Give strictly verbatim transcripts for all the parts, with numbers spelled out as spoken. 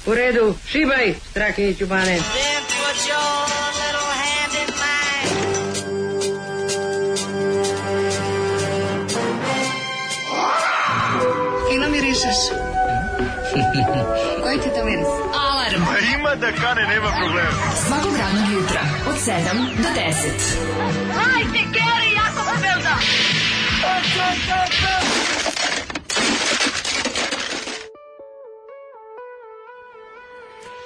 U redu, šibaj, Strahinjić u bane. Fino mirišeš. Koji ti to miris? Alarm. A ima da kane, nema problema. Svakog radnog jutra, od sedam do deset. Hajde, Geri, jako se velda.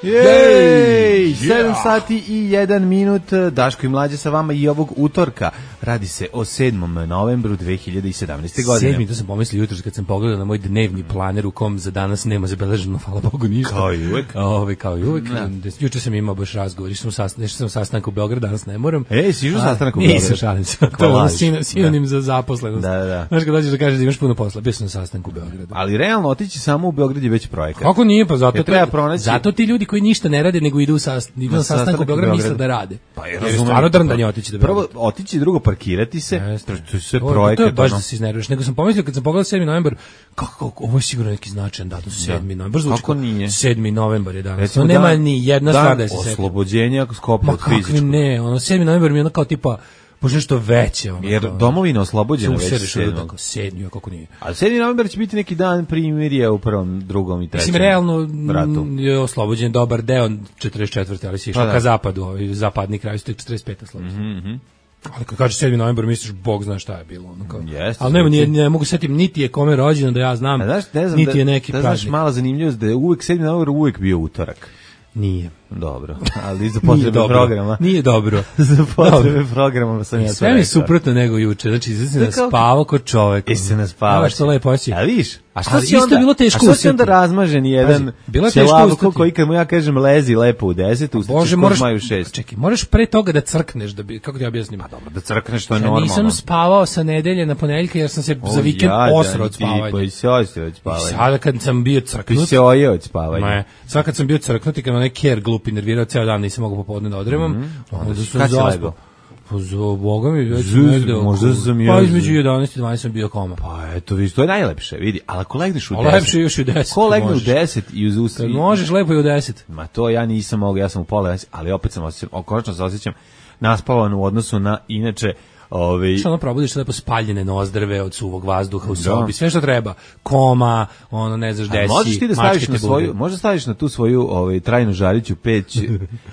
Jej, sedam sati i jedan minut, Daško i Mlađa sa vama i ovog utorka. Radi se o sedmom novembru dve hiljade sedamnaeste. godine. Sedmi, to sam pomislio jutros kad sam pogledao na moj dnevni planer u kom za danas nema zabeleženo, hvala Bogu, ništa. Kao i uvek. Ove, kao i uvek. Juče sam imao baš razgovor, išao sam sastan, sam sastanak u Beogradu, danas ne moram. Ej, si išao sastanak u Beogradu? Nisam, šalim se. To je ono sin, sinonim za zaposlenost. Da, da. Znaš kad dođeš da kažeš da imaš puno posla, bio sam na sastanku u Beogradu. Ali realno otići samo u Beograd je već projekat. Kako nije, pa zato, treba pronaći... zato ti ljudi koji ništa ne rade nego idu, sast, idu na, na sastanak u Beogradu misle da rade. Pa je stvarno drndanje otići da prvo otići, drugo parkirati se. Jeste. To je sve projekat. To je baš da se iznerviš. Nego sam pomislio kad sam pogledao sedmi novembar, kako ovo je sigurno neki značajan datum, sedmi novembar. Kako nije? sedmi novembar je danas. To nema ni jedna stvar da se seti. Oslobođenja Skoplja od fizičkog. Ma kakvi ne, ono sedmi novembar mi je ono kao tipa možda nešto veće. Ono, jer domovina oslobođena već sedmog. sedmi, kako nije. A sedmi novembar će biti neki dan primirja u prvom, drugom i trećem. Mislim, realno ratu. Je oslobođen dobar deo četrdeset četvrte ali si išao pa ka zapadu, ovaj zapadni kraj, to je četrdeset pete oslobođen. Mm-hmm. Ali kad kaže sedmi novembar misliš Bog zna šta je bilo, ono kao. Yes, ali nema ni ne mogu setim niti je kome rođendan da ja znam, znaš, ne znam niti da, je neki da, praznik. Znaš, mala zanimljivost da je uvek sedmi novembar uvek bio utorak. Nije. Dobro, ali za potrebe programa. Nije dobro. Za potrebe programa sam ja sve mi suprotno nego juče. Znači, izvesno da spavao kod čoveka. I se ne spavaš. Što lepo osi. A viš? A što ali si onda, bilo teško a što si onda razmažen jedan ćelavko koji kad mu ja kažem lezi lepo u deset, ustaćeš kod maju šest. Čekaj, moraš pre toga da crkneš, da bi, kako ti objasnim? Pa dobro, da crkneš, to je normalno. Ja nisam spavao sa nedelje na ponedeljka jer sam se za vikend osro od spavanja. Pa i se osi od spavanja. I sada kad sam bio crknut. I se oje od spavanja. Ne, sad kad sam bio crknut i kad me neki ker glup nervirao ceo dan, nisam mogao popodne da odremam. Onda sam zaspao. Pa za Boga mi već negde oko, pa između jedanaest i dvanaest sam bio koma. Pa eto, vidiš, to je najlepše, vidi, ali ako legneš u deset... A lepše još i u deset. Ko legne u deset i uz usta... Možeš lepo i u deset. Ma to ja nisam mogao, ja sam u pola deset, ali opet sam osjećam, konačno se osjećam naspavan u odnosu na, inače... Ove... Što ono probudiš lepo spaljene nozdrve od suvog vazduha u sobi, sve što treba, koma, ono ne znaš desi, možeš ti da staviš na svoju, možda staviš na tu svoju ovaj, trajnu žariću peć,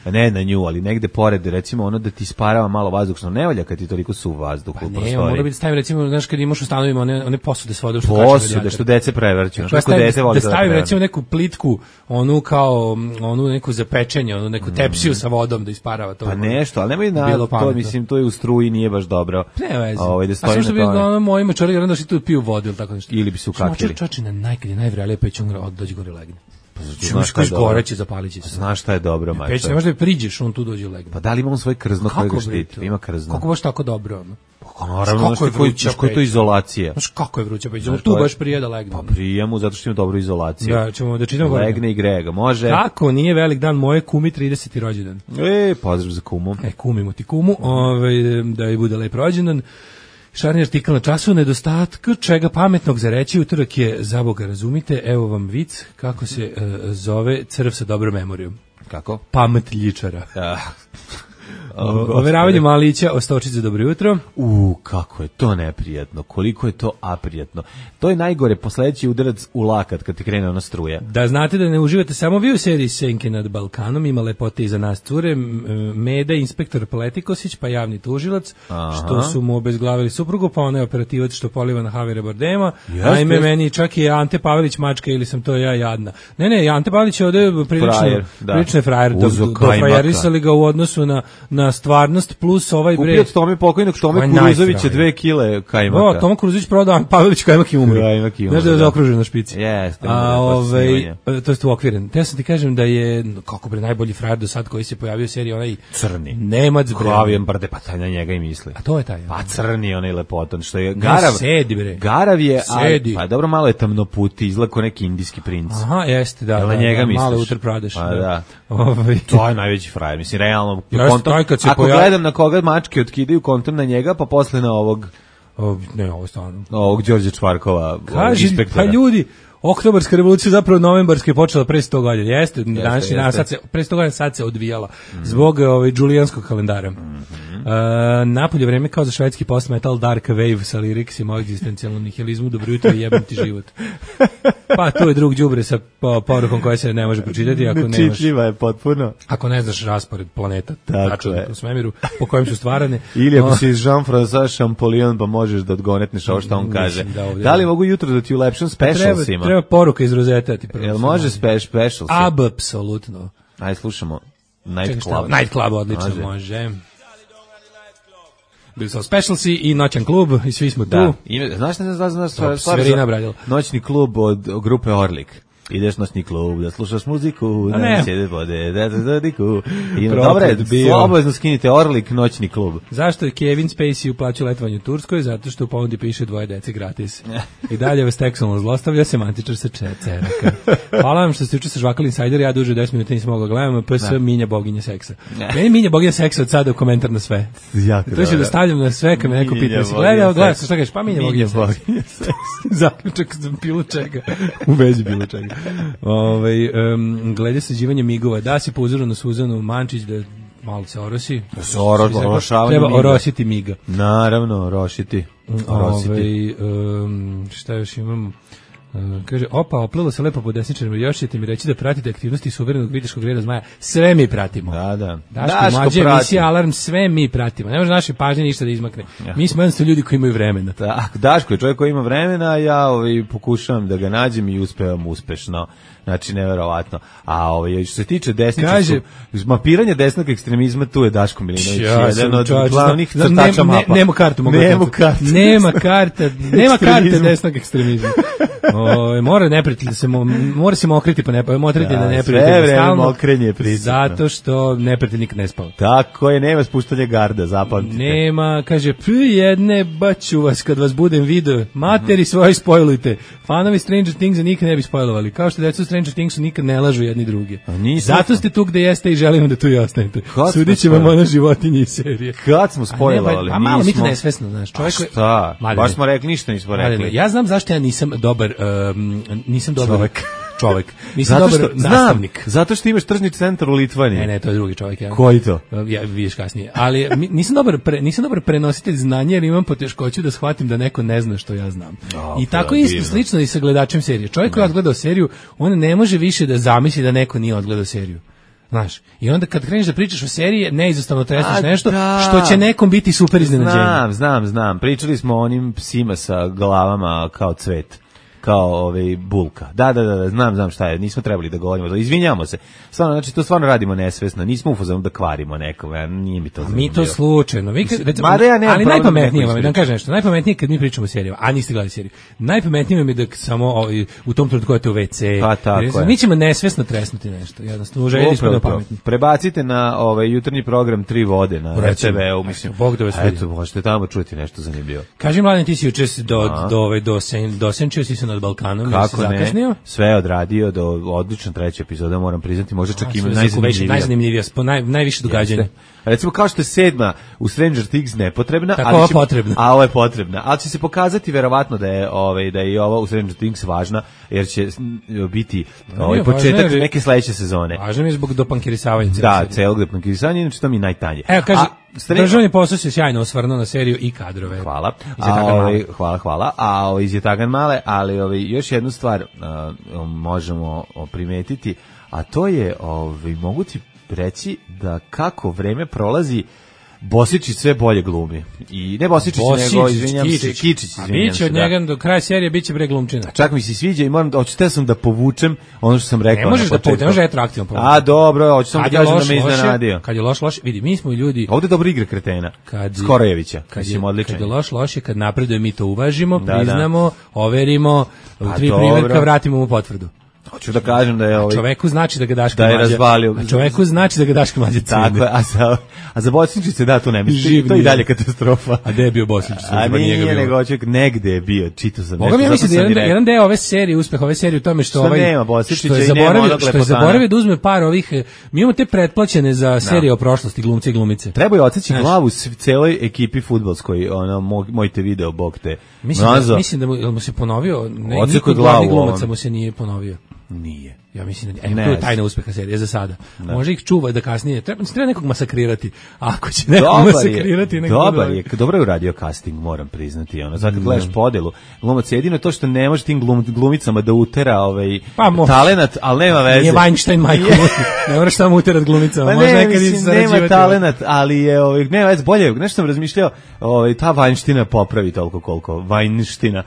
ne na nju, ali negde pored, recimo ono da ti sparava malo vazduh, što ne valja kad ti toliko suv vazduh pa u prostoriji. Ne, mora biti stavim, recimo, znaš kad imaš u stanovima one, one posude s vodom, što posude, što dece prevrću, što stavim, dece voli da stavim, recimo, neku plitku, onu kao, onu neku za pečenje, onu neku tepsiju sa vodom da isparava to. Pa nešto, ali nemoj na to, mislim, to je u struji, nije baš dobro. Ne vezi. Ovaj da stoji na tome. A što bi moji mačari jedan da se tu piju vodu ili tako nešto. Ili bi se ukakili. Čači na najkad je najvrelije peć on od dođe gore legne. Pa znaš šta je goreće zapalići se. Znaš šta je dobro, mačar. Peć ne može da priđeš, on tu dođe legne. Pa da li ima on svoj krzno koje ga štiti? Ima krzno. Kako baš tako dobro ono? Pa naravno, znaš koji je to izolacija. Znaš kako je vruća peć, on tu baš prije da legne. Pa prije mu zato što ima dobru izolaciju. Da, ćemo da čitamo gore. Legne i grega, može. Kako nije velik dan moje kumi trideseti rođendan. E, pozdrav za kumu. E, kumimo ti kumu, ovaj da je bude lep rođendan. Šarni artikl na času, nedostatka čega pametnog za reći, utorak je, za Boga razumite, evo vam vic, kako se uh, zove crv sa dobrom memorijom. Kako? Pamet ljičara. Ja. Overavanje malića o stočici, dobro jutro. U, kako je to neprijatno, koliko je to aprijatno. To je najgore, posledeći udarac u lakat kad ti krene ona struja. Da znate da ne uživate samo vi u seriji Senke nad Balkanom, ima lepote i za nas cure, Meda, inspektor Pletikosić, pa javni tužilac, aha, što su mu obezglavili suprugu, pa onaj operativac što poliva na Havire Bardema, a ime meni čak i Ante Pavelić mačka ili sam to ja jadna. Ne, ne, Ante Pavelić je ovde prilično, frajer, da. prilično je frajer, do, dofrajerisali ga u odnosu na, na stvarnost plus ovaj bre. Kupio od Tome pokojnog Tome Kuruzovića dve kile kajmaka. O, Tome Kuruzović prodao, Pavelić kajmak i umre. Kajmak i umre. Znaš da je zaokružen na špici. Jeste. A, ovaj, to jest uokviren. Te sam ti kažem da je, kako bre, najbolji frajer do sad koji se pojavio u seriji, onaj crni. Nemac bre. Glavijan brde, pa taj na njega i misli. A to je taj. Pa crni, onaj lepotan, što je Garav. Sedi bre. Garav je, ali, pa dobro, malo je tamnoputi, izgleda kao neki indijski princ. Aha, jeste, da. Na njega misliš. Malo Uttar Pradeš. Pa da. To je najveći frajer, mislim, realno. Ako gledam na koga mačke otkidaju kontom na njega, pa posle na ovog o, ne, ovo stvarno. Ovog Đorđe Čvarkova, kaži, pa ljudi, Oktobarska revolucija zapravo novembarska je počela pre sto godina. Jeste, današnji dan, sad se, pre sto godina sad se odvijala mm. zbog ovaj, džulijanskog kalendara. Mm-hmm. Uh, napolje vreme kao za švedski post-metal dark wave sa liriksima o egzistencijalnom nihilizmu, dobro jutro i jebem ti život. Pa to je drug đubre sa po, porukom koja se ne može pročitati ako nemaš. Čitljiva je potpuno. Ako ne znaš raspored planeta, tačno u svemiru po kojem su stvarane. Ili ako si Jean-François Champollion pa možeš da odgonetneš ovo što on kaže. Da, da li mogu jutro da ti ulepšam specialsima? Treba, treba poruka iz rozeta ti prvo. Jel može spe, specials? Apsolutno. Ajde slušamo Night Čekaj, Club. Night Club odlično može. može. Bili su specialsi i noćan klub i svi smo tu. Da. Ime, znaš ne znaš znaš stvar, stvar noćni klub od grupe Orlik. Ideš noćni klub da slušaš muziku, da ne sjede vode, da da da diku. I dobre, slobodno skinite Orlik noćni klub. Zašto je Kevin Spacey uplaćao letovanje u Turskoj? Zato što u ponudi piše dvoje dece gratis. I dalje vas tekstualno zlostavlja semantičar sa ceraka. Hvala vam što ste juče sažvakali Insider, ja duže deset minuta nisam mogao gledam, pa se Minja boginja seksa. Meni Minja boginja seksa od sada u komentar na sve. Jako to ću da stavljam na sve kad me neko pita, si gledao, gledao, šta kažeš, pa Minja boginja seksa. Zaključak za bilo čega. U vezi bilo čega. Ovaj um, glede sađivanja migova, da si po uzoru na Suzanu Mančić da malo se orosi. Da se orošavanje treba orositi miga. Naravno, orošiti. Ovaj um, šta još imamo? Uh, kaže, opa, oplilo se lepo po desničarima, još ćete mi reći da pratite aktivnosti suverenog viteškog reda zmaja. Sve mi pratimo. Da, da. Daško, Daško mlađe, emisija Alarm, sve mi pratimo. Ne može naše pažnje ništa da izmakne. Ja. Mi smo jednostavno ljudi koji imaju vremena. Tak, Daško je čovjek koji ima vremena, ja ovaj, pokušavam da ga nađem i uspevam uspešno. Znači, neverovatno. A ovaj, što se tiče desničarskog, mapiranje desnog ekstremizma, tu je Daško Milinović. Ja jedan od čovječ, glavnih znam, crtača ne, mapa. Ne, nema kartu. Mogu nema kartu. Nema karta. Nema karte desnog ekstremizma. O, mora neprijatelj se mora se mokriti pa ne motriti da, da neprijatelj sve vreme mokrenje prisutno. Zato što neprijatelj nikad ne spava. Tako je, nema spuštanja garda, zapamtite. Nema, kaže, p jedne baću vas kad vas budem video. Materi svoje spojlujte. Fanovi Stranger Things nikad ne bi spojlovali. Kao što deca Stranger Thingsu nikad ne lažu jedni drugi. Zato ste tu gde jeste i želimo da tu i ostanete. Sudiće vam ona životinje iz serije. Kad smo spojlovali? A malo mi to nesvesno, znaš. Čovjek šta? Baš smo rekli, ništa nismo rekli. Ja znam zašto ja nisam dobar Um, nisam dobar čovjek. Čovjek. Nisam zato dobar što, nastavnik. Znam, zato što imaš tržni centar u Litvaniji. Ne, ne, to je drugi čovjek. Ja. Koji to? Ja, vidiš kasnije. Ali nisam dobar, pre, nisam dobar prenositelj znanja jer imam poteškoću da shvatim da neko ne zna što ja znam. O, I tako je isto slično i sa gledačem serije. Čovjek koji je odgledao seriju, on ne može više da zamisli da neko nije odgledao seriju. Znaš, i onda kad kreneš da pričaš o seriji, neizostavno tresneš nešto da. Što će nekom biti super iznenađenje. Znam, znam, znam. Pričali smo o onim psima sa glavama kao cvet. Kao ovaj bulka. Da, da, da, znam, znam šta je. Nismo trebali da govorimo. Izvinjavamo se. Stvarno, znači to stvarno radimo nesvesno. Nismo u fazonu da kvarimo nekome. Nije mi to zanimljivo. Mi to slučajno. Vi kad, recimo, ja ali najpametnije vam je, da kažem nešto, najpametnije kad mi pričamo o serijama, a niste gledali seriju. Najpametnije vam je da samo ovaj, u tom trenutku odete u ve ce. Pa tako je. Mi ćemo nesvesno tresnuti nešto. Jednostavno, željeli smo da pametni. Prebacite na ovaj jutarnji program Tri vode na er te ve-u, mislim. Bog da vas vidi. Eto, možete tamo čuti nešto zanimljivo. Kaži Mladen, ti si juče do do ovaj do sen dosenčio si se nad Balkanom. Kako ne, sve je odradio do odlična treća epizoda, moram priznati, možda čak ima najzanimljivija. Najzanimljivija, naj, najviše događanja. Recimo kao što je sedma u Stranger Things nepotrebna, tako ali će, potrebna. A ovo je potrebna. Ali će se pokazati verovatno da je ovaj da je i ovo u Stranger Things važna, jer će biti ovaj početak je, neke sledeće sezone. Važno mi je zbog dopankirisavanja. Da, celog dopankirisanja, znači to mi je najtanje. Evo kaže, državni posao se sjajno osvrnuo na seriju i kadrove. Hvala. A, ovaj, hvala, hvala. A ovaj iz Jetagan male, ali ovaj još jednu stvar uh, možemo primetiti, a to je ovaj mogu ti reći da kako vreme prolazi Bosičić sve bolje glumi. I ne Bosičić, Bosičić nego izvinjam se, Kičić, izvinjam se. A biće od njega do kraja serije biće bre glumčina. Čak mi se sviđa i moram da hoćete sam da povučem ono što sam rekao. Ne možeš da povučeš, ne može retroaktivno povući. A dobro, hoću sam da kažem da me iznenadio. Kad je loš loš, vidi, mi smo ljudi. Ovde dobro igra kretena. Skorojevića, kad je odličan. Kad je loš loš, kad napreduje mi to uvažimo, priznamo, overimo, u tri primerka vratimo mu potvrdu. Hoću da kažem da je ovaj čoveku znači da ga Daško da je mlađa. razvalio. A čoveku znači da ga Daško mlađa cene. Tako je, a za, a za Bosničice da, to ne misli, to je i dalje katastrofa. A gde je bio Bosničice? A nije, nego čovjek negde je bio, čitao sam nešto. Boga mi ja mislim da jedan, jedan deo ove serije, uspeh ove serije u tome što, što ovaj, nema Bosničića što je zaboravio, što je zaboravio da uzme par ovih, mi imamo te pretplaćene za serije no. o prošlosti, glumci i glumice. Treba je odseći glavu celoj ekipi fudbalskoj, ono, mojte video, bog te. Mislim da, mislim da mu, mu se ponovio, ne, niko od glavnih glumaca mu se nije ponovio. Nije. Ja mislim da e, to je tajna uspeha serije za sada. Ne. Može ih čuva da kasnije treba, treba nekog masakrirati. Ako će nekog dobar masakrirati, nekog dobar je, dobro je uradio casting, moram priznati. Ono, zato kad gledaš podelu, glumac jedino to što ne može tim glum, glumicama da utera ovaj pa, talenat, ali nema veze. Nije Weinstein Michael. Ne moraš tamo uterat glumicama. Pa može ne, nekad mislim, nema talenat, ali je ovaj nema veze, bolje, nešto sam razmišljao, ovaj ta Weinsteina popravi toliko koliko Weinsteina,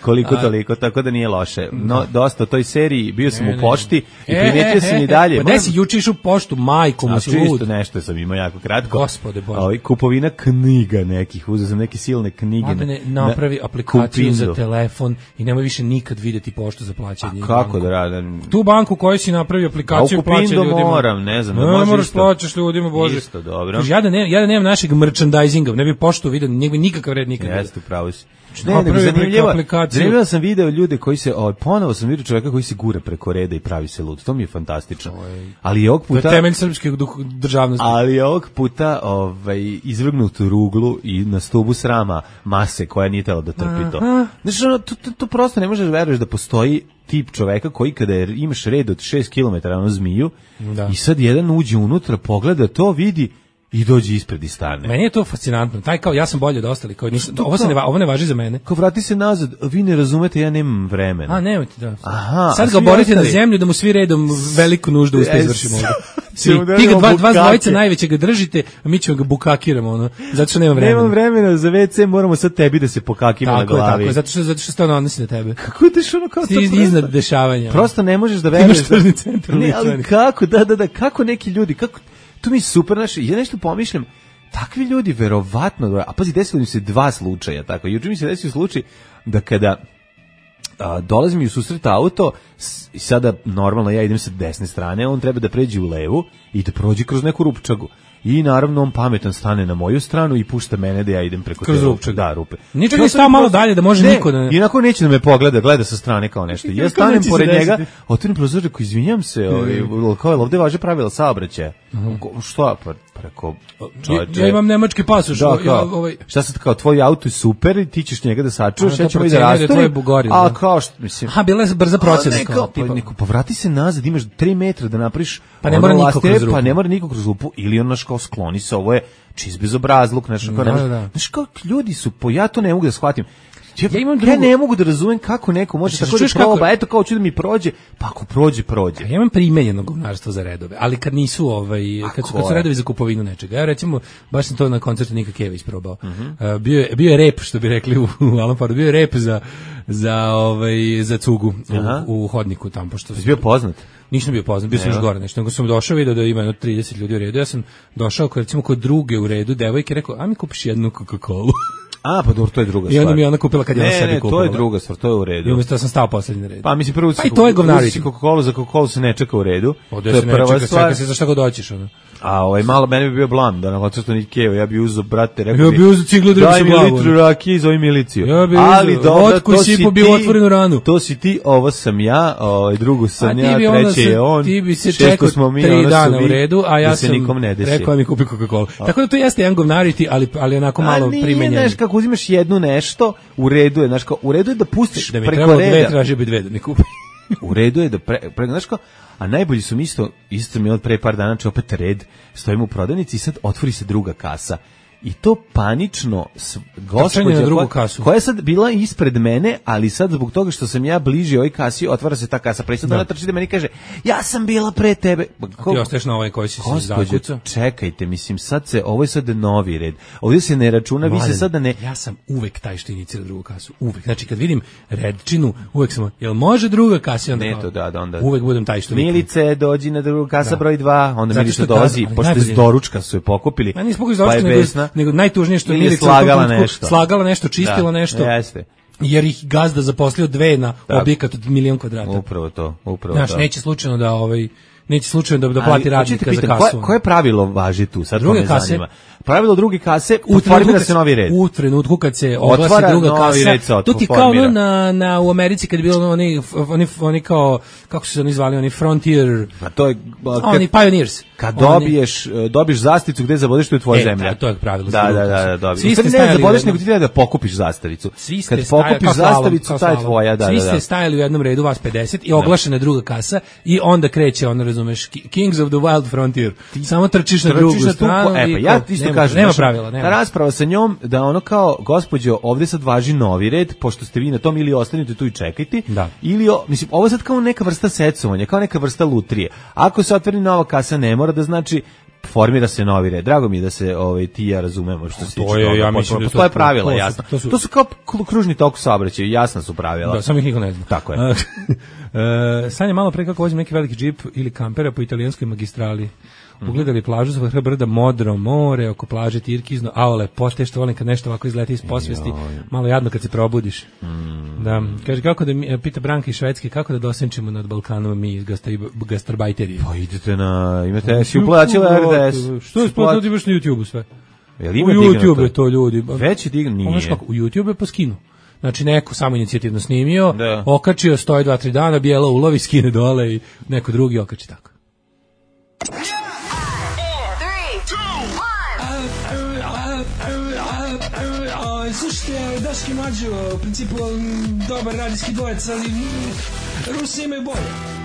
koliko toliko, tako da nije loše. No dosta toj seriji bio sam u pošti i primetio sam i dalje. Pa gde si juče išao u poštu, majko mu si lud. Nešto sam imao jako kratko. Gospode Bože. Ovaj kupovina knjiga nekih, uzeo sam neke silne knjige. Mladene, napravi aplikaciju za telefon i nemoj više nikad videti poštu za plaćanje. A kako da radim? Tu banku koju si napravio aplikaciju plaća ljudima. Moram, ne znam, ne, ne moraš plaćaš ljudima, Bože. Isto, dobro. Ja da ne, ja da nemam našeg merchandisinga, ne bi poštu video, ne bi nikakav red nikad. Jeste, pravo si. Ne, ne, zanimljivo, zanimljivo sam video ljude koji se, ovaj, ponovo sam vidio čovjeka koji se gure preko reda i pravi se lud, to mi je fantastično. Ali je ovog puta... To je temelj srpske državnosti. Ali je ovog puta ovaj, izvrgnut u ruglu i na stubu srama mase koja nije tela da trpi to. Znači, ono, to, to, to prosto ne možeš veruješ da postoji tip čoveka koji kada je, imaš red od šest kilometara na zmiju da. I sad jedan uđe unutra, pogleda to, vidi i dođe ispred i stane. Meni je to fascinantno. Taj kao ja sam bolji od ostalih, koji nisu, ovo se ne ovo ne važi za mene. Kao vrati se nazad, vi ne razumete, ja nemam vremena. A nemojte da. Aha, sad ga borite na zemlju da mu svi redom veliku nuždu uspe izvršimo ovde. Svi, ti ga dva, dva dvojice najveće ga držite, a mi ćemo ga bukakiramo, ono, zato što nema vremena. Nemam vremena za ve ce, moramo sad tebi da se pokakimo na glavi. Tako je, zato što, zato što se ono odnosi na tebe. Kako ideš ono kao to? Ti iznad dešavanja. Prosto ne možeš da veruješ. Ne, ali kako, da, da, da, kako neki ljudi, kako, to mi je super, naši, ja nešto pomišljam, takvi ljudi verovatno, a pazi, desilo mi se dva slučaja, tako, juče mi se desio slučaj da kada a, dolazi mi u susret auto i sada normalno ja idem sa desne strane, on treba da pređe u levu i da prođe kroz neku rupčagu. I naravno on pametan stane na moju stranu i pušta mene da ja idem preko kroz te rupčag. Da, rupe. Ničeg je stao malo dalje da može ne, niko da... I onako neće da me pogleda, gleda sa strane kao nešto. Ja stanem pored njega, otvorim prozor, rekao, izvinjam se, ovaj, kao je ovde važe pravila saobraćaja. Uh-huh. Što? Pa, preko... Ja, ja imam nemački pasoš. Da, kao, ja, ovaj... Šta sad kao, tvoj auto je super i ti ćeš njega da sačuvaš, ja ćemo i da rasturim. A kao što, mislim... Aha, bila je brza procena. Ne, kao, pa, neko, pa vrati se nazad, imaš tri metra da napriš... Pa ne mora niko kroz rupu. Pa ne mora niko kroz rupu, ili on naš kao skloni se, ovo je čiz bezobrazluk, znaš, kao, da, da. Znaš, kao ljudi su, po, ja to ne mogu da shvatim. Ja, ja, imam drugu... ja ne mogu da razumem kako neko može znači, tako da proba, kako... eto kao ću da mi prođe, pa ako prođe, prođe. Ja imam primenjeno govnarstvo za redove, ali kad nisu, ovaj, kad su, kad su redovi za kupovinu nečega. Ja recimo, baš sam to na koncertu Nika Kević probao. Uh-huh. Uh, bio, je, bio je rep, što bi rekli u, u Alan Pardu, bio je rep za, za, ovaj, za cugu u, u hodniku tamo. Pošto je bio poznat? Nisam bio poznat, bio sam još gore nešto, nego sam došao, vidio da ima jedno trideset ljudi u redu, ja sam došao kod, recimo, kod druge u redu, devojke, rekao, a mi kupiš jednu Coca-Colu. A, pa dobro, to je druga stvar. I onda mi je ona kupila kad je ona sebi kupila. Ne, ne, to je druga stvar, to je u redu. I umjesto da sam stao poslednji na redu. Pa mislim, prvo pa i to je govnariti. Coca-Cola, za Coca-Cola se ne čeka u redu. Ovdje se ne čeka, čeka se za šta god doćiš, ono. A ovaj malo mene bi bio blam da na koncertu Nikeo, ja bi uzeo brate, rekao ja bi uzeo ciglu da se glavu. Daj mi litru rakije i zove miliciju. Ja bi ali dobro, to si ti. Bio otvorenu ranu. To si ti, ovo sam ja, ovaj drugu sam a ja, treći je on. Ti bi se čekao tri dana u redu, a ja sam rekao mi kupi Coca-Cola. Tako da to jeste jedan govnariti, ali ali onako malo primenjen. Znaš kako uzimaš jednu nešto, u redu je, znaš kao u redu je da pustiš da mi preko reda. Dve, traži bi dve da mi kupi. U redu je da pre, pre znaš kao, a najbolji su mi isto, isto mi od pre par dana, če opet red, stojimo u prodavnici i sad otvori se druga kasa. I to panično gospođa koja, koja je sad bila ispred mene, ali sad zbog toga što sam ja bliži ovoj kasi, otvara se ta kasa. Presad ona trči da meni kaže, ja sam bila pre tebe. Ko, ti ostaješ na ovoj koji si se zakucao? Čekajte, mislim, sad se, ovo je sad novi red. Ovdje se ne računa, Mladen, vi se sada ne... Ja sam uvek taj što inicira drugu kasu. Uvek. Znači, kad vidim redčinu, uvek sam, jel može druga kasa? Onda, ne, to da, da, onda... Uvek budem taj što... Milice, dođi na drugu kasa da. Broj dva, onda Milice dolazi, pošto s doručka su je pokupili, pa je besna. Nego najtužnije što Milica slagala nešto, slagala nešto, čistila da, nešto. Jeste. jer ih gazda zaposlio dve na tako. Objekat od milion kvadrata. Upravo to, upravo Znaš, to. neće slučajno da ovaj neće slučajno da, da plati radnika za kasu. Koje, koje pravilo važi tu? Sad druge to me kase, zanima. Pravilo druge kase, formira se novi red. U trenutku kad se oglasi otvara druga kasa, red to ti kao no, na, na, u Americi kad je bilo oni, oni, oni kao, kako su se oni zvali, oni frontier, a to je, kad, oni pioneers. Kad dobiješ, dobiješ zasticu gde zabodeš, to je tvoja e, zemlja. Da, to je pravilo. Da, da, da, da, dobiješ. Svi ste ne zabodeš, nego ti treba da pokupiš zastavicu. Kad pokupiš zastavicu, ta je tvoja, da, da, da. Svi ste stajali u jednom redu, vas pedeset, i oglašena druga kasa, i onda kreće, ono, razumeš, Kings of the Wild Frontier. Samo trčiš na drugu stranu. E, pa ja isto kažem, nema pravila, nema. Ta rasprava sa njom, da ono kao, gospođo, ovde sad važi novi red, pošto ste vi na tom, ili ostanite tu i čekajte, da. Ili, mislim, ovo sad kao neka vrsta secovanja, kao neka vrsta lutrije. Ako se otvori nova kasa, ne mora da znači formira se novi red. Drago mi je da se ovaj ti ja razumemo što se tiče toga. Ja mislim da to je pravila, to, jasno. To su, to su kao kružni tok saobraćaja, jasna su pravila. Da, samo ih niko ne zna. Tako je. Uh, Sanja malo pre kako vozim neki veliki džip ili kampera po italijanskoj magistrali. Ugledali plažu sa vrha brda, modro more, oko plaže Tirkizno, a o lepote, što volim kad nešto ovako izleti iz posvesti, malo jadno kad se probudiš. Mm. Da, kaže, kako da, mi, pita Branka iz Švedske, kako da dosenčimo nad Balkanom mi iz gastarbajterije? Pa idete na, imate, si uplaćila R D S. Što je splatno, ti imaš na YouTube-u sve? Jel ima u YouTube je to ljudi. Već je digno, nije. Kako, u YouTube je po skinu. Znači neko samo inicijativno snimio, da. Okačio, stoji dva, tri dana, bijela ulovi, skine dole i neko drugi okači tako. Slušajte, Daški Mađo, u principu dobar radijski dvojec, ali Rusi imaju bolje.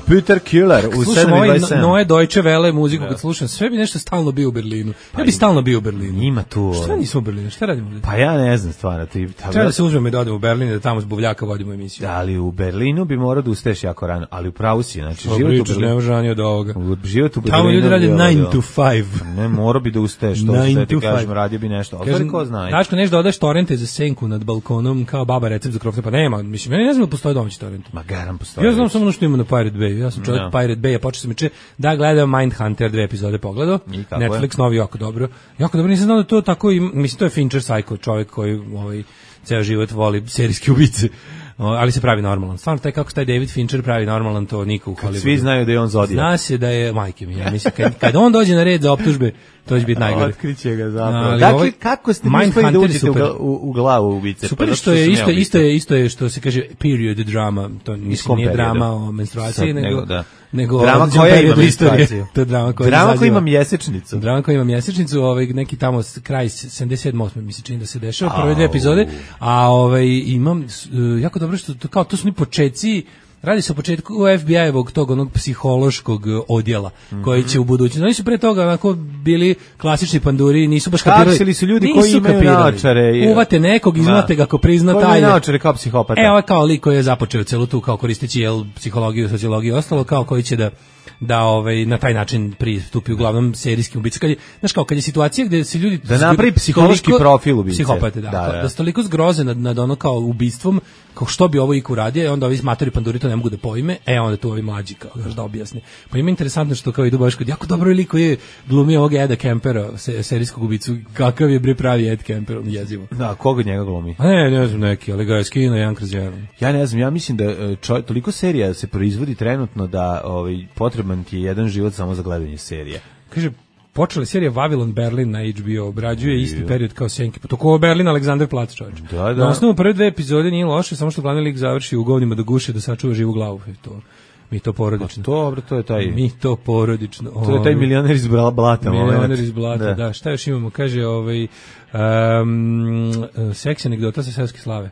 Peter Killer u sedam i dvadeset sedam. Noe Deutsche Welle muziku kad slušam, sve bi nešto stalno bio u Berlinu. Ja bi stalno bio u Berlinu. Ima tu. Šta nismo u Berlinu? Šta radimo ovdje? Pa ja ne znam stvarno. Ti, treba da se uzmemo i da odemo u Berlin da tamo s buvljaka vodimo emisiju. Da, ali u Berlinu bi morao da ustaješ jako rano, ali u pravu si, znači o, život pričaš, u Berlinu. Ne može ranije od ovoga. Život u Berlinu. Tamo ljudi rade nine to five. Ne, morao bi da ustaješ, to što ti kažem, radio bi nešto. Ali ko zna. Daško, nešto da odeš torrente za senku nad balkonom kao baba recept za krofne, pa nema, mislim, meni ne znam da postoji domaći torrent. Ma garam postoji. Ja znam samo ono što ima na Pirate Bay. Ja sam čovjek no. Pirate Bay, a počeo sam juče da gledam Mindhunter, dve epizode pogledao. Netflix je? Novi, jako dobro. Jako dobro, nisam znao da to tako i mislim to je Fincher Psycho, čovjek koji ovaj ceo život voli serijske ubice. Ali se pravi normalan. Stvarno taj kako taj David Fincher pravi normalan, to niko u Hollywoodu. Svi znaju da je on Zodijak. Zna se da je majke mi. Ja mislim kad, kad on dođe na red za optužbe, to će biti najgore. Otkriće ga zapravo. Dakle, ovaj, kako ste mislili da uđete u, u, u glavu ubice? Super pa što je isto, isto je isto je što se kaže period drama, to mislim nije drama o menstruaciji, nego, nego da. Nego drama koja ima menstruaciju. To je drama koja drama koja ima mjesečnicu. Drama koja ima mjesečnicu, ovaj neki tamo kraj sedamdeset sedam osam mi se čini da se dešava prve dve epizode, a ovaj imam jako dobro što to kao to su ni počeci. Radi se o početku F B I-evog tog onog psihološkog odjela mm-hmm. koji će u budućnosti. Oni su pre toga onako bili klasični panduri, nisu baš kapirali. Kapsili su ljudi koji imaju naočare. I... Uvate nekog, izmate ga ako prizna taj. Koji imaju naočare kao psihopata. E, ovo je kao lik koji je započeo celu tu kao koristeći jel, psihologiju, sociologiju i ostalo, kao koji će da da ovaj na taj način pristupi uglavnom serijskim ubicama. Kad je, znaš kao kad je situacija gde se ljudi da napravi psihološki profil ubice. Psihopate, da. Da, da. da su toliko zgroze nad, nad ono kao ubistvom, kao što bi ovo iko uradio, i onda ovi matori panduri to ne mogu da pojme, e onda tu ovi mlađi kao da objasni. Pa ima interesantno što kao idu baš kod jako dobro lik koji je glumio ovog Eda Kempera, se, serijskog ubicu, kakav je bre pravi Ed Kemper, on jezivo. Da, koga njega glumi? A ne, ne znam neki, ali ga je skinuo jedan kroz jedan. Ja ne znam, ja mislim da čo, toliko serija se proizvodi trenutno da ovaj potreban ti je jedan život samo za gledanje serije. Kaže, počela je serija Vavilon Berlin na H B O, obrađuje isti period kao Senke. Pa to ko Berlin, Aleksandar Plac, čovječ. Da, da. Na osnovu prve dve epizode nije loše, samo što glavni lik završi u govnima do guše da sačuva živu glavu. To, mi to porodično. Pa to, to je taj... Mi to porodično. To je taj milioner iz blata. Milioner iz blata, da. da. Šta još imamo? Kaže, ovaj, um, seks anegdota sa seoske slave.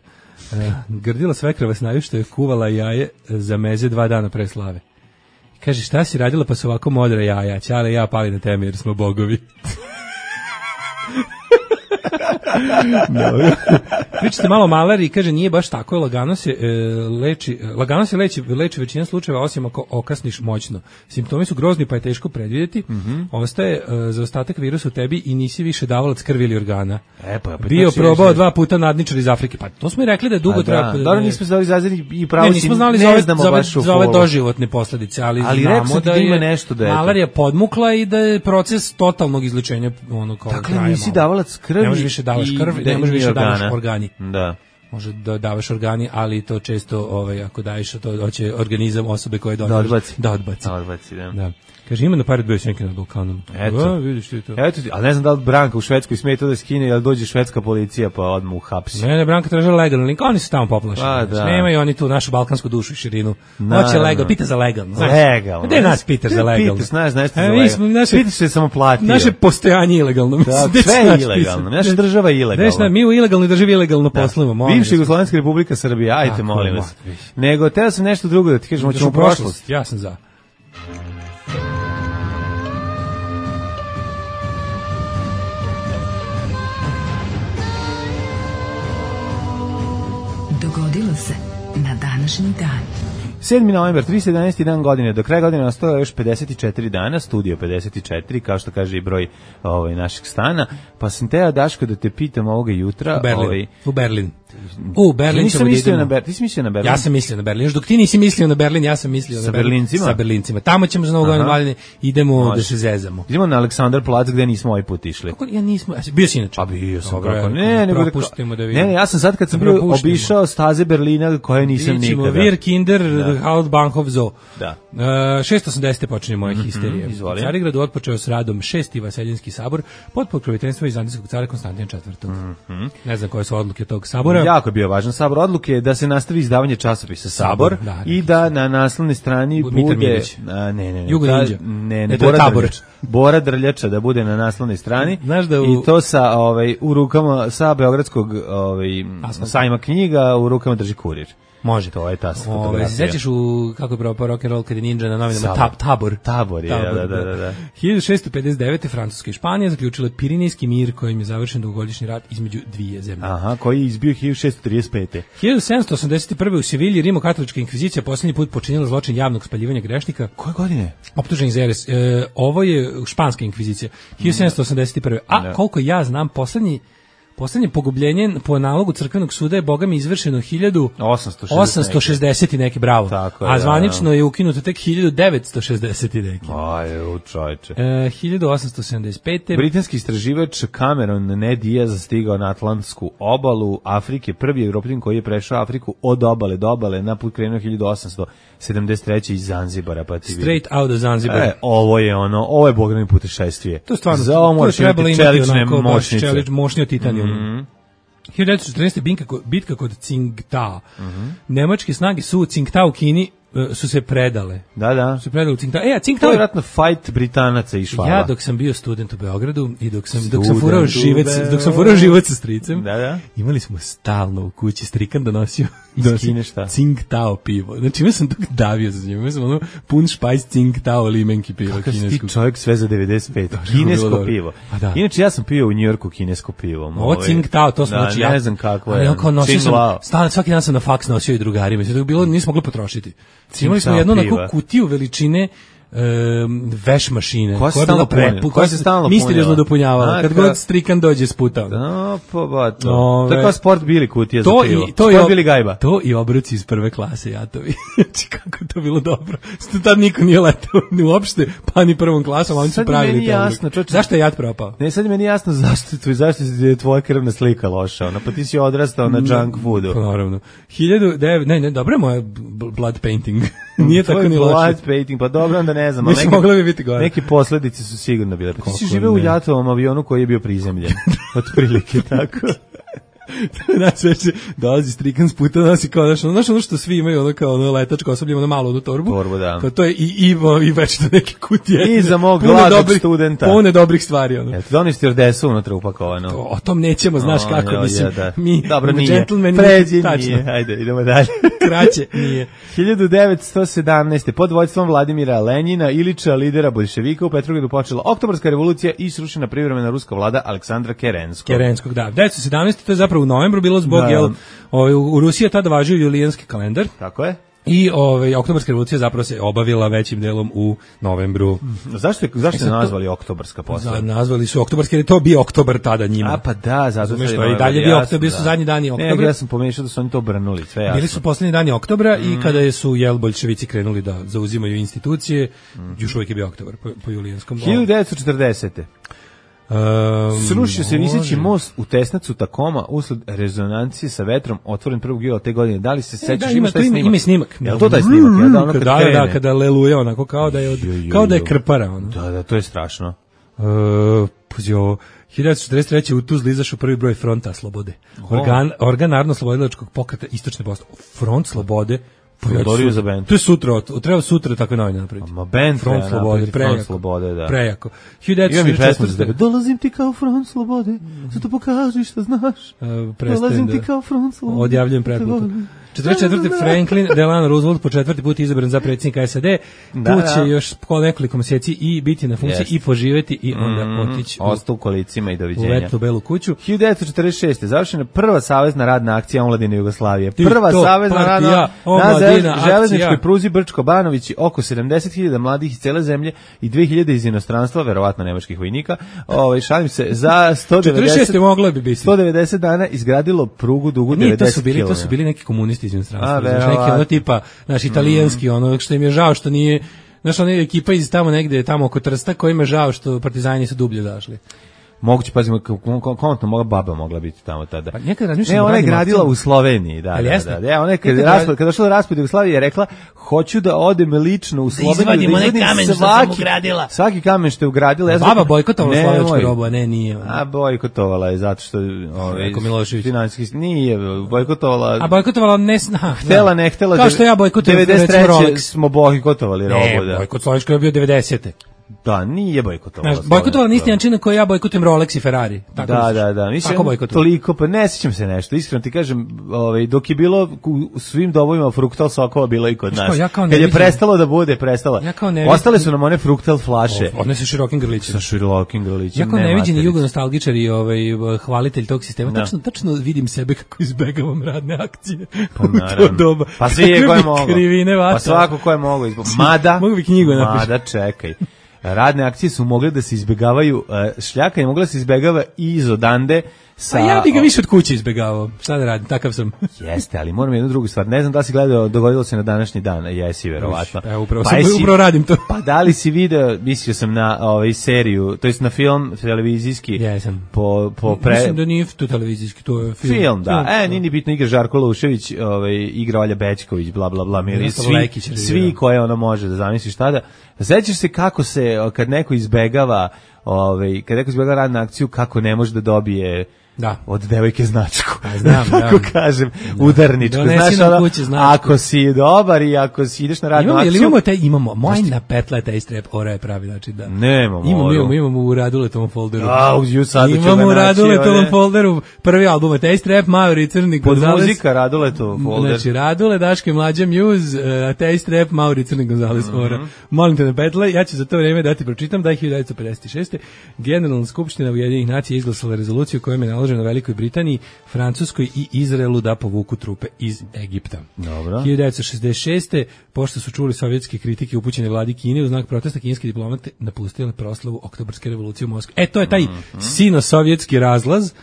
Uh, Grdila svekra vas naju što je kuvala jaje za meze dva dana pre slave. Kaže, šta si radila pa su ovako modra jaja? Ćale ja pali na teme jer smo bogovi. No. Pričate malo o malariji, kaže, nije baš tako, lagano se e, leči, lagano se leči, leči većina slučajeva, osim ako okasniš moćno. Simptomi su grozni pa je teško predvidjeti. Mm-hmm. Ostaje e, za ostatak virusa u tebi i nisi više davalac krvi ili organa. E, pa, pa, bio probao je... dva puta nadničar iz Afrike. Pa to smo i rekli da dugo da, treba... Dobro, nismo znali zazirni i pravo ne, nismo znali ne za ove, znamo za ove, baš za ove doživotne posljedice, ali, ali znamo da, da ima je nešto da je malarija podmukla i da je proces totalnog izlečenja ono kao dakle, nisi davalac krvi. Ne možeš više davaš krv, ne možeš više davaš organi. Da. može da davaš organi, ali to često, ovaj, ako daješ, to hoće organizam osobe koje doniraš. Da odbaci. Da odbaci. Da odbaci, da. Da. Kaže, ima na paret bio Senke nad Balkanom. Eto. A, vidiš ti to. Eto, ali ne znam da li Branka u Švedskoj smije to da skine, ali dođe švedska policija pa odmah uhapsi. Ne, ne, Branka traže legalno link, oni su tamo poplašeni. A, Znači, da. nemaju oni tu našu balkansku dušu i širinu. Naravno. Hoće legalno, pita za legalno. Znaš. Legalno. Gde nas pitaš za legalno? Pitaš, znaš, znaš ti E, za mi legalno. smo, naše, Pitaš se samo platio. naše postojanje ilegalno. Da, Mislim, gde sve će naš je ilegalno. pisati? Naša država je ilegalna. Znaš, mi u ilegalnoj državi ilegalno poslujemo. molim Bivša vas. Jugoslovenska republika Srbija, ajte, Tako, molim vas. ma, Nego, teo sam nešto drugo da ti kažem, Ideš hoćemo u u prošlost. Ja sam za. Dogodilo se na današnji dan. sedmi novembar, tristo jedanaesti dan godine, do kraja godine ostalo još pedeset četiri dana, studio pedeset četiri, kao što kaže i broj ovaj, našeg stana, pa sam teo, Daško, da te pitam ovoga jutra. U Berlin. Ovaj, U Berlin. U Berlin nisam ćemo da mislio idemo. na Berlin, ti si mislio na Berlin? Ja sam mislio na Berlin. Još dok ti nisi mislio na Berlin, ja sam mislio Sa na Berlin. Berlincima? Sa Berlincima. Tamo ćemo za Novu godinu valjne, idemo Može. da se zezamo. Idemo na Aleksandar plac gde nismo ovaj put išli. Kako ja nismo, bio si inače. Pa bio sam Dobro, kako. evo, Ne, nego da propustimo da ne, vidimo. ne, ja sam sad kad sam bio Propustimo. obišao staze Berlina koje nisam Ićemo nikada. Wir Kinder, Hauptbahnhof Zoo. Da. Uh, šesto osamdeset. počinje moja histerija. izvoli. U Carigradu otpočeo s radom šesti Vaseljenski sabor pod pokroviteljstvom vizantijskog cara Konstantina četvrtog. Ne znam koje su odluke tog sabora. Jako je bio važan sabor. Odluke je da se nastavi izdavanje časopisa Sabor, Sabor, da, i da na naslovnoj strani Mitar bude Milić. a, ne ne ne Jugo ta- Ninja. ne ne E, to je Bora Tabor. Drljača. Bora Drljača da bude na naslovnoj strani. Znaš da u- i to sa ovaj u rukama sa beogradskog ovaj Asfalta. sajma knjiga u rukama drži kurir. Može. To je ta Ove, fotografija. se sećaš u, kako je propao rock and roll kad je Ninja na novinama, Sabor. tab, tabor. Tabor je, da, da, da, da. hiljadu šessto pedeset devete. Francuska i Španija zaključile Pirinejski mir kojim je završen dugogodišnji rat između dvije zemlje. Aha, koji je izbio hiljadu šessto trideset pete. hiljadu sedamsto osamdeset prve. u Sevilji Rimokatolička inkvizicija posljednji put počinila zločin javnog spaljivanja grešnika. Koje godine? Optuženih za jeres. E, ovo je španska inkvizicija. hiljadu sedamsto osamdeset prve. A Da. koliko ja znam, poslednji Poslednje pogubljenje po nalogu crkvenog suda je bogami izvršeno hiljadu osamsto šezdeset i neki, bravo. Tako je, A da, zvanično je ukinuto tek hiljadu devetsto šezdeset i neki. Aj, u čoveče. E, hiljadu osamsto sedamdeset pete. Britanski istraživač Cameron Ned Diaz stigao na Atlantsku obalu Afrike, prvi Evropljan koji je prešao Afriku od obale do obale, na put krenuo hiljadu osamsto sedamdeset treće iz Zanzibara, pa ti vidi. Straight out of Zanzibar. E, ovo je ono, ovo je bogami putešestvije. To je stvarno, Za ovo to je moraš trebalo imati imati čelične onako baš moćnice. čelič, moćni od titanijuma. Mhm. hiljadu devetsto četrnaeste. bitka, ko- bitka kod Tsingtao. Nemačke snage su u Tsingtao u Kini e, su se predale. Da, da. Su se predale u Tsingtao. E, a To Tsingtao je je vratno fight Britanaca i Švaba. ja dok sam bio student u Beogradu i dok sam dok sam Student furao u živec, Beogradu. dok sam furao život sa stricem. Da, da. Imali smo stalno u kući strikan donosio Iz donosio Kine šta? Tsingtao pivo. Znači, ima sam dok davio za njim. Ima sam ono pun špajs Tsingtao limenki piva Kakav si ti kineskog. čovjek sve za devedeset pet. je bilo Kinesko dobro. pivo. Pa da. Inače, ja sam pio u Njujorku kinesko pivo. Ovo Ovaj, Tsingtao, to smo da, znači ne ja. znam kakvo Ali je. on kao nosio sam, Tsingtao. stalno, svaki dan sam na faks nosio i drugarima. Sve to je bilo, nismo mogli potrošiti. Imali smo Tsingtao jednu piva. onako kutiju veličine um, veš mašine Koja se je bila stalno punila? prepu, Koja se stalno misteriozno punila? dopunjavala. A, Kad ka- god strikan dođe sputao. Da, pa ba to. Ove. To je kao sport bili kutija To za pivo. i to i Sport ob- bili gajba. To i obroci iz prve klase jatovi. Znači kako je to bilo dobro. Što tad niko nije letao ni uopšte, pa ni prvom klasom, a oni su Sad je pravili meni to. jasno, čoveče. Zašto je jat propao? Ne, sad je meni jasno zašto, tvoj, zašto je tvoja krvna slika loša. Ona, pa ti si odrastao na junk foodu. Pa naravno. hiljadu devet ne, ne, dobro je moja b- blood painting. Nije tako Tvoj ni loše. blood painting, pa dobro, onda ne znam. ali Mislim, neke- moglo bi biti gore. Neke posledice su sigurno bile. Pa ti si Kako živeo u ne? Jatovom avionu koji je bio prizemljen. Otprilike tako. Znaš, već dolazi strikan s puta, nosi kao, znaš, ono, znaš ono što svi imaju, ono kao ono letačko osoblje, ono malo onu torbu. Torbu, da. To, to je i, i, i već to neke kutije. I za mog Pune gladnog dobrih- studenta. Pune dobrih stvari, ono. Eto, donesti stjordesu unutra upakovano. O, o tom nećemo, znaš O, kako, jo, mislim, je, da. mi, Dobro, mi nije. gentlemen, Pređi, tačno, nije. Ajde, idemo dalje. kraće, nije. hiljadu devetsto sedamnaeste. pod vođstvom Vladimira Lenjina, Ilića, lidera bolševika, u Petrogradu počela oktobarska revolucija i srušena privremena ruska vlada Aleksandra Kerenskog. Kerenskog, da. devetsto sedamnaeste. to je zapravo u novembru bilo zbog, Da. jel, ovaj, u u Rusiji je tada važio julijanski kalendar Tako je. i ovaj, oktobarska revolucija zapravo se obavila većim delom u novembru. Zašto je, zašto E, je sad to- nazvali oktobarska posle? Za, nazvali su oktobarski jer je to bio oktobar tada njima. A pa da, zato Razumeš, sad to je i novembar, dalje bio jasno, oktobar, bili su da. zadnji dani Ne, oktobra. ja sam pomešao da su oni to obrnuli, sve jasno. Bili su poslednji dani oktobra i kada su jel bolševici krenuli da zauzimaju institucije, još uvijek je bio oktobar po, po julijanskom. hiljadu devetsto četrdesete. Um, Srušio se može. viseći most u Tesnacu Takoma usled rezonancije sa vetrom otvoren prvog jula te godine. Da li se E, sećaš? da, ima, taj ima, snimak? ima snimak. Jel to taj snimak? Ja, da, ono kad da, krene. da, kada leluje onako kao da je, od, Jo, jo, kao da je jo. krpara. Ono. Da, da, to je strašno. Uh, pazi ovo, hiljadu devetsto četrdeset treće u Tuzli izašao prvi broj Fronta Slobode. Organ, organ narodno-slobodilačkog pokreta Istočne Bosne. Front Slobode. Pa ja ću Dorio sutra- za bend. To je sutra, od- treba sutra takve novine napraviti. Ma bend Front treba Slobode, napraviti, prejako. Front Slobode, da. Prejako. Imam i pesmu za tebe. hiljadu devetsto četrdeset četvrte. Dolazim ti kao Front Slobode, zato pokaži šta znaš. Uh, prestajem Dolazim ti da- kao Front Slobode. Odjavljujem pretplatu. četrdeset četvrte. Franklin Delano Roosevelt po četvrti put izabran za predsjednika S A D. Da, Tu da. će još po nekoliko mjeseci i biti na funkciji Jeste. i poživjeti i onda Mm, otići u, ostao u kolicima i u doviđenja. letnu belu kuću. hiljadu devetsto četrdeset šeste. završena prva savezna radna akcija omladine Jugoslavije. Ti Prva to, savezna partija, radna na omladina, zel- železničkoj akcija. pruzi Brčko-Banović, oko sedamdeset hiljada mladih iz cele zemlje i dve hiljade iz inostranstva, verovatno nemačkih vojnika. Ovaj šalim se, za sto četrdeset šeste. devedeset moglo bi biti. sto devedeset dana izgradilo prugu dugu Nije, to devedeset su bili, to su kilometara. bili neki komunisti iz A, inostranstva. Znaš, verovatno. neki ono tipa, naš italijanski, ono što im je žao što nije, znaš, ona ekipa iz tamo negde, tamo oko Trsta, kojima je žao što partizani su dublje zašli. Moguće, pazimo, kontno moga baba mogla biti tamo tada. Pa nekad razmišljam Ne, o ona je radnim gradila akcijama. u Sloveniji, da, Ali da, jeste? da. da. Ja, ona je kad, Nekad raspad, radi- kad došla do raspada Jugoslavije je rekla, hoću da odem lično u Sloveniju, izvadim onaj izvadim kamen što sam svaki- ugradila. Svaki kamen što je ugradila. Ja sam Baba rekao, bojkotovala nemoj. slovačku robu, a ne, nije. ono. A bojkotovala je zato što ovaj Rekao Milošević. finansijski nije bojkotovala. A bojkotovala ne zna. htela, ne htela. Kao što ja bojkotujem devedeset recimo treće Rolex. smo bojkotovali robu, Ne, da. bojkot slovačka je bio devedesete. Da, nije bojkotovala. Znaš, bojkotovala na isti slovačku. način na koji ja bojkotujem Rolex i Ferrari. Tako Da, misliš? da, da. Mislim, Tako bojkotujem. toliko, pa ne sjećam se nešto. Iskreno ti kažem, ovaj, dok je bilo u svim dobovima fruktal sokova, bilo i kod Znaš nas. kao, ja kao Kad ne je vidim- prestalo da bude, prestala. Ja kao ne Ostale vidim- su nam one fruktal flaše. One su širokim grlićima. Sa širokim grlićem. Ja kao ne neviđeni materice. jugonostalgičar i ovaj hvalitelj tog sistema, Da. tačno tačno vidim sebe kako izbegavam radne akcije. Pa u to naravno. doba. Pa svi je Kakve ko je bi mogao. krivine vata. Pa svako ko je mogao. izbo- Mada, Mogu bi knjigu napišem. Mada, čekaj. Radne akcije su mogle da se izbegavaju, e, šljaka je mogla da se izbegava i iz odande sa... Pa ja bih ga više od kuće izbegavao. Šta da radim, takav sam. Jeste, ali moram jednu drugu stvar. Ne znam da li si gledao, dogodilo se na današnji dan, jesi verovatno. Evo, upravo, Pa sam, jesi- upravo radim to. Pa da li si video, mislio sam na ovaj seriju, to jest na film televizijski, Jesam. po, po pre... Mislim da nije to televizijski, to je film. Film, da. E, nije ni bitno, igra Žarko Lušević, ovaj, igra Olja Bećković, bla, bla, bla, mili, Miroslav svi, Lekić je svi igrao. koje ono može da zamisliš tada. Sećaš se kako se, kad neko izbegava, ovaj, kad neko izbegava radnu akciju, kako ne može da dobije Da. od devojke značku. A, znam, da tako da. kažem, udarničku. Donesi Znaš, nam ono, kući značku. ako si dobar i ako si ideš na radnu Imamo, jel akciju... imamo te, imamo, moj na petle taj strep, ora je pravi, znači da. Nemamo Imamo, oru. imamo, imamo u Raduletovom folderu. A, ju sad ću Imamo ga u naći, Raduletovom one. folderu prvi album, taj strep, Mauri Crni Pod Gonzales. muzika Raduletov folder. Znači, Radule, Daško i Mlađa Muse, uh, Taste Rap, Mauri Crni Gonzales, Mhm. ora. Molim te na petle, ja ću za to vrijeme da ti pročitam da je hiljadu devetsto pedeset šeste. Generalna skupština Ujedinjenih nacija izglasala rezoluciju kojom je naloženo Velikoj Britaniji, Francuskoj i Izraelu da povuku trupe iz Egipta. Dobro. hiljadu devetsto šezdeset šeste. Pošto su čuli sovjetske kritike upućene vladi Kine, u znak protesta kineski diplomate napustili proslavu Oktobarske revolucije u Moskvi. E, to je taj Mhm. sino-sovjetski razlaz.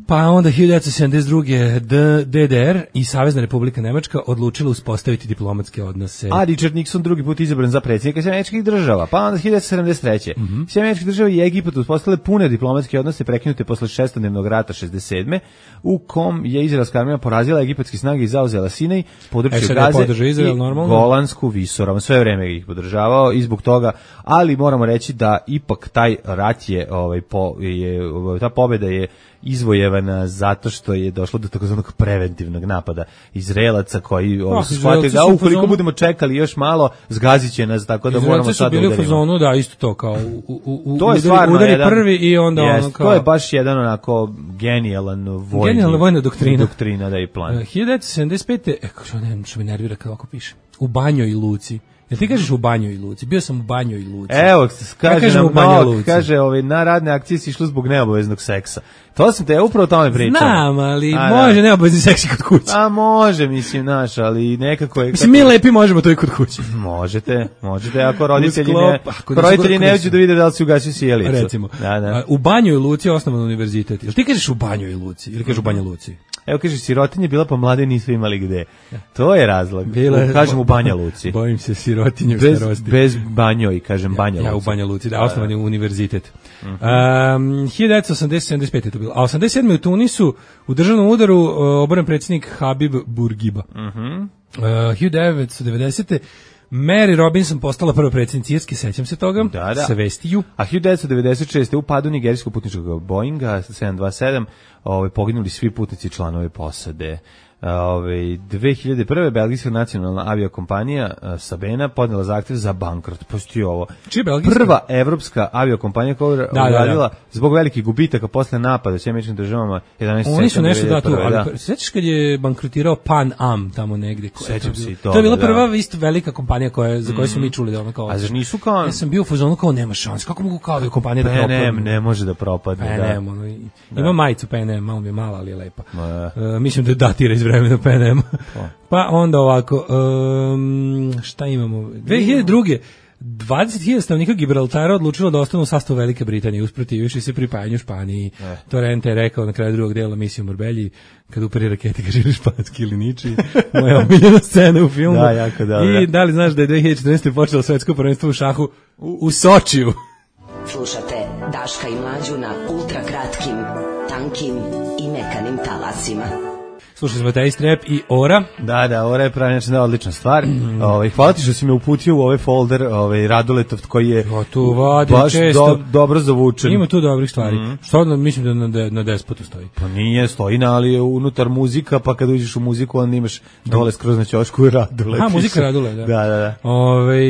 Pa onda hiljadu devetsto sedamdeset druge. D D R i Savezna Republika Nemačka odlučila uspostaviti diplomatske odnose. A Richard Nixon drugi put izabran za predsjednika Sjedinjenih Američkih Država. Pa onda hiljadu devetsto sedamdeset treće. Mhm. Sjedinjene Američke Države i Egipat uspostavile pune diplomatske odnose prekinute posle šestodnevnog rata šezdeset sedme u kom je izraelska armija porazila egipatske snage i zauzela Sinaj, područje SAD Gaze podržao Izrael, i normalno. Golansku visoravan. Sve vreme ih podržavao i zbog toga, ali moramo reći da ipak taj rat je, ovaj, po, je ovaj, ta pobjeda je izvojevana zato što je došlo do takozvanog preventivnog napada Izraelaca koji ovaj, Ah, su shvatili Izraelci da su u ukoliko fazonu- budemo čekali još malo, zgazit će nas, tako da moramo Izraelci su sad da bili u udarimo. fazonu, da, isto to, kao u, u, u, To je udari, stvarno udari jedan, prvi i onda jest, ono kao... to je baš jedan onako genijalan vojni, Genijalna vojna doktrina. doktrina da je plan. Uh, hiljadu devetsto sedamdeset pete. E, kako što ne znam što me nervira kada ovako piše. U Banjoj Luci. Jel ti kažeš u Banjoj Luci? Bio sam u Banjoj Luci. Evo, Ja kaže kažem nam u Banja Novak, Luci. kaže, ovaj, na radne akcije si išlo zbog neobaveznog seksa. To sam te, ja upravo o tome pričam. Znam, ali A, može da. neobavezni seksi kod kuće. A može, mislim, naš, ali nekako je... Mislim, mi lepi možemo to i kod kuće. Možete, možete, ako roditelji Usklop, ne, ako ako nisu roditelji gore ne kuće. uđu da vide da li si ugasio sjelicu. Recimo. Da, da. A, u Banjoj Luci je osnovan univerzitet. Jel ti kažeš u Banjoj Luci ili kažeš u Banja Luci? Evo kaže, sirotinje bila pa mlade nisu imali gde. To je razlog. Bila, u, kažem u Banja Luci. Bojim se sirotinje u bez, starosti. bez Banjoj, kažem Banja Luci. Ja u Banja Luci, da, osnovan je univerzitet. Uh-huh. Um, hiljadu devetsto osamdeset sedamdeset pete je to bilo. A osamdeset sedme u Tunisu u državnom udaru uh, oboren predsjednik Habib Bourguiba. Uh-huh. Uh, hiljadu devetsto devedesete Mary Robinson postala prva predsjednica Irske, sećam se toga, da, da. sa vestiju. A hiljadu devetsto devedeset šeste u padu nigerijskog putničkog Boeinga sedam dvadeset sedam ovaj, poginuli svi putnici i članovi posade. Ove, dve hiljade prve belgijska nacionalna aviokompanija Sabena podnela zahtjev za bankrot. Postoji ovo. Čije belgijska? Prva evropska aviokompanija koja je da, uradila da, da. zbog velikih gubitaka posle napada u Sjedinjenim Američkim Državama jedanaeste Oni su nešto da tu, da. ali sećaš kad je bankrotirao Pan Am tamo negde? Sećam se i to. To je bila da. prva isto velika kompanija koja za koju smo mi čuli da ona kao. A zar nisu kao? Ja sam bio u fazonu kao nema šanse. Kako mogu kao aviokompanija da propadne? Ne, ne može da propadne, P N M, da. Ono, ima da. majicu P N M, malo mi je mala, ali je lepa. Da. Uh, mislim da datira iz vremena P N M. Pa onda ovako, um, šta imamo? dve hiljade druge dvadeset hiljada stanovnika Gibraltara odlučilo da ostanu u sastavu Velike Britanije, usprotivivši se pripajanju Španiji. Eh. Torrente je rekao na kraju drugog dela misije u Marbelji, kad uperi raketi kaže ili španski ili niči. Moja omiljena scena u filmu. Da, jako dobro. I da li znaš da je dve hiljade četrnaeste. počelo svetsko prvenstvo u šahu u, u Sočiju? Slušate Daška i Mlađu na ultra kratkim, tankim i mekanim talasima. Slušali smo taj strep i Ora. Da, da, Ora je pravi način da odlična stvar. Mm. Ovaj hvala ti što si me uputio u ovaj folder, ovaj Raduletov koji je o, tu vadi baš često. Do, dobro zavučen. Ima tu dobrih stvari. Mm. Što onda mislim da na, de, na Despotu stoji. Pa nije, stoji na, ali je unutar muzika, pa kad uđeš u muziku onda imaš dole skroz na ćošku i Radule. Ha, muzika Radule, da. Da, da, da. Ove,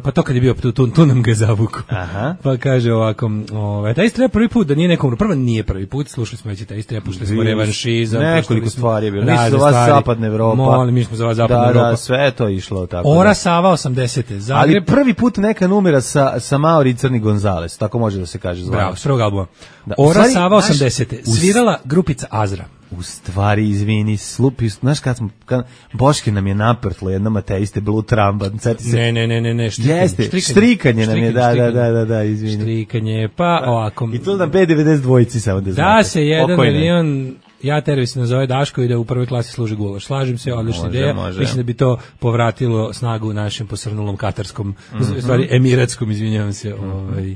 pa to kad je bio, tu, tu, tu nam ga zavuku. Aha. Pa kaže ovako, ove, taj strep prvi put da nije nekom, prvo nije prvi put, slušali smo već taj strep, puštali smo revanšizam. Nekoliko stvari je bilo. Da, za vas zapadna Evropa. Molim, mi smo za vas zapadna da, Evropa. Da, sve je to išlo tako. Ora da. Sava osamdesete. Zagreb. Ali prvi put neka numera sa, sa Mauri i Crni Gonzales, tako može da se kaže. Zvanje. Bravo, s prvog albuma. Da. Ora Stvari, Sava osamdesete. Svirala grupica Azra. U stvari, izvini, slupi, znaš kad smo, kad, Boške nam je naprtlo jednom ateiste Blue Tramba, sad se... Ne, ne, ne, ne, ne, štrikanje. Jeste, štrikanje, štrikanje nam je, da, da, da, da, da, izvini. Štrikanje, pa ovako... I to na B devedeset dva samo da znate. Da se jedan avion... Ja terve se nazove Daško i da u prvoj klasi služi gulaš. Slažem se, odlična može, ideja. Može. Mislim da bi to povratilo snagu našem posrnulom katarskom, mm-hmm. stvari emiratskom, izvinjavam se, mm-hmm. ovaj,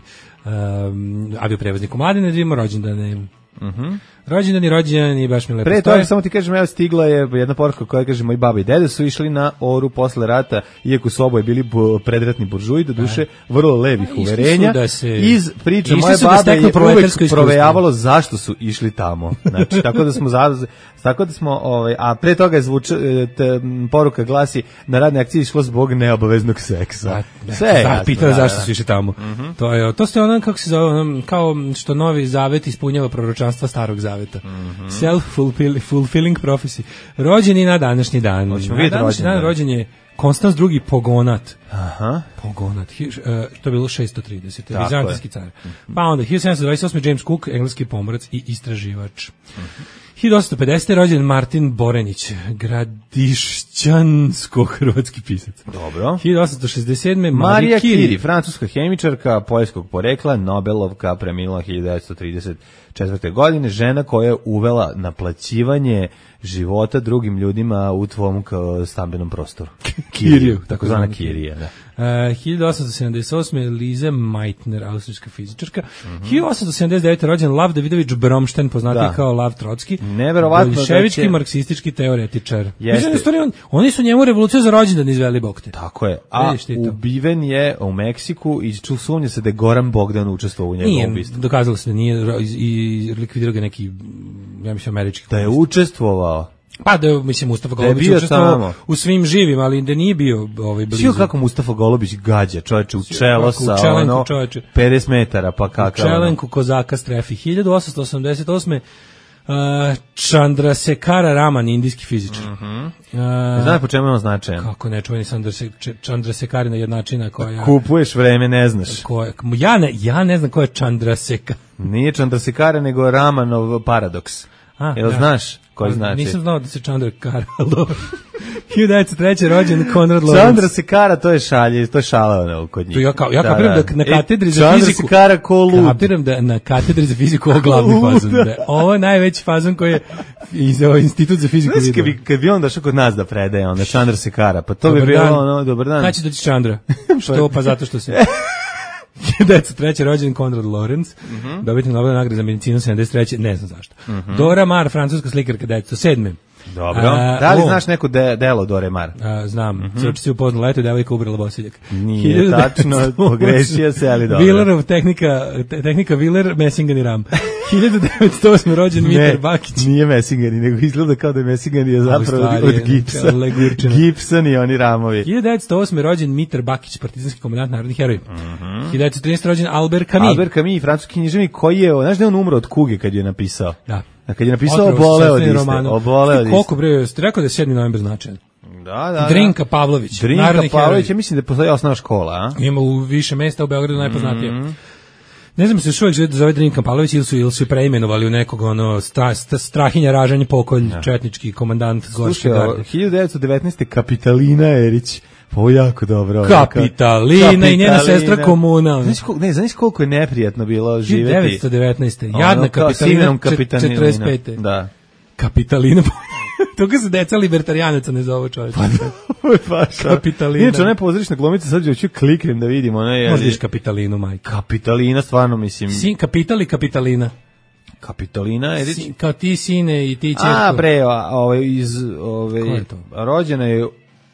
um, avioprevozniku Mladine, da vidimo rođendane. Mhm. Rođendan i rođendan i baš mi lepo. Pre toga samo ti kažem, evo stigla je jedna poruka koja kaže moji baba i dede su išli na Oru posle rata, iako su oboje bili predratni buržuji, do duše vrlo levih A, uverenja. Da se, iz priče moje babe da je uvek provejavalo zašto su išli tamo. Znači, tako da smo za, tako da smo, ovaj, a pre toga je zvuča, te, poruka glasi na radne akcije išlo zbog neobaveznog seksa. Da, sve je jasno. Pitao da, zašto da. su išli tamo. Mm-hmm. To je, to ste ono, kako se zove, ono, kao što Novi Zavet ispunjava proročanstva Starog Zaveta. Mm-hmm. Self-fulfilling prophecy. Rođeni na današnji dan. Hoćemo na današnji dan rođen je Konstans drugi Pogonat. Aha. Pogonat. Hi, uh, to je bilo šesto trideset. Vizantijski car. Pa onda hiljadu sedamsto dvadeset osme. James Cook, engleski pomorac i istraživač. Mm-hmm. hiljadu osamsto pedesete. rođen Martin Borenić, gradišćansko-hrvatski pisac. Dobro. hiljadu osamsto šezdeset sedme. Marija Curie, francuska hemičarka, poljskog porekla, Nobelovka, premila hiljadu devetsto trideset četvrte. godine, žena koja je uvela naplaćivanje života drugim ljudima u tvom stambenom prostoru. Kiriju, tako zvana Kirija, da. Uh, hiljadu osamsto sedamdeset osme. Lize Meitner, austrijska fizičarka. Mm-hmm. hiljadu osamsto sedamdeset devete. rođen Lav Davidović Bromšten, poznati da. kao Lav Trotski. Neverovatno. Bolševički će... marksistički teoretičar. Mislim, on, oni su njemu revoluciju za rođendan izveli bokte. Tako je. A ubiven je u Meksiku i sumnja se da je Goran Bogdan učestvovao u njegovom ubistvu. Dokazalo se da nije i likvidirao ga neki, ja mislim, američki. Da je učestvovao. Pa da, mislim, Mustafa Golubić učestvovao u svim živim, ali da nije bio ovaj blizu. Sio kako Mustafa Golubić gađa, čoveče, u čelo sa čelenku, ono čoveče. pedeset metara, pa kakav. U čelenku kozaka strefi. hiljadu osamsto osamdeset osme. Uh, Chandrasekhara Raman, indijski fizičar. Mm-hmm. Uh, Znaš po čemu je on značajan? Kako ne, čuveni Chandrasekharina jednačina koja... Kupuješ vreme, ne znaš. Koja, ja, ne, ja ne znam ko je Chandrasekhar. Nije Chandrasekhara, nego Ramanov paradoks. A, Jel da. znaš? koji znači. Nisam znao da se Čandra kara, ali dobro. hiljadu devetsto treće rođen Konrad Lorenz. Čandra se kara, to je šalje, to je šala ono kod njih. To ja, kao, ja kapiram da, da na katedri e, za Čandra fiziku... se kara ko lud. Kapiram da na katedri za fiziku ovo glavni fazon. Da je ovo najveći fazon koji je iz ovaj institut za fiziku vidio. Kad bi, kad bi on došao kod nas da predaje, onda Čandra se kara, pa to dobar bi bilo dan. Ono, dobar dan. Kada će doći Čandra? Što? Pa zato što se... hiljadu devetsto treće rođen Konrad Lorenz, mm -hmm. dobitnik Nobelove nagrade za medicinu sedamdeset treće ne znam zašto. Mm -hmm. Dora Maar, francuska slikarka, devetsto sedme Dobro. A, da li o, znaš neko de, delo Dore Maar? A, znam. Mm -hmm. Sveoči si upoznala, eto je devojka ubrala bosiljak. Nije tačno, pogrešio se, ali dobro. Villerov tehnika, te, tehnika Viller, Messingen i Ram. hiljadu devetsto osme rođen Mitar Bakić. Nije Messingen, nego izgleda kao da je Messingen je zapravo od, od gipsa. Gibson i oni ramovi. hiljadu devetsto osme rođen Mitar Bakić, partizanski komandant, narodni heroj. Mm -hmm. hiljadu devetsto trinaeste rođen Albert Camus. Albert Camus, francuski književnik koji je, znaš da je on umro od kuge kad je napisao? Da. A kad je napisao oboleo od iste, oboleo od iste. Koliko bre, ste rekao da je sedmi novembar značajan? Da, da. Drinka Pavlović. Drinka Pavlović, ja mislim da postoji osnovna škola, a? Ima u više mesta u Beogradu najpoznatije. Mm -hmm. Ne znam se još uvijek zove Drinka Pavlović ili su, ili su preimenovali u nekog ono stra, sta, strahinja ražanje pokolj, ja. Četnički komandant Gorske garde. hiljadu devetsto devetnaeste Kapitalina Erić. Ovo jako dobro. Kapitalina, Kapitalina i njena sestra Komuna. Znaš koliko, ne, znaš koliko je neprijatno bilo živjeti. hiljadu devetsto devetnaeste Jadna Kapitalina, četrdeset pete Da. Kapitalina. Toga se deca libertarijanaca ne zove čovječ. Pa, Kapitalina. Inače, ona je pozorišna glumica, sad ću kliknem da vidim. Ona je, možda iš Kapitalinu, majka. Kapitalina, stvarno mislim. Sin Kapital i Kapitalina. Kapitalina, Erić? Sin, kao ti sine i ti čerko. A, bre, ovaj, iz, ovaj, rođena je u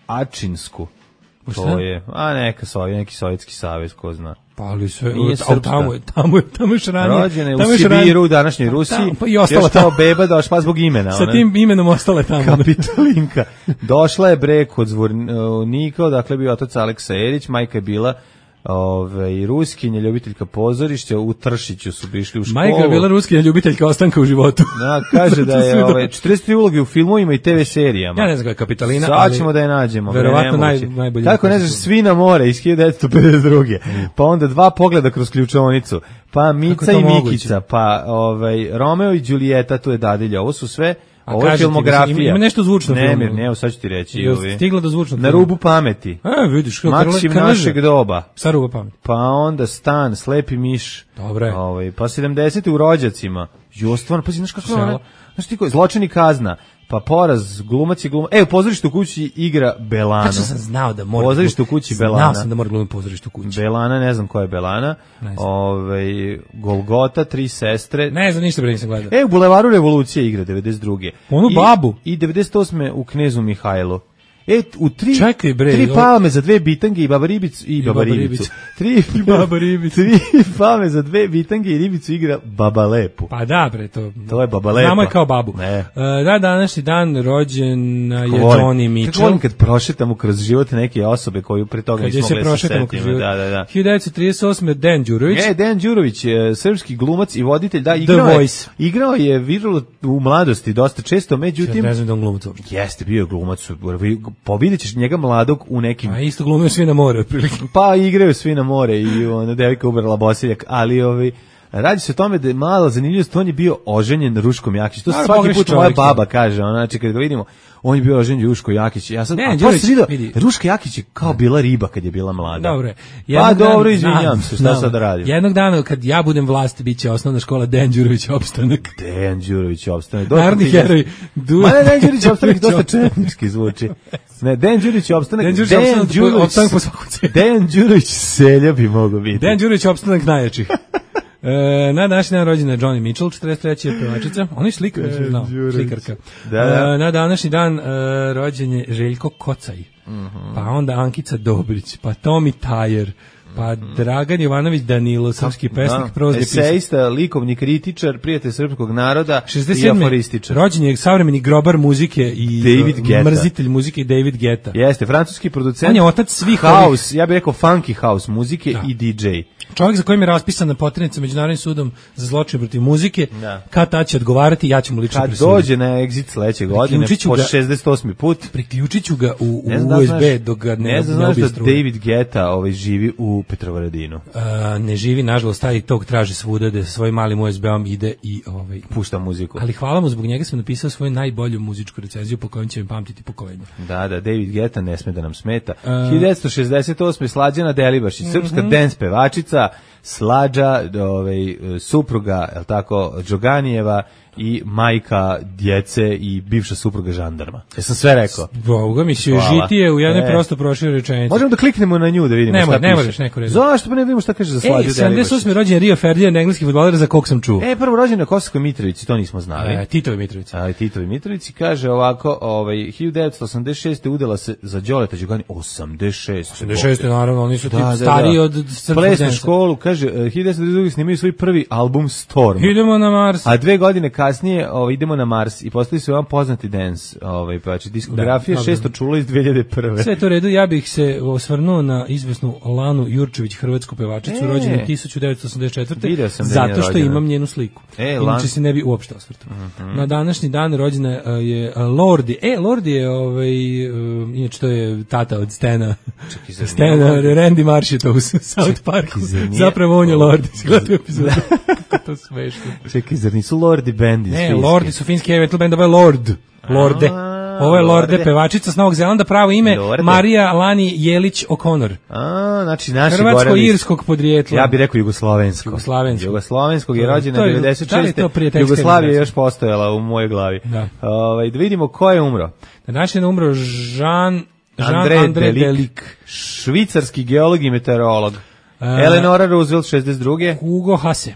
Ačinsku. To je, a neka sovjet, neki sovjetski savez, ko zna. Pa ali sve, tamo je, tamo je, tamo je šranije. Rođena je u Sibiru, u današnjoj Rusiji. Pa i ostala tamo. Beba došla pa zbog imena. Sa tim imenom ostale tamo. Kapitalinka. Došla je bre kod Zvornika, dakle bio otac Aleksa Erić, majka je bila Ove, ruskinja, ljubiteljka pozorišća, u Tršiću su išli u školu. Majka je bila ruskinja, ljubiteljka ostanka u životu. Da, kaže da je ove, četrdeset tri uloge u filmovima i te ve serijama. Ja ne znam kako je Kapitalina, sad ćemo da je nađemo. Verovatno naj, najbolji. Kako ne znaš, Svi na more iz hiljadu devetsto pedeset druge Mm. Pa onda Dva pogleda kroz ključavnicu, pa Mica i Mikica, moguće? Pa ovaj, Romeo i Đulijeta, tu je dadilja. Ovo su sve... A ovo je filmografija. Ima, ima nešto zvučno ne, filmu. Ne, ne, sad ću ti reći. Ovi. Stigla do zvučnog Na rubu pameti. A, vidiš. Maksim našeg doba. Sa ruba pameti. Pa onda Stan, Slepi miš. Dobre. Ovaj, pa sedamdesete u Rođacima. Jo, stvarno, pa si, znaš kako je ona? Znaš ti ko, Zločin i kazna. Pa Poraz, glumac i glumac. E, u Pozorištu u kući igra Belana. Kako sam znao da mora. Pozorištu u kući Belana. Znao sam da mora glumiti Pozorištu u kući. Belana, ne znam ko je Belana. Ove, Golgota, Tri sestre. Ne znam, ništa bre nisam gledao. E, u Bulevaru revolucije igra devedeset druge Onu I, babu. I devedeset osme u Knezu Mihajlu. E, u tri, Čekaj, bre, tri palme za dve bitange i baba ribicu i, I baba ribicu. Tri, I baba ribicu. Tri palme za dve bitange i ribicu igra Baba Lepu. Pa da, bre, to. To je Baba Lepa. Znamo je kao babu. Ne. Uh, da, današnji dan rođen je Johnny Mitchell. Kako volim kad prošetamo kroz život neke osobe koju pre toga nismo mogli se setiti. Da, da, da. hiljadu devetsto trideset osme Dejan Đurović. E, Dejan Đurović je srpski glumac i voditelj, da, igrao je, igrao je viralo u mladosti dosta često, međutim... Ja ne znam da on glumac. Jeste, bio je glumac. Pobedit ćeš njega mladog u nekim... A isto glumio Svi na more, otprilike. Pa igraju Svi na more i ona devojka ubrala bosiljak, ali ovi... Radi se o tome da je mala zanimljivost, on je bio oženjen Ruškom Jakić. To se svaki put moja baba kaže, ona, znači kad ga vidimo, on je bio oženjen Ruško Jakić. Ja sad, ne, a to se vidio, Ruška Jakić je kao bila riba kad je bila mlada. Dobro. Pa dobro, izvinjam se, šta sad radim? Jednog dana kad ja budem vlast, bit će osnovna škola Dejan Đurović opstanak. Dejan Đurović opstanak. Narodni heroj. Ma ne, Dejan Đurović opstanak dosta četnički zvuči. Ne, Dejan Đurović opstanak. Dejan Đurović opstanak po svaku cenu. Dejan Đurović selja bi mogao biti. Dejan Đurović opstanak najjačih. E, na današnji dan rođena Johnny Mitchell, četrdeset treće pevačica. On je slikar, nisam znao, slikarka. Da, da. E, na današnji dan e, rođen je Željko Kocaj, mm-hmm. pa onda Ankica Dobrić, pa Tomi Tajer, pa Dragan Jovanović Danilo, srpski pesnik, prozni pisac. Esejista, likovni kritičar, prijatelj srpskog naroda i aforističar. Rođen je savremeni grobar muzike i mrzitelj muzike David Guetta. Jeste, francuski producent. On je otac svih house, ovih... ja bih rekao funky house muzike da. I di džej. Čovjek za kojim je raspisana poternica Međunarodnim sudom za zločin protiv muzike, da. Kad ta će odgovarati, ja ću mu lično presuditi. Kad dođe na exit sledeće godine, po šezdeset osmi put, priključit ću ga u, u U S B dok ga ne, ne znaš da David Guetta ovaj, živi u u Petrovaradinu. A, ne živi, nažalost, taj tog traži svuda da sa svojim malim U S B-om ide i ovaj, pušta muziku. Ali hvala mu, zbog njega sam napisao svoju najbolju muzičku recenziju po kojom će mi pamtiti pokolenje. Da, da, David Guetta ne sme da nam smeta. Uh, hiljadu devetsto šezdeset osme Slađana Delibašić, mm-hmm. srpska dance pevačica, Slađa, ovaj, supruga, je li tako, Đoganijeva i majka djece i bivša supruga žandarma. Ja sam sve rekao. Boga mi se žitije u jednoj e. prosto proširoj rečenici. Možemo da kliknemo na nju da vidimo ne šta piše. Ne možeš neko reći. Zašto pa ne vidimo šta kaže za Slađu Delibašić? sedamdeset osme rođen Rio Ferdinand, engleski fudbaler za kog sam čuo. E, prvo rođen na Kosovskoj Mitrovici, to nismo znali. E, Titovi Mitrovici. A, Titovi Mitrovici kaže ovako, ovaj, hiljadu devetsto osamdeset šeste udala se za Đoleta Đugani, osamdeset šeste osamdeset šeste naravno, oni su da, tip da, stariji da. od srpskog Plesnu dansa. školu, kaže, hiljadu devetsto devedeset druge snimaju svoj prvi album Storm. Idemo na Mars. A dve godine kasnije ovaj, idemo na Mars i postali su jedan poznati dance, ovaj, pa znači diskografija da, šesto čulo iz dve hiljade prve. Sve to u redu, ja bih se osvrnuo na izvesnu Lanu Jurčević, hrvatsku pevačicu, e, rođenu tisuću devetsto osamdeset četvrte zato što imam njenu sliku. E, Inače se ne bi uopšte osvrtao. Mm-hmm. Na današnji dan rođena je Lordi. E, Lordi je, ovaj, uh, inače to je tata od Stena. Stena, Randy Marsh je to u South Parku. Zapravo on je Lordi. Si gledao epizodu? Kako to smešno. Čekaj, zar nisu Lordi band iz Ne, Finske? Lordi su finski metal band, ovo je Lord. Lorde. Ovo je Lorde, Lorde, pevačica s Novog Zelanda, pravo ime Lorde. Marija Lani Jelić O'Connor. A, znači naši hrvatsko-irskog podrijetla. Ja bih rekao jugoslovensko. Jugoslovensko. Jugoslovenskog je rođena devedeset šeste. Da Jugoslavija je još postojala u mojoj glavi. Da. Ovaj da vidimo ko je umro. Današnji je umro Jean Jean André, André Delic, Delic, švicarski geolog i meteorolog. Uh, Eleanora Roosevelt šezdeset druge. Hugo Hase.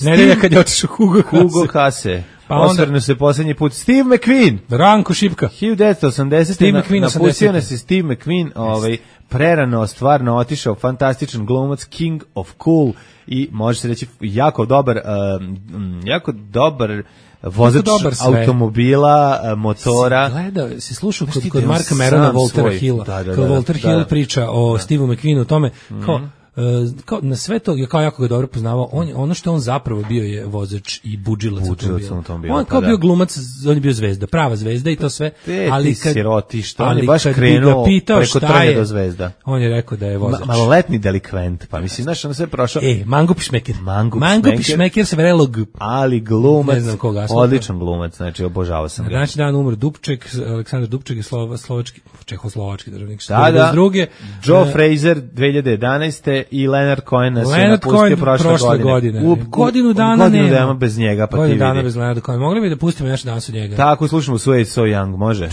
Nedelja kad je otišao Hugo Hase. Hugo Hase. Pa osvrnu se posljednji put Steve McQueen. Ranko Šipka. hiljadu devetsto osamdesete. Na, napustio nas je Steve McQueen, ovaj, prerano, stvarno otišao, fantastičan glumac, king of cool i može se reći jako dobar, um, jako dobar vozač automobila, motora. Si gleda, si slušao kod, kod Marka Merona, Voltera Hilla, da, da, kad da, Volter da, Hill da, priča o da. Steveu McQueenu, o tome, kao, mm-hmm. Uh, kao na sve to, ja kao jako ga dobro poznavao, on, ono što on zapravo bio je vozač i budžilac automobila. On kao bio glumac, on je bio zvezda, prava zvezda i to sve. Te, ali kad, siroti, što on je baš krenuo preko trnja do zvezda. On je rekao da je vozač. Ma, maloletni delikvent, pa mislim, znaš, on sve prošao. E, Mango Pišmeker. Mango, Mango Pišmeker se vrelo g... Ali glumac, koga, odličan glumac, znači obožavao sam ga. Današnji dan umro Dubček, Aleksandar Dubček je slova, slovački, čehoslovački državnik. Da, da. Druge, Joe uh, Fraser dve hiljade jedanaeste i Leonard Cohen nas je napustio prošle, prošle godine. godine. U, godinu dana godinu nema. dana bez njega, pa godinu ti vidi. Godinu dana bez Leonarda Cohen. Mogli bi da pustimo nešto danas od njega? Tako, slušamo So It's So Young, može?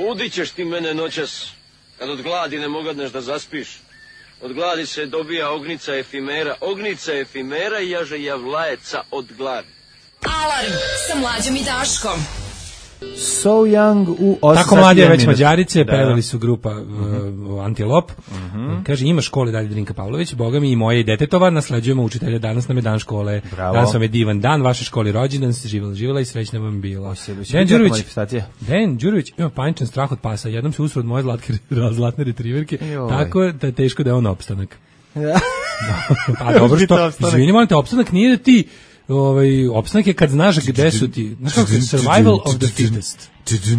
Budit ćeš ti mene noćas, kad od gladi ne mogadneš da zaspiš. Od gladi se dobija ognica efimera, ognica efimera i jaže javlajeca od gladi. Alarm sa Mlađom i Daškom. So Young u osam Tako mlađe već Mađarice, da. Pevali su grupa uh, Antilop. Mm-hmm. Kaže, ima škole dalje Drinka Pavlović, boga mi i moje i detetova, nasleđujemo učitelja, danas nam je dan škole. Bravo. Danas vam je divan dan, vaše školi rođendan, se živjela, živjela i srećna vam bila. Den Đurović, Den Đurović ima paničan strah od pasa, jednom se usro od moje zlatke, zlatne retriverke, tako da je teško da je on opstanak. Ja. Pa dobro što, izvini, molim te, opstanak nije da ti ovaj opstanak je kad znaš gde su ti, znaš kako je survival of the fittest.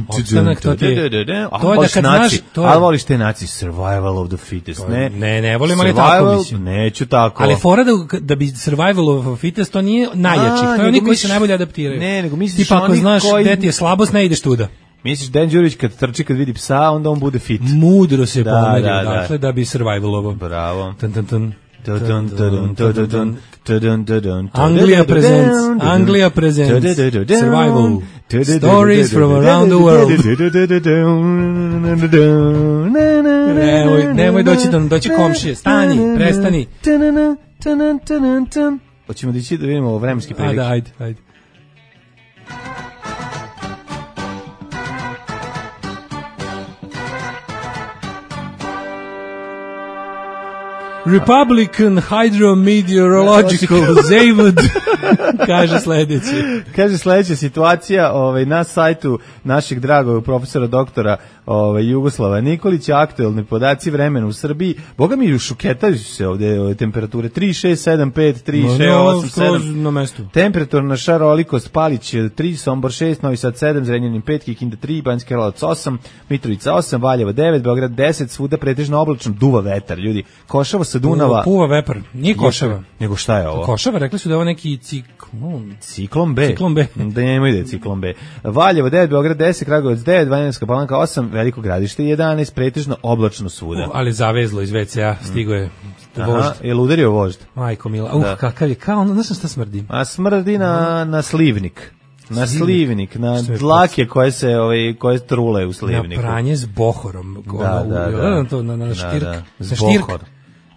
Opstanak to ti je, to je da kad znaš, to je, ali voliš te naci survival of the fittest, ne? Ne, ne, volim, ali tako mislim. Neću tako. Ali fora da, da bi survival of the fittest, to nije najjači, to je oni koji se najbolje adaptiraju. Ne, nego misliš tipa ako znaš koji... gde ti je slabost, ne ideš tuda. Misliš Dan Đurić kad trči, kad vidi psa, onda on bude fit. Mudro se pomerio, dakle, da bi survivalovo. Bravo. Tan, tan, tan. Anglia presents Anglia presents Survival Stories from around the world. Nemoj, nemoj doći da doći komšije. Stani, prestani. Hoćemo da ići da vidimo vremenski prilike. Ajde, ajde, ajde. Republican Hydrometeorological Zavod kaže sledeće. Kaže sledeća situacija ovaj, na sajtu našeg dragog profesora doktora ovaj, Jugoslava Nikolića, aktuelni podaci vremena u Srbiji. Boga mi šuketaju se ovde ove temperature tri šest sedam pet tri šest osam sedam na mestu. Temperaturna šarolikost Palić tri, Sombor šest, Novi Sad sedam, Zrenjanin pet, Kikinda tri, Banjski Karlovac osam, Mitrovica osam, Valjevo devet, Beograd deset, svuda pretežno oblačno, duva vetar, ljudi. Košava sa Dunava. Puva vepar, nije Košava. Nego šta je ovo? Košava, rekli su da je ovo neki ciklon. Ciklon B. Ciklon B. Da nemoj da je ciklon B. Valjevo devet, Beograd deset, Kragujevac devet, Banjska Palanka osam, Veliko Gradište jedanaest, pretežno oblačno svuda. Uh, ali zavezlo iz ve ce a, stigo je vožd. Aha, je li udario vožd? Majko mila, uh, kakav je, kao ono, ne znam šta smrdi. A smrdi na, na slivnik. Na slivnik, na dlake koje se ovaj koje trule u slivniku. Na pranje s bohorom, da, ono, da, u, da. na to na, na štirk, da, da. na štirk.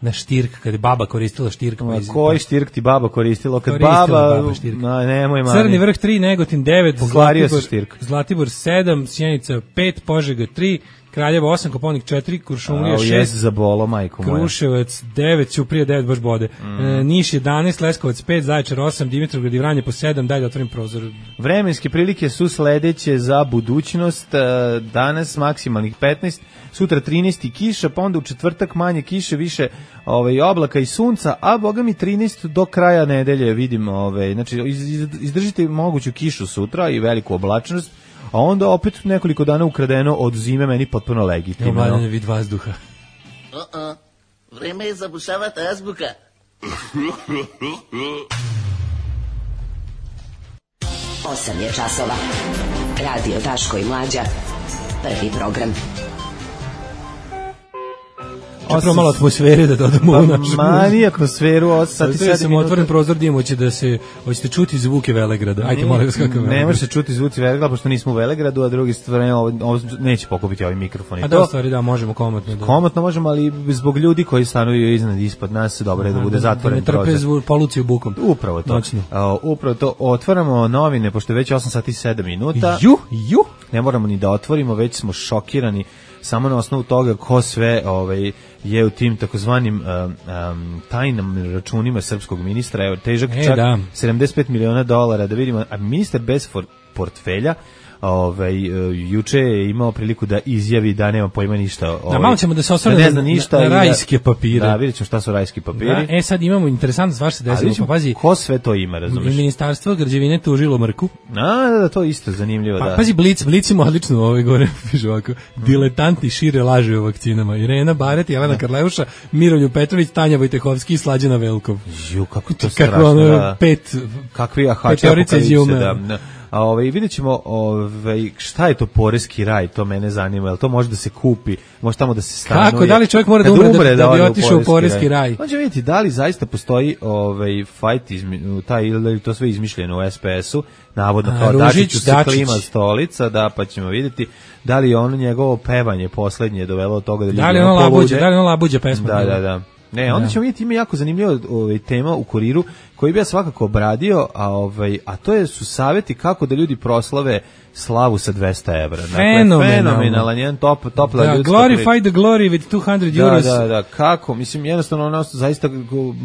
Na štirk, kad je baba koristila štirk. Ma koji štirk ti baba koristila? Kad koristila baba, baba štirk. Ma nemoj mani. Crni vrh tri, Negotin devet, Zlatibor, Zlatibor sedam, Sjenica pet, Požega tri, Kraljevo osam, Koponik četiri, Kuršumlija šest, jes za bolo, majko moja. Kruševac devet, Ćuprija devet, baš bode. Mm. E, Niš jedanaest, Leskovac pet, Zaječar osam, Dimitrovgrad i Vranje po sedam, dalje otvorim prozor. Vremenske prilike su sledeće za budućnost. Danas maksimalnih petnaest, sutra trinaest i kiša, pa onda u četvrtak manje kiše, više ovaj, oblaka i sunca, a boga mi trinaest do kraja nedelje vidim. Ovaj, znači, izdržite moguću kišu sutra i veliku oblačnost, a onda opet nekoliko dana ukradeno od zime, meni potpuno legitimno. Evo mladanje vid vazduha. O-o, vreme je zabušavati azbuka. Osam je časova. Radio Daško i Mlađa. Prvi program. Prvo malo atmosfere da dodamo pa, u našu. Mani atmosferu, osam sati sedam minuta. Otvoren prozor dim, hoće da se, hoćete čuti zvuke Velegrada. Ajde, molim vas kakav Ne može se čuti zvuci Velegrada, pošto nismo u Velegradu, a drugi stvari, ovo, ovo neće pokupiti ovaj mikrofon. A da, stvari, da, možemo komotno. Da. Komotno možemo, ali zbog ljudi koji stanuju iznad ispod nas, dobro je da bude zatvoren prozor. Da ne trpe zvu, poluciju bukom. Upravo to. Uh, upravo to. Otvaramo novine, pošto je već osam sati sedam minuta. Ju, ju. Ne moramo ni da otvorimo, već smo šokirani samo na osnovu toga ko sve ovaj, je u tim takozvanim um, um, tajnim računima srpskog ministra, evo, težak e, čak da. sedamdeset pet miliona dolara, da vidimo, a ministar bez for, portfelja, ovaj, juče je imao priliku da izjavi da nema pojma ništa. Ovaj, da, malo ćemo da se osvrne da ne zna ništa na, na rajske papire. Da, vidjet ćemo šta su rajski papiri. Da, e, sad imamo interesantno stvar se desilo, pa pazi. Ko sve to ima, razumiješ? Ministarstvo građevine tužilo Mrku. A, da, da, to isto zanimljivo, pa, da. Pazi, Blic, Blic ima odlično ove gore, piše ovako, diletanti šire laže o vakcinama. Irena Baret, Jelena Karleuša, Miroljub Petrović, Tanja Vojtehovski i Slađana Velkov. Ju, kako to strašno, kako ono, da. Pet, kakvi ahači apokalipse, da. A ovaj vidjet ćemo ovaj, šta je to poreski raj, to mene zanima, jel to može da se kupi, može tamo da se stanuje. Kako, da li čovjek mora da umre, umre da, da, da bi otišao u poreski raj? raj? Može vidjeti da li zaista postoji ovaj, fight, izmi, taj, ili to sve izmišljeno u es pe esu, navodno kao Dačiću se klima stolica, da, pa ćemo vidjeti da li je ono njegovo pevanje poslednje dovelo od toga da ljudi da li ono labuđe, da li ono labuđe pesma? Da, da, da. Ne, onda ćemo vidjeti, ima jako zanimljiva ovaj, tema u Kuriru koji bi ja svakako obradio, a, ovaj, a to je, su savjeti kako da ljudi proslave slavu sa dvesta evra. Dakle, fenomenalan, jedan top, topla da, ljudska glorify the glory with two hundred euros. Da, da, da, kako, mislim, jednostavno, ono, zaista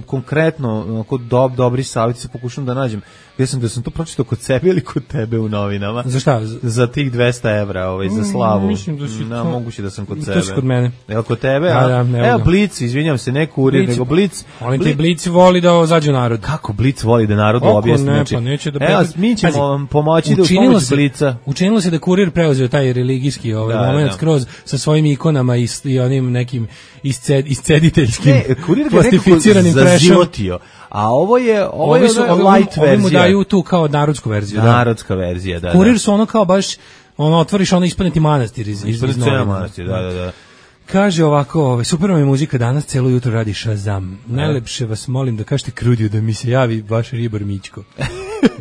konkretno, onako, dob, dobri savjeti se pokušam da nađem. Ja sam da sam to pročitao kod sebe ili kod tebe u novinama. Za šta? Za tih dvesta evra, ovaj, za slavu. Mislim da si Na, to... moguće da sam kod sebe. To si kod mene. Evo kod tebe, da, a? Da, evo Blic, izvinjam se, ne Kurir, nego Blic. Oni ti Blic voli da zađu narod. Kako Blic voli da narod objasni? Ne, znači, pa neće da evo, mi ćemo vam pomoći da u pomoć Blica. Učinilo se da Kurir preuzeo taj religijski ovaj da, moment da. skroz sa svojim ikonama i, i onim nekim isced, iscediteljskim ne, Kurir ga plastificiranim prešom. A ovo je ovo je su, ono light ovi, verzija. Ovi mu daju tu kao narodsku verziju. Narodska da. verzija, da. Kurir su ono kao baš, ono otvoriš ono ispaneti manastir iz, iz, iz novina. manastir, da, da, da. Kaže ovako, ovaj, super vam je muzika danas, celo jutro radi Shazam. Najlepše vas molim da kažete Krudiju da mi se javi vaš ribar Mićko.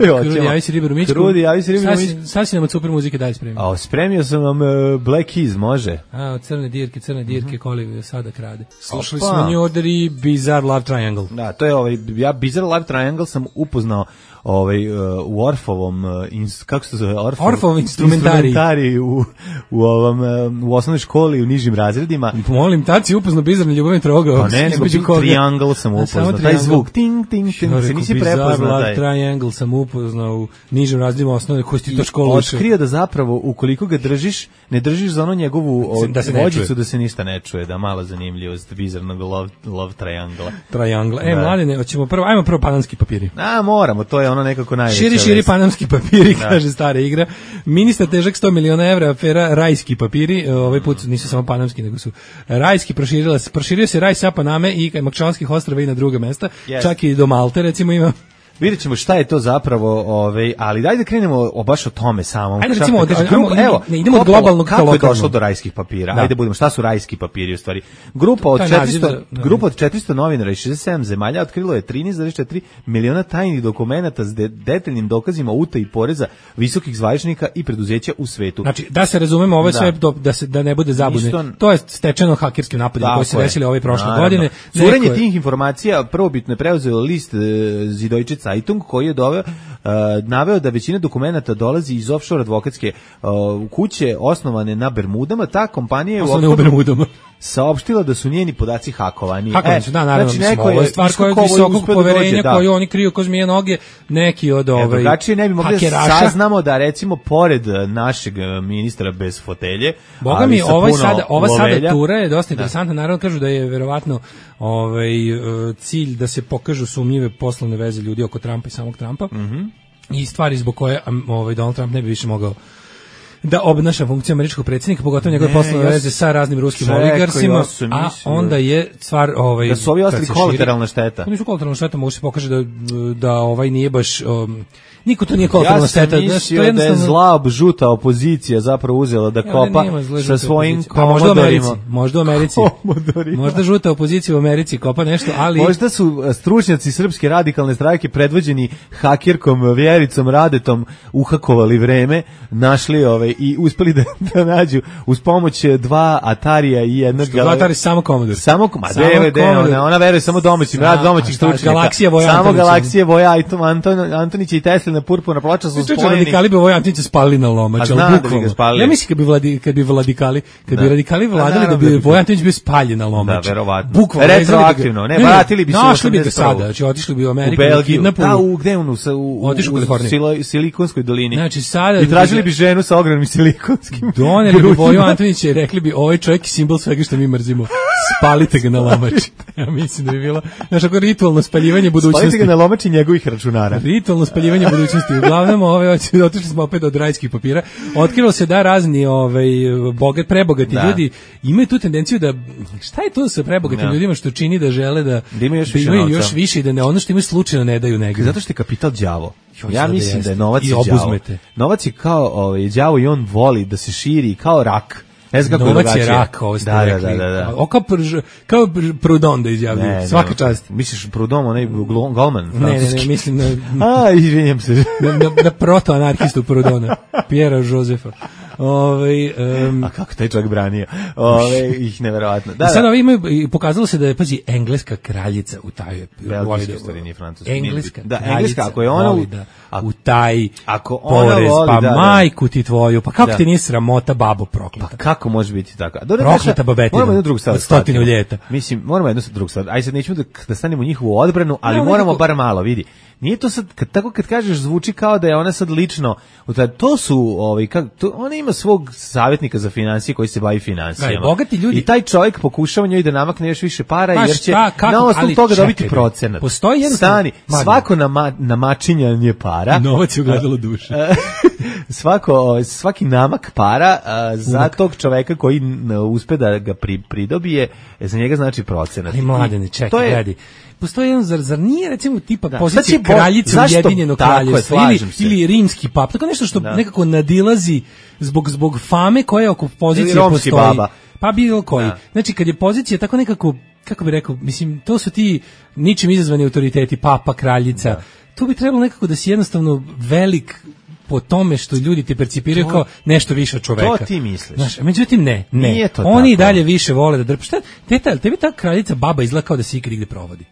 Krudi, javi se Riberu Mićku. Krudi, javi se Riberu Mićku. Sad si nam od super muzike dalje spremio. A, spremio sam vam uh, Black Keys, može? A, crne dirke, crne dirke, mm-hmm. Koli sada krade. Slušali Opa. smo New Order i Bizarre Love Triangle. Da, to je ovaj, ja Bizarre Love Triangle sam upoznao ovaj, uh, u Orfovom, uh, ins, kako se zove? Orfov, Orfov instrumentari. instrumentari u, u, ovom, uh, u osnovnoj školi u nižim razredima. Molim, tad si upoznao Bizarre ljubavni trogao. Pa ne, nego Triangle sam upoznao. Taj zvuk, ting, ting, ting, se nisi prepoznao. Bizarre Love Triangle sam upoznao u nižim razredima osnovne, koji ti to školu uče. Otkrio da zapravo, ukoliko ga držiš, ne držiš za ono njegovu od, da se vođicu da se ništa ne čuje, da malo zanimljivost Bizarnog Love, love Triangle. Triangle. E, da. Mladene, hoćemo prvo, ajmo prvo panamski papiri. A, moramo, to je ono nekako najveća. Širi, širi panamski papiri, da. Kaže stara igra. Ministar težak sto miliona evra, afera rajski papiri, ovaj put nisu samo panamski, nego su rajski, proširila, proširio se raj sa Paname i Makčanskih ostrava i na druga mesta, yes. Čak i do Malte, recimo ima. Vidjet ćemo šta je to zapravo, ovaj, ali dajde da krenemo o, baš o tome samom. Ajde recimo, kaže, od, grupa, ajmo, evo, ne, idemo od globalnog ka kako je lokalno. došlo do rajskih papira? Da. Ajde budemo, šta su rajski papiri u stvari? Grupa od četiristo, za, da, grupa od četiristo novinara iz šezdeset sedam zemalja otkrilo je trinaest zarez četiri miliona tajnih dokumenata s de, detaljnim dokazima o utaji poreza visokih zvaničnika i preduzeća u svetu. Znači, da se razumemo, ovo je da. sve do, da se da ne bude zabune. Isto, to je stečeno hakerskim napadima koji se desili ove prošle Naravno. godine. Curenje je... tih informacija prvobitno je preuzeo list Süddeutsche Zeitung koji je doveo Uh, naveo da većina dokumenata dolazi iz offshore advokatske uh, kuće osnovane na Bermudama. Ta kompanija je u Bermudama saopštila da su njeni podaci hakovani. Hakovani su, da, naravno, znači, neko je stvar koja je visokog poverenja da. koju oni kriju ko zmije noge, neki od ovaj drugačije ne bi mogli da saznamo da recimo pored našeg ministra bez fotelje, Boga mi, ovaj sada, ova lovelja, sada tura je dosta interesantna, naravno kažu da je verovatno ovaj cilj da se pokažu sumnjive poslovne veze ljudi oko Trumpa i samog Trumpa. Mm-hmm. I stvari zbog koje ovaj Donald Trump ne bi više mogao da obnaša funkciju američkog predsjednika, pogotovo njegove poslovne ja veze sa raznim ruskim čekaj, oligarsima, ja a onda je stvar ovaj da su ovi ostali kolateralna šteta. Nisu kolateralna šteta, mogu se pokaže da da ovaj nije baš um, niko to nije kolateralna šteta. Ja sam mislio da, da je zla žuta opozicija zapravo uzela da kopa ja, sa svojim komodorima. Možda u Americi. Možda žuta opozicija u Americi kopa nešto, ali možda su stručnjaci srpske radikalne stranke predvođeni hakerkom Vjericom Radetom uhakovali vreme, našli ove i uspeli da, da nađu uz pomoć dva Atarija i jednog dva Atari samo Commodore. Samo Commodore. Ona, ona veruje samo domaćim, rad domaćih stručnjaka. Galaksija Voja samo Galaksija Voja Anton Antonić i Tesla na purpurna ploča su spojeni. Radikali bi Voja Antonića spalili na lomač, al bukvalno. Ja mislim kad bi vladi kad bi vladikali, kad bi radikali vladali da bi Voja Antonić bio spaljen na lomač. Da, verovatno. Retroaktivno, ne, vratili bi se našli bi ga sada, znači otišli bi u Ameriku, u Belgiju, da, u gde on u otišli u Kaliforniju, Silikonskoj dolini. Znači sada i tražili bi ženu sa ogromnim silikonskim. Doneli bi Voju Antonića i rekli bi ovaj čovjek je simbol svega što mi mrzimo. Spalite ga na lomač. Ja mislim da bi bilo znači ako ritualno spaljivanje budućnosti. Spalite ga na lomač i njegovih računara. Ritualno spaljivanje budućnosti. Uglavnom ove otišli smo opet od rajskih papira. Otkrilo se da razni ovaj bogat prebogati da. ljudi imaju tu tendenciju da šta je to sa prebogatim ja. ljudima što čini da žele da, da imaju još, da imaju još više i da ne ono što imaju slučajno ne daju negdje. Zato što je kapital đavo. Ja mislim da, da je novac đavo. Novac je kao ovaj đavo i on voli da se širi kao rak. Ne znam kako novac je rak, ovo ste da, rekli. Da, da, da. O, kao, prž, kao Proudhon da izjavljaju, svaka čast. Misliš Proudhon, onaj Goldman? Ne, ne, ne, mislim na... A, izvinjam se. na, na, na proto-anarhistu Proudhona, Pjera Josefa. Ove, um, a kako taj čovjek branio? Ove, ih neverovatno. Da, sad da. Imaju, pokazalo se da je, pazi, engleska kraljica u taj... Belgijska stvari, nije francuska. Engleska da, engleska, ako je ona... U, da, a, u taj ako ona porez, voli, pa da, majku ti tvoju, pa kako da. ti nije sramota, babo prokleta? Pa kako može biti tako? Dobre, prokleta babetina, moramo jednu drugu stvar od stotinu ljeta. Mislim, moramo jednu drugu stvar. Aj sad nećemo da, da stanemo u njihovu odbranu, ali no, moramo nekako... bar malo, vidi. Nije to sad, kad, tako kad kažeš, zvuči kao da je ona sad lično, to su, ovaj, kak, to, ona ima svog savjetnika za financije koji se bavi financijama. Bogati ljudi. I taj čovjek pokušava njoj da namakne još više para, pa, jer će šta, kako, na osnovu toga dobiti procenat. Postoji jedan... Stani, svako nama, namačinjanje para... I novac je ugledalo duše. Svako, svaki namak para a, za tog čoveka koji uspe da ga pri, pridobije, za njega znači procenat. Ali mladene, čekaj, je, gledaj. Postoji jedan, zar, zar nije recimo tipa da, pozicija kraljice Ujedinjenog kraljevstva ili, ili rimski pap, tako nešto što da. nekako nadilazi zbog, zbog fame koja oko pozicije postoji. Baba. Pa bilo koji. Da. Znači kad je pozicija tako nekako, kako bi rekao, mislim, to su ti ničim izazvani autoriteti, papa, kraljica, da. tu bi trebalo nekako da si jednostavno velik po tome što ljudi ti percipiraju To- kao nešto više od čoveka. To ti misliš. Znaš, međutim ne, ne. Nije to Oni i tako. dalje više vole da drpe. Šta, teta, tebi ta kraljica baba izgleda kao da se ikad igde provodi.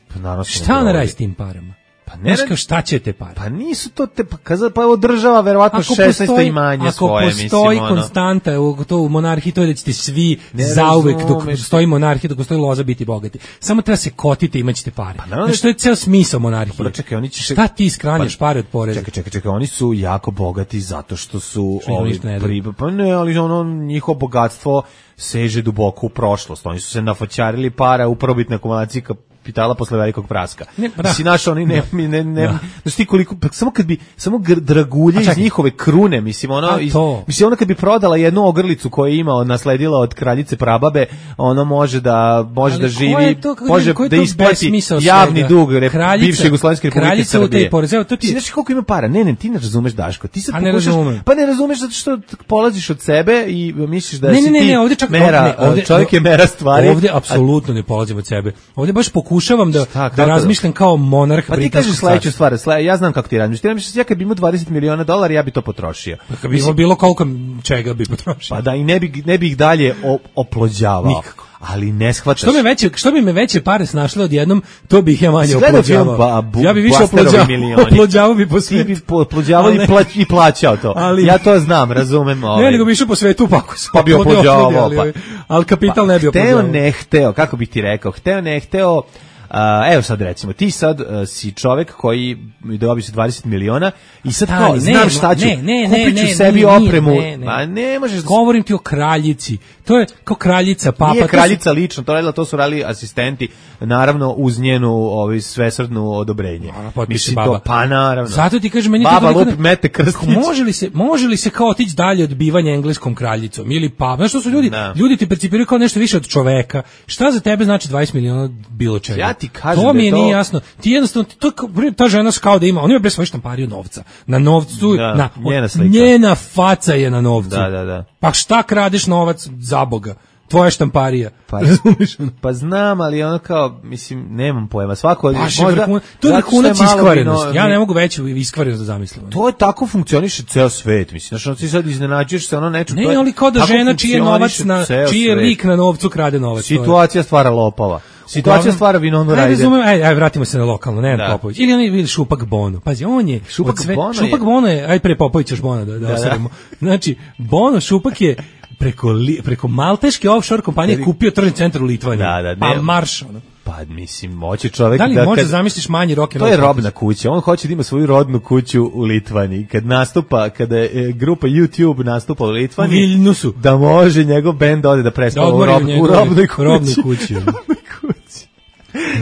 Pa naravno se ne Šta ona provodi. radi s tim parama? Pa Ne ne Znaš kao šta će te pare? Pa nisu to te, pa kaza, pa održava verovatno šesnaesto imanje ako svoje, postoji mislim, ono. konstanta u, to u monarhiji, to je da ćete svi Ne zauvek dok razumeš. postoji monarhija, dok postoji loza biti bogati. Samo treba se kotite i imaćete pare. Pa naravno Znači, to je ceo smisao monarhije. Pa čekaj, oni će se- Šta ti skranjaš Pa- pare od poreza? Čekaj, čekaj, čekaj, oni su jako bogati zato što su Što im ovi ništa ne daju. pri, pa ne, ali ono njihovo bogatstvo seže duboko u prošlost. Oni su se nafoćarili para u prvobitnoj akumulaciji kapitala posle velikog praska. Ne, pa da. Mislim, naš, oni ne, ne, ne, ne, Da. znaš ti koliko, pa samo kad bi, samo gr- dragulje A iz čekaj. njihove krune, mislim, ono, A iz, to. mislim, ona kad bi prodala jednu ogrlicu koju je imao, nasledila od kraljice prababe, ono može da, može Ali da ko živi, je to, kako može kažem, ko je da to isplati besmisao javni svega? dug rep, Kraljica- bivše Jugoslovenske republike kraljica u tej Srbije. porezi, evo, to ti- Mislim, znaš koliko ima para? Ne, ne, ti ne razumeš, Daško. Ti sad A ne pokušaš- razumem. Pa ne razumeš zato što polaziš od sebe i misliš da Ne, si ne, ne, ti ne, ovdje čak mera, ne, ovdje- čovjek je mera stvari. Ovdje a- apsolutno ne polazim od sebe. Ovdje baš pokušavam da, Šta, da kako da? razmišljam kao monarh Pa ti britanskog kažeš sledeću carstva. stvar, sle, ja znam kako ti razmišljaš. Ti razmišljaš, ja kad bi imao dvadeset miliona dolara, ja bi to potrošio. Kad bi imao bilo koliko čega bi potrošio. Pa da, i ne bi, ne bi ih dalje o, oplođavao. Nikako. Ali ne shvataš. Što me veće, što bi me veće pare snašle odjednom, to bih ja manje Si gledao film oplođavao. Ba- Bu- Ja bi više Busterovi oplođavao, milioni? oplođavao bi po Ti svetu. bi po- oplođavao Ali i, ne. plać, i plaćao to. Ali- Ja to znam, razumem. Ovaj. Ne, nego bi išao po svetu pa ako se Pa bi oplodi, oplođavao, oplodi, ali, pa. ali kapital ne bi Hteo, oplođavao. ne hteo, kako bih ti rekao, hteo, ne hteo, a, evo sad recimo, ti sad a, si čovek koji dobi se dvadeset miliona i sad kao, Stani, znam ne, šta ću, ne, ne, ne, kupit ću ne, sebi nije, opremu, ne, ne. ma ne možeš da... Govorim ti o kraljici. To je kao kraljica, papa. Nije to su- kraljica lično, to radila, to su radili asistenti, naravno uz njenu ovaj, svesrdnu odobrenje. Ona potpiše Mislim, baba. To, pa naravno. Zato ti kažem, meni je to Baba toliko lupi, ne- mete krstić. Može li se, može li se kao otići dalje od bivanja engleskom kraljicom ili pa, znaš što su ljudi, Da. ljudi ti percipiraju kao nešto više od čoveka. Šta za tebe znači dvadeset miliona bilo čega? Ja ti kažem to da mi je je to- nije jasno. Ti jednostavno to je kao- ta žena kao da ima, on ima bre svoju štampariju novca. Na novcu, Da, na njena slika. njena faca je na novcu. Da, da, da. Pa šta kradeš novac za Boga? Tvoja štamparija. Pa, Razumeš? ono? pa znam, ali ono kao, mislim, nemam pojma. Svako, Baš je možda, vrhun- to je zato što vrhunac malo iskvarenosti. vino- Ja ne mogu veću iskvarenost da zamislim. To je tako funkcioniše ceo svet, mislim. Znači, ono ti sad iznenađuješ se ono neču. Ne, to je- ali kao da tako žena čiji je novac na funkcioniše ceo čiji je svet. lik na novcu krade novac. to je. Situacija stvara lopova. Situacija Uglavnom, stvara Vinonu ajde, Rajder. razumem, ajde, ajde, vratimo se na lokalno, ne Da. na Popović. Ili on je ili Šupak Bono. Pazi, on je Šupak od sve, Bono je- Šupak Bono je, ajde pre Popović još Bona da da, da. osadimo. Znači, Bono Šupak je preko li, preko malteške offshore kompanije Tebi- kupio tržni centar u Litvaniji. Da, da, ne. Pa marš, ono. Pa, mislim, moće čovek Da li da... možeš kad- zamisliš manji rock and To roll je protest? robna kuća. On hoće da ima svoju rodnu kuću u Litvaniji. Kad nastupa, kada je e, grupa YouTube nastupa u Litvaniji, U Viljnusu. da može njegov bend ode da predstava Da u, odmori rob, u u njegovoj robnoj kući. robnoj kući, ono. Robnoj kući.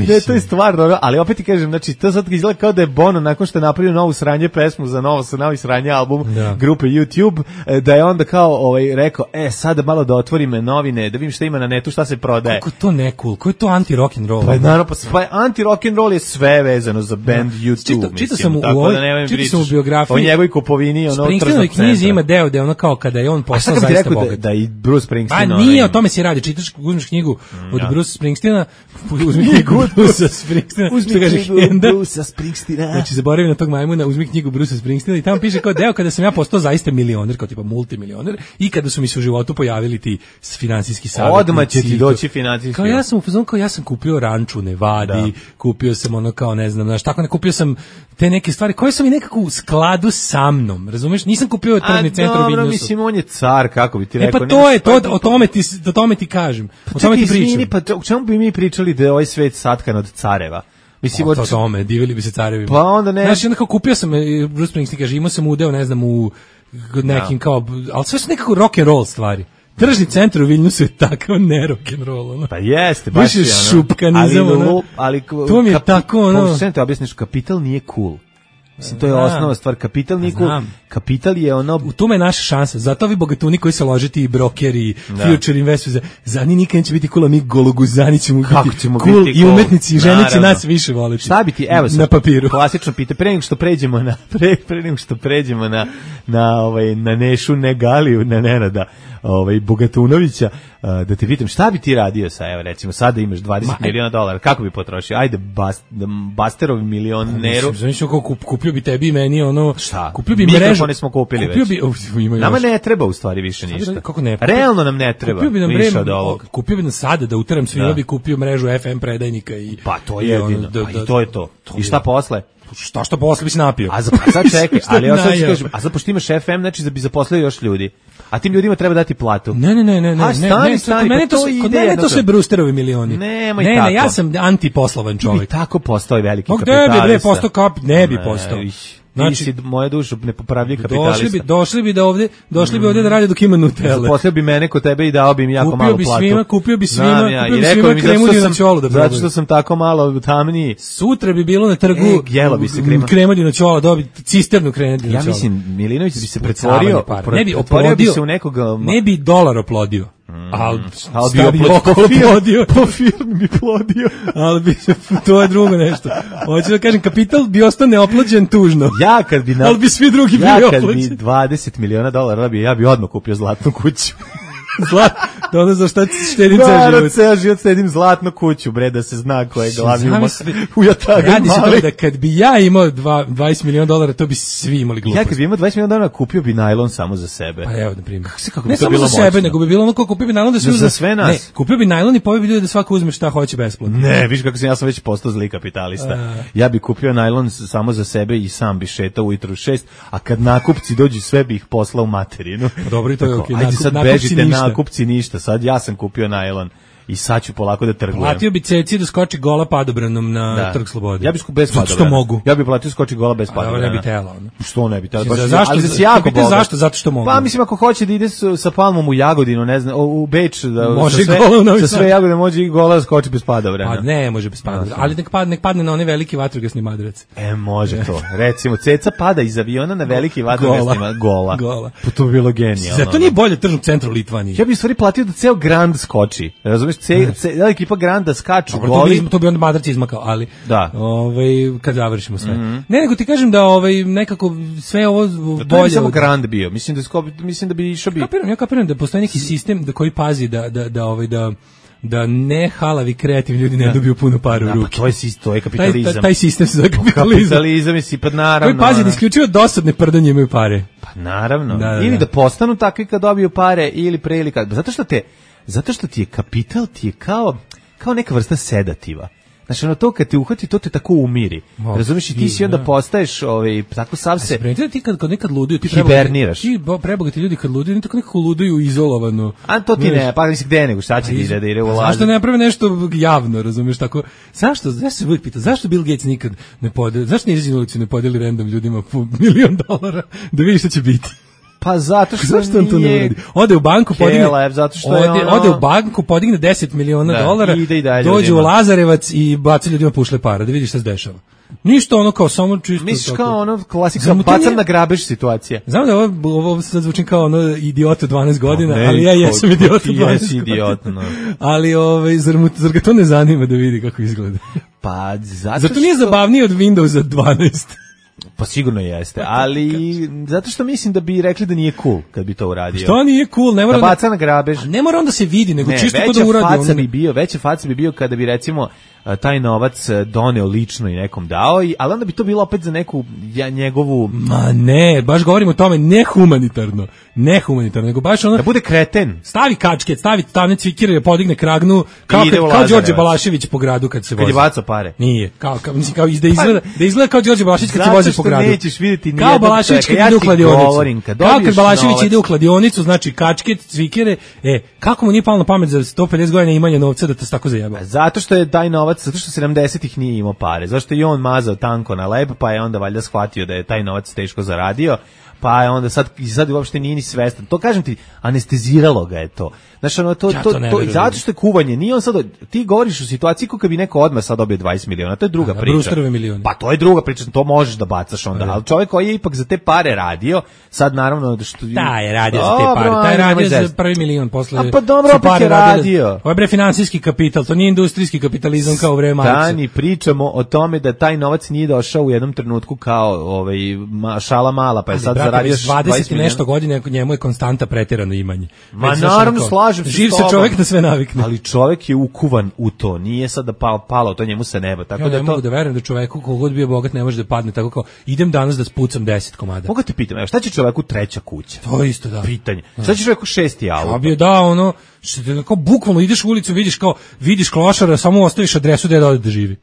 Ne, to je stvarno, ono, ali opet ti kažem, znači, to sad izgleda kao da je Bono, nakon što je napravio novu sranje pesmu za novo, sa novi sranje album Da. grupe YouTube, e, da je onda kao ovaj, rekao, e, sad malo da otvorim novine, da vidim šta ima na netu, šta se prodaje. Kako je to ne cool? Ko je to anti rock and roll? Pa naravno, pa, pa anti rock and roll je sve vezano za band YouTube, Čitao- mislim. čitao sam u tako ovoj- da nemoj čitao pričaš sam u biografiji- o njegovoj kupovini, ono Springsteenovoj tržnog knjizi centra. ima deo gde ono kao kada je on A šta postao kad ti zaista rekao da, bogat. da i Bruce Pa Springsteen... nije, o onaj- tome se radi. Čitaš, uzmeš knjigu od ja. Bruce Springsteena, uzmi knjigu od Bruce Springsteena, Uzmi što kaže knjigu Henda. Brucea Springsteena. Znači, zaboravim na tog majmuna, uzmi knjigu Bruce Springsteena i tamo piše kao deo kada sam ja postao zaista milioner, kao tipa multimilioner, i kada su mi se u životu pojavili ti s- finansijski savjetnici. Odmah će ti i to. doći financijski. Kao ja sam u fazonu, kao ja sam kupio ranču u Nevadi, kupio sam ono kao ne znam, znaš, tako ne kupio sam te neke stvari koje su mi nekako u skladu sa mnom, razumeš? Nisam kupio tržni centar u A dobro, Viljnusu. mislim, on je car, kako bi ti E rekao. pa to nemaš je, to, pa- o tome ti, o tome ti kažem. O Čekaj, tome ti izvini, pričam. pa to- o čemu bi mi pričali da je ovaj svet satkan od careva? Mislim, O od... to tome, divili bi se carevima. Pa onda ne- Znaš, onda kao kupio sam, e, Bruce Springsteen kaže, imao sam udeo, ne znam, u nekim kao, ali sve su nekako rock and roll stvari. Tržni centar u Viljnusu je takav ne rock and roll, ono. Pa jeste, Baš baš je je ono. šupkanizam, ali, ono. lup- ali, To mi je kapi- tako, ono. Pa, šta ti objasniš, kapital nije cool. Mislim, to je Znam. osnova stvar. Kapital nije cool. Znam. Kapital je ono... U tome je naša šansa. Zato ovi bogatuni koji se ložiti i brokeri, future investors, za njih nikad neće biti cool, a mi gologuzani ćemo Kako biti ćemo cool biti i cool? umetnici i žene će Naravno. nas više voliti. Šta bi ti, evo sad, na papiru. klasično pita, pre nego što pređemo na, pre, pre nego što pređemo na, na, ovaj, na Nešu Negaliju, na Nenada, ovaj Bogatunovića, da te pitam šta bi ti radio sa, evo recimo sada imaš dvadeset miliona dolara, kako bi potrošio? Ajde bas, Basterovi milioneru. Znači kako kup, kupio bi tebi i meni ono, šta? Kupio bi mrežu. Mikrofone smo kupili kupio već. Bi, uf, nama ne treba u stvari više ništa. Kako ne? Realno nam ne treba. Kupio bi nam više od ovog. Kupio bi nam sada da uteram svima da. Bi kupio mrežu F M predajnika i pa to je jedino. Da, da, i to je to. to I šta je. Posle? Šta što posle bi se napio? A za sad čekaj, ali ja sad kažem, a za pošto imaš F M, znači da bi zaposlio još ljudi. A tim ljudima treba dati platu. Ne, ne, ne, ne, ne, a stani, ne, stani, mene pa to, to kod mene to sve Brewsterovi milioni. Nemoj ne, tako. Ne, ja sam antiposlovan čovjek. Bi tako postao veliki Mog kapitalista. Ne bi bre postao kap, ne bi postao. Znači, ti si moja duša nepopravljiv kapitalista. Došli bi, došli bi da ovde, došli bi ovde da rade dok ima Nutelle. Zaposlio bi mene kod tebe i dao bi im jako kupio malu bi platu. Svima, kupio bi svima, Znam ja, kupio i bi rekao svima mi kremu zato dinoćolo da zato što sam tako malo tamniji. Sutra bi bilo na trgu e, jelo bi se krema. Krema dinoćola, dobi cisternu krema dinoćola. Ja mislim, Milinović bi se pretvorio, ne bi oplodio bi se u nekog... Ne bi dolar oplodio. Mm. Al al bi oplodio, po firmi bi plodio. Al bi to je drugo nešto. Hoću da kažem, kapital bi ostao neoplođen tužno. Ja kad bi na, al bi svi drugi bili oplođeni. Ja kad bi dvadeset miliona dolara bi ja bi odmah kupio zlatnu kuću. Zlat, da ono za šta štedim ceo život. Naravno, ceo život stedim zlatnu kuću, bre, da se zna ko je glavni u Jataga. Radi se to da kad bi ja imao dvadeset miliona dolara, to bi svi imali glupost. Ja kad bi imao dvadeset miliona dolara, kupio bi najlon samo za sebe. Pa evo, na primjer. Kako se, kako ne bi to samo bilo za sebe, moćno? nego bi bilo ono kao kupio bi najlon da se uzme. Za sve nas. Ne, kupio bi najlon i poveo bi ljudi da svako uzme šta hoće besplatno. Ne, viš kako sam, ja sam već postao zli kapitalista. A... Ja bi kupio najlon samo za sebe i sam bi šetao ujutru u šest, a kad nakupci dođu sve bi ih poslao u materinu. Dobro, i to je okej. Ajde sad bežite, nakupci ništa. Sad ja sam kupio najlon i sad ću polako da trgujem. Platio bi Ceci da skoči gola padobranom na da. Trg slobode. Ja bih bez padobrana. Što mogu. Ja bih platio skoči gola bez padobrana. A ne bi tela. Što ne bi tela? Baš zašto? Ali se jako bogat. Zašto? Zato što mogu. Pa mislim ako hoće da ide sa Palmom u Jagodinu, ne znam, u Beč da može sa sve, sa sve Jagodine može i gola skoči bez padobrana. Pa ne, može bez padobrana. Ali nek padne, nek padne na one veliki vatrogasni madrac. E, može to. Recimo Ceca pada iz aviona na veliki vatrogasni gola. Gola. Pa to bi bilo genijalno. Zato nije bolje tržnog centra u Litvaniji. Ja bih stvari platio da ceo Grand skoči. Razumeš, ceo ekipa Granda skaču Dobro, goli. To bi, to bi onda madrac izmakao, ali da. ovaj, kad završimo sve. Mm-hmm. Ne, nego ti kažem da ovaj, nekako sve ovo bolje... To je samo od... Grand bio, mislim da, sko, mislim da bi išao bi... Kapiram, ja kapiram da postoji neki sistem da koji pazi da, da, da, ovaj, da da ne halavi kreativni ljudi ne da. Dobiju puno para u ruke. Pa to je sistem, to je kapitalizam. Taj, taj sistem se zove kapitalizam. Kapitalizam je si, pa naravno. Koji pazi da isključivo dosadne prdanje imaju pare. Pa naravno. Da, da, ili da. da postanu takvi kad dobiju pare, ili pre ili kad... Zato što te, zato što ti je kapital, ti je kao... kao neka vrsta sedativa. Znači, ono to kad te uhvati, to te tako umiri. Oh, razumiješ i ti si onda da. Postaješ ovaj, tako sav se... A ti kad, kad nekad luduju, ti hiberniraš. Ti prebogati ljudi kad luduju, oni tako nekako luduju izolovano. A to ti ne, pa mislim gde nego, šta će ti da ide u lazu? Zašto ne naprave nešto javno, razumiješ tako? Zašto, zašto se uvijek pita, zašto Bill Gates nikad ne podeli, zašto ne izađe na ulicu ne podeli random ljudima po milion dolara da vidi šta će biti? Pa zato što zašto on to ne uradi? Ode u banku, podigne, Kelev, zato što ode, je ono... ode u banku, podigne deset miliona da, dolara, dođe u Lazarevac i baci ljudima pušle para, da vidi šta se dešava. Ništa ono kao samo čisto... Misliš kao ono klasika bacan na grabež situacija. Znam da ovo, ovo sad zvučim kao ono idiot od dvanaest godina, no, ne, ali ja jesam idiot od dvanaest godina. Idiot, no. Ali ovaj, zar, mu, zar ga to ne zanima da vidi kako izgleda? Pa zato Zato nije što... zabavnije od Windowsa dvanaest. Pa sigurno jeste, ali zato što mislim da bi rekli da nije cool kad bi to uradio. Što nije cool, ne mora da baca na grabež. Ne mora onda se vidi, nego ne, čisto to da uradi. Faca bi bio, veća faca bi bio kada bi recimo taj novac doneo lično i nekom dao, i, ali onda bi to bilo opet za neku ja, njegovu... Ma ne, baš govorimo o tome nehumanitarno, nehumanitarno, nego baš ono... Da bude kreten. Stavi kačket, stavi stavne cvikire, podigne kragnu, kao, kad, kao Đorđe Balašević po gradu kad se vozi. Kad je bacao pare. Nije, kao, kao, mislim, kao da izgleda, da izgleda kao Đorđe Balašević kad se vozi po gradu. Nećeš vidjeti kao Balašević kad ja ide u kladionicu. Kad kao kad Balašević novac. Ide u kladionicu, znači kačket, cvikire, e, kako mu nije palo na pamet za sto pedeset godina imanja novca da te tako zajebao? Zato što je taj novac, zato što sedamdesetih nije imao pare. Zašto je on mazao tanko na leb, pa je onda valjda shvatio da je taj novac teško zaradio, pa je onda sad, sad uopšte nije ni svestan. To kažem ti, anesteziralo ga je to. Znači, ono, to, ja to, to, to, zato što je kuvanje, nije on sad, ti govoriš u situaciji kako bi neko odmah sad dobio dvadeset miliona, to je druga a, priča. Pa to je druga priča, to možeš da bacaš onda, ali čovjek koji je ipak za te pare radio, sad naravno što... Da, je radio za te pare, taj je radio za prvi milion posle... A pa dobro, opet je radio. Ovo je bre finansijski kapital, to nije industrijski kapitalizam kao u vreme Marksa. Stani, pričamo o tome da taj novac nije došao u jednom trenutku kao ovaj, šala mala, pa je sad brate, zaradio dvadeset i nešto godine, njemu je konstanta preterano imanje. Ma naravno, slažem se. Živ se čovjek na sve navikne. Ali čovjek je ukuvan u to, nije sad da palo, palo to njemu sa neba. Tako ja da ne to... mogu da verujem da čoveku kogod bio bogat ne može da padne tako kao idem danas da spucam deset komada. Mogu te pitam, evo šta će čoveku treća kuća? To isto da. Pitanje. Šta će čoveku šesti auto? Ja bi da ono, što te kao bukvalno ideš u ulicu, vidiš kao vidiš klošara, samo ostaviš adresu gde da ode da živi.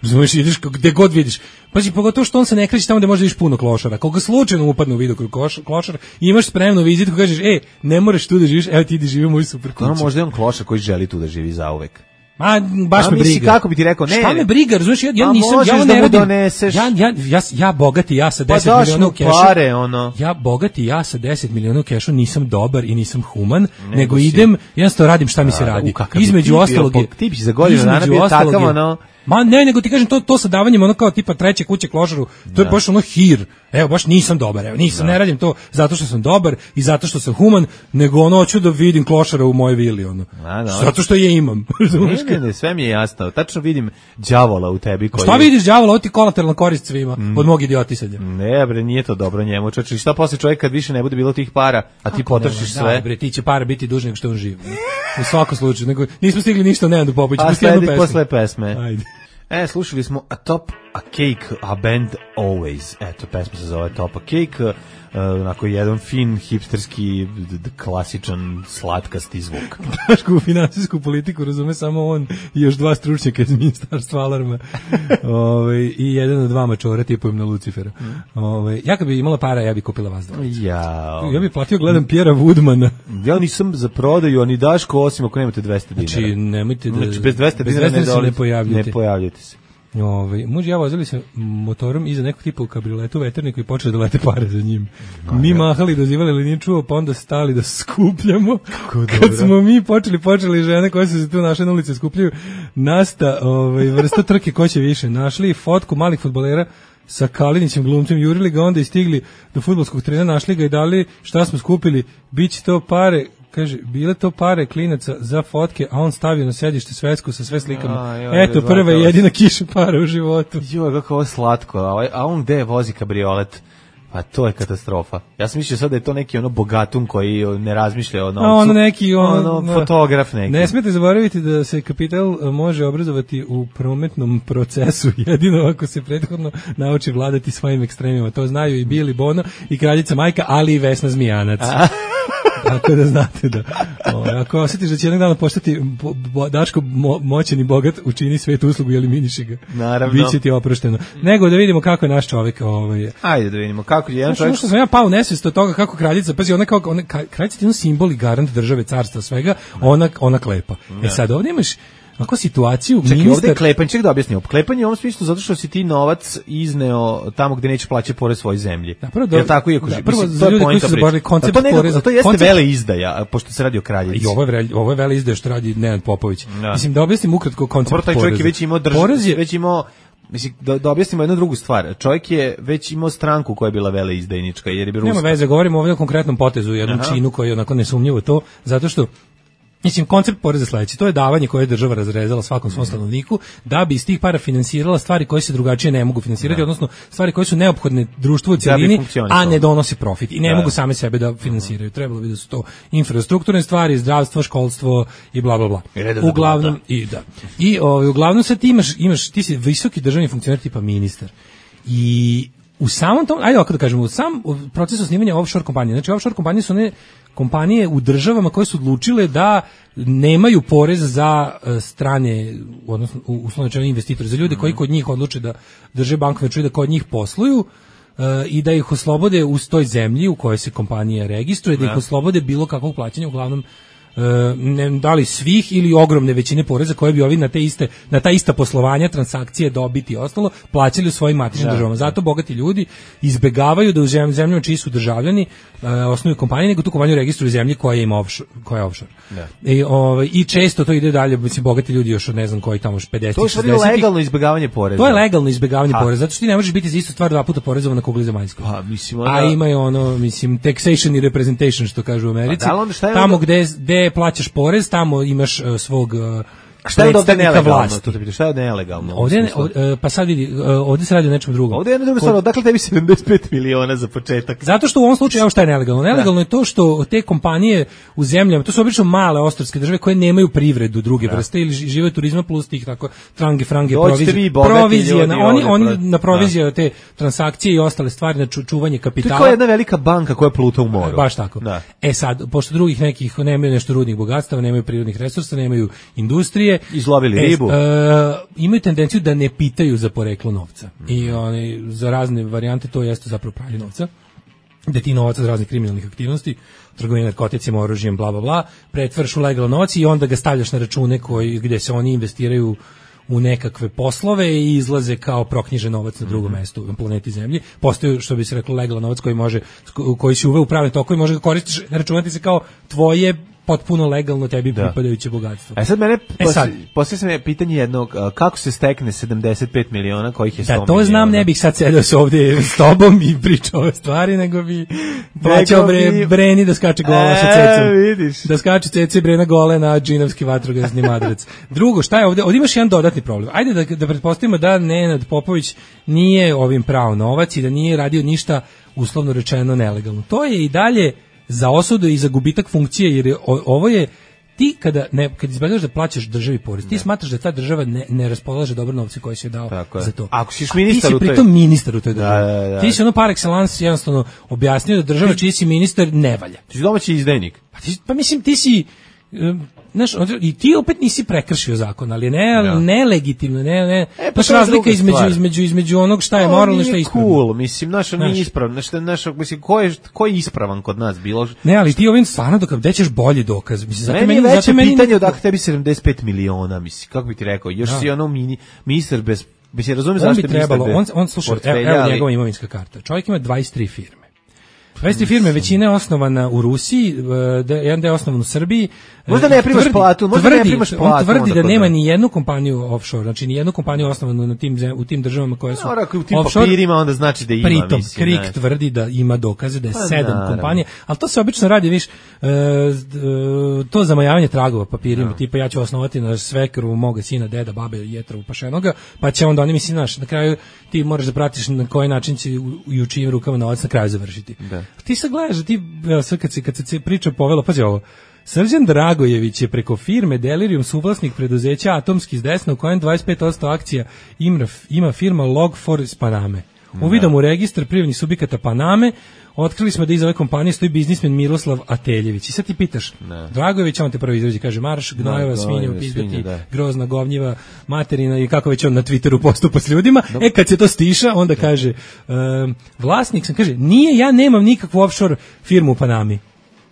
Razumeš, ideš gde god vidiš. Pazi, pogotovo što on se ne kreće tamo gde možda vidiš puno klošara. Koga slučajno upadne u video klošar, imaš spremnu vizitku, kažeš, e, ne moraš tu da živiš, evo ti idi živi u moju super kuću. No, možda je on klošar koji želi tu da živi zauvek. Ma, baš A, me misli, briga. kako bi ti rekao, ne. Šta me briga, razumeš, ja, ja A nisam, ja možeš ne da mu radim. doneseš. Ja, ja, ja, ja bogati, ja sa deset Pa daš miliona mu u kešu. pare, ono. Ja bogati, ja sa deset miliona u kešu nisam dobar i nisam human, nego, nego si. idem, jednostavno radim šta mi se radi. Između ostalog je, ti bi za godinu dana bio takav, ono. Ma ne, nego ti kažem to to sa davanjem ono kao tipa treće kuće klošaru, to je baš ono hir. Evo baš nisam dobar, evo nisam, da. Ne radim to zato što sam dobar i zato što sam human, nego ono hoću da vidim klošara u mojoj vili ono. A, da, zato što je imam. Ne, ne, ne, sve mi je jasno. Tačno vidim đavola u tebi koji. Šta vidiš đavola, ovo ti kolateralna korist svima mm. od mog idiotisanja. Ne, bre, nije to dobro njemu. Čoveče, šta posle čovjek kad više ne bude bilo tih para, a ti potrošiš sve? Da, bre, ti će para biti dužni nego što on živi. U svakom slučaju, nego nismo stigli ništa Nenadu Popoviću, a sledi posle pesme. Ajde. E, slušali smo A Top A Cake, A Band Always. Eto, pesma se zove Top A Cake. Uh, onako jedan fin, hipsterski, klasičan, slatkasti zvuk. Dašku finansijsku politiku razume samo on i još dva stručnjaka iz ministarstva alarma. Ove, i jedan od dva mačora tipujem na Lucifera. Ove, ja kad bi imala para, ja bi kupila vas dva. Ja, ja bi platio, gledam Pjera Woodmana. Ja nisam za prodaju, ani Daško, osim ako nemate dvesta dinara. Znači, nemojte da... Znači, bez dvesta bez dinara ne, se ne pojavljate. Ne pojavljate se. Ove, muž i ja vozili se motorom iza nekog tipa u kabrioletu u veterniku i počeli da lete pare za njim. No, mi ja. mahali, dozivali, ali nije čuo, pa onda stali da skupljamo. Kad smo mi počeli, počeli žene koje su se tu našle na ulici skupljaju, nasta ovaj, vrsta trke ko će više. Našli fotku malih fudbalera sa Kalinićem glumcem, jurili ga onda i stigli do fudbalskog trena, našli ga i dali šta smo skupili, bit će to pare. Kaže, bile to pare klinaca za fotke, a on stavio na sedište svetsku sa sve slikama. A, joj, eto, prva i jedina kiša para u životu. Joj, kako ovo slatko. A, a on gde vozi kabriolet? Pa to je katastrofa. Ja sam mislio sad da je to neki ono bogatun koji ne razmišlja o novcu. A ono neki ono, ono fotograf neki. Ne smijete zaboraviti da se kapital može obrazovati u prometnom procesu jedino ako se prethodno nauči vladati svojim ekstremima. To znaju i Bili Bono i kraljica Majka, ali i Vesna Zmijanac. Tako da znate da o, ako osjetiš da će jednog dana postati bo, bo, Daško mo, moćan i bogat, učini svetu uslugu i eliminiši ga. Naravno. Biće ti oprošteno. Nego da vidimo kako je naš čovjek. Ovaj. Ajde da vidimo kako je jedan čovjek. Što sam ja pao u nesvijest od toga kako kraljica, pazi, ona kao ona kraljica je simbol i garant države, carstva, svega, ona ona klepa. Ne. E sad ovdje imaš ako situaciju Čekaj, ministar... ovdje je klepanje, ček da objasnimo. Klepanje je u ovom smislu zato što si ti novac izneo tamo gdje neće plaćati porez svojoj zemlji. Da, prvo, do, Jel tako, iako, da, mislim, prvo za ljudi koji su zaboravili koncept to poreza. A to jeste koncept... vele izdaja, pošto se radi o kraljici. I ovo je, ovo je vele izdaja što radi Nenad Popović. Da. Mislim, da objasnim ukratko koncept poreza. Taj čovjek je već imao državu, je... već imao... Mislim, da, da objasnimo jednu drugu stvar. Čovjek je već imao stranku koja je bila veleizdajnička, jer je bila Nema veze, govorimo ovdje o konkretnom potezu, jednom Aha. činu koji je onako nesumnjivo to, zato što mislim, koncept poreza sledeći, to je davanje koje je država razrezala svakom svom stanovniku da bi iz tih para finansirala stvari koje se drugačije ne mogu finansirati, da. odnosno stvari koje su neophodne društvu u cjelini, da a ne donose profit i ne da. mogu same sebe da finansiraju. Trebalo bi da su to infrastrukturne stvari, zdravstvo, školstvo i bla bla bla. Uglavnom i da. I ovaj uglavnom sad ti imaš imaš ti si visoki državni funkcioner tipa ministar. I u samom tom, ajde ovako da kažemo, u sam proces osnivanja offshore kompanije, znači offshore kompanije su one kompanije u državama koje su odlučile da nemaju porez za strane, odnosno uslovno rečeno investitore, za ljude koji kod njih odluče da drže bankovne račune, da kod njih posluju i da ih oslobode u toj zemlji u kojoj se kompanija registruje, da ih oslobode bilo kakvog plaćanja, uglavnom ne dali svih ili ogromne većine poreza koje bi ovi na te iste na ta ista poslovanja, transakcije, dobiti i ostalo plaćali u svojim matičnim da, državama. Zato bogati ljudi izbegavaju da u zemljama čiji su državljani uh, osnuju kompanije, nego tu kompaniju registruju zemlji koja ima offshore, koja je offshore. Da. I, ovaj, I često to ide dalje, mislim, bogati ljudi još od ne znam koji tamo pedeset šezdeset. To je legalno izbegavanje poreza. To je legalno izbegavanje poreza, zato što ti ne možeš biti za istu stvar dva puta porezovan na kugli zemaljskoj. Pa, mislim, onda... A ima je ono, mislim, taxation i representation, što kažu u Americi. Pa, da, onda šta je tamo onda... gde, gde plaćaš porez, tamo imaš uh, svog uh, šta je ovde nelegalno? Vlasti. To te pitam, šta je ovde nelegalno? Ovde, ovde, pa sad vidi, ovde se radi o nečem drugom. Ovde je jedna druga stvar, odakle tebi sedamdeset pet miliona za početak? Zato što u ovom slučaju, evo šta je nelegalno? Nelegalno je to što te kompanije u zemljama, to su obično male ostrvske države koje nemaju privredu druge da. vrste ili žive turizma plus tih tako trange, frange, provizije. Provizije, na, oni, oni na provizije da. te transakcije i ostale stvari, na čuvanje kapitala. To je jedna velika banka koja pluta u moru. Baš tako. Da. E sad, pošto drugih nekih nemaju nešto rudnih bogatstava, nemaju prirodnih resursa, nemaju industrije. Izlovili e, ribu. E, imaju tendenciju da ne pitaju za poreklo novca. Mm. I oni, za razne varijante to jeste zapravo pranje novca. Da ti novac od raznih kriminalnih aktivnosti, trgovina narkoticima, oružjem, bla, bla, bla, pretvaraš u legalan novac i onda ga stavljaš na račune koji, gde se oni investiraju u nekakve poslove i izlaze kao proknjižen novac na drugom mestu na planeti Zemlji. Postoji, što bi se reklo, legalan novac koji može, koji se uve u pravne tokove i može ga koristiš, računati se kao tvoje potpuno legalno tebi da. pripadajuće bogatstvo. E sad mene, e sad, poslije sam je pitanje jednog, kako se stekne sedamdeset pet miliona kojih je sto miliona? Da, to miliona? znam, ne bih sad sedeo se ovdje s tobom i pričao ove stvari, nego bi plaćao bre, bi... Breni da skače gola e, sa cecom. Vidiš. Da skače ceca i Brena gole na džinovski vatrogasni madrac. Drugo, šta je ovdje? Ovdje imaš jedan dodatni problem. Ajde da, da pretpostavimo da Nenad Popović nije ovim prao novac i da nije radio ništa uslovno rečeno nelegalno. To je i dalje za osudu i za gubitak funkcije, jer je, o, ovo je ti kada ne kad izbjegaš da plaćaš državi porez, ti smatraš da ta država ne, ne raspolaže dobro novce koje si joj dao za to. Ako si ministar, ti si pritom ministar u toj državi. Da, da, da. Ti si ono par excellence jednostavno objasnio da država čiji si ministar ne valja. Ti si domaći izdajnik. Pa, ti, pa mislim ti si um, znaš, i ti opet nisi prekršio zakon, ali ne, ja. nelegitimno, ne, ne, e, pa razlika između, između, između onog šta je moralno i šta je ispravno. Cool, mislim, naš, nije ispravno, naš, naš, mislim, ko je, ko je ispravan kod nas bilo? Ne, ali ti ovim stvarno dok gde ćeš bolji dokaz, mislim, zato meni, meni, veće meni, pitanje odakle tebi sedamdeset pet miliona, mislim, kako bi ti rekao, još da. si ono mini, ministar bez, mislim, razumiješ zašto je ministar bez on, on, sluša, evo, evo njegova imovinska karta, čovjek ima dvadeset tri firme. dvadeset tri firme, većina je osnovana u Rusiji, jedan deo je osnovan u Srbiji. Možda ne primaš platu, možda tvrdi, ne primaš platu. On tvrdi da nema ni jednu kompaniju offshore, znači ni jednu kompaniju osnovanu na tim, u tim državama koje su no, u tim offshore. Papirima onda znači da ima. Pritom, mislim, Krik ne. tvrdi da ima dokaze da je pa, sedam naravno. kompanija, ali to se obično radi, viš, e, to zamajavanje tragova papirima, no. tipa ja ću osnovati na svekru moga sina, deda, babe, jetra, pašenoga, pa će onda oni misli, znaš, na kraju ti moraš da pratiš na koji način će i u čijim rukama novac na kraju završiti. Da. Ti sad gledaš, ti, evo, sad kad se, kad se priča povelo, pazi ovo, Srđan Dragojević je preko firme Delirium suvlasnik preduzeća Atomski iz Desna u kojem dvadeset pet posto akcija ima, ima firma Log four iz Paname. Uvidom u registar privrednih subjekata Paname otkrili smo da iza ove kompanije stoji biznismen Miroslav Ateljević. I sad ti pitaš, ne. Dragojević, on te prvo izrađe, kaže marš, gnojeva, svinja, upizdati, grozna, govnjiva, materina i kako već on na Twitteru postupa s ljudima. No. E, kad se to stiša, onda da. kaže, um, vlasnik sam, kaže, nije, ja nemam nikakvu offshore firmu u Panami.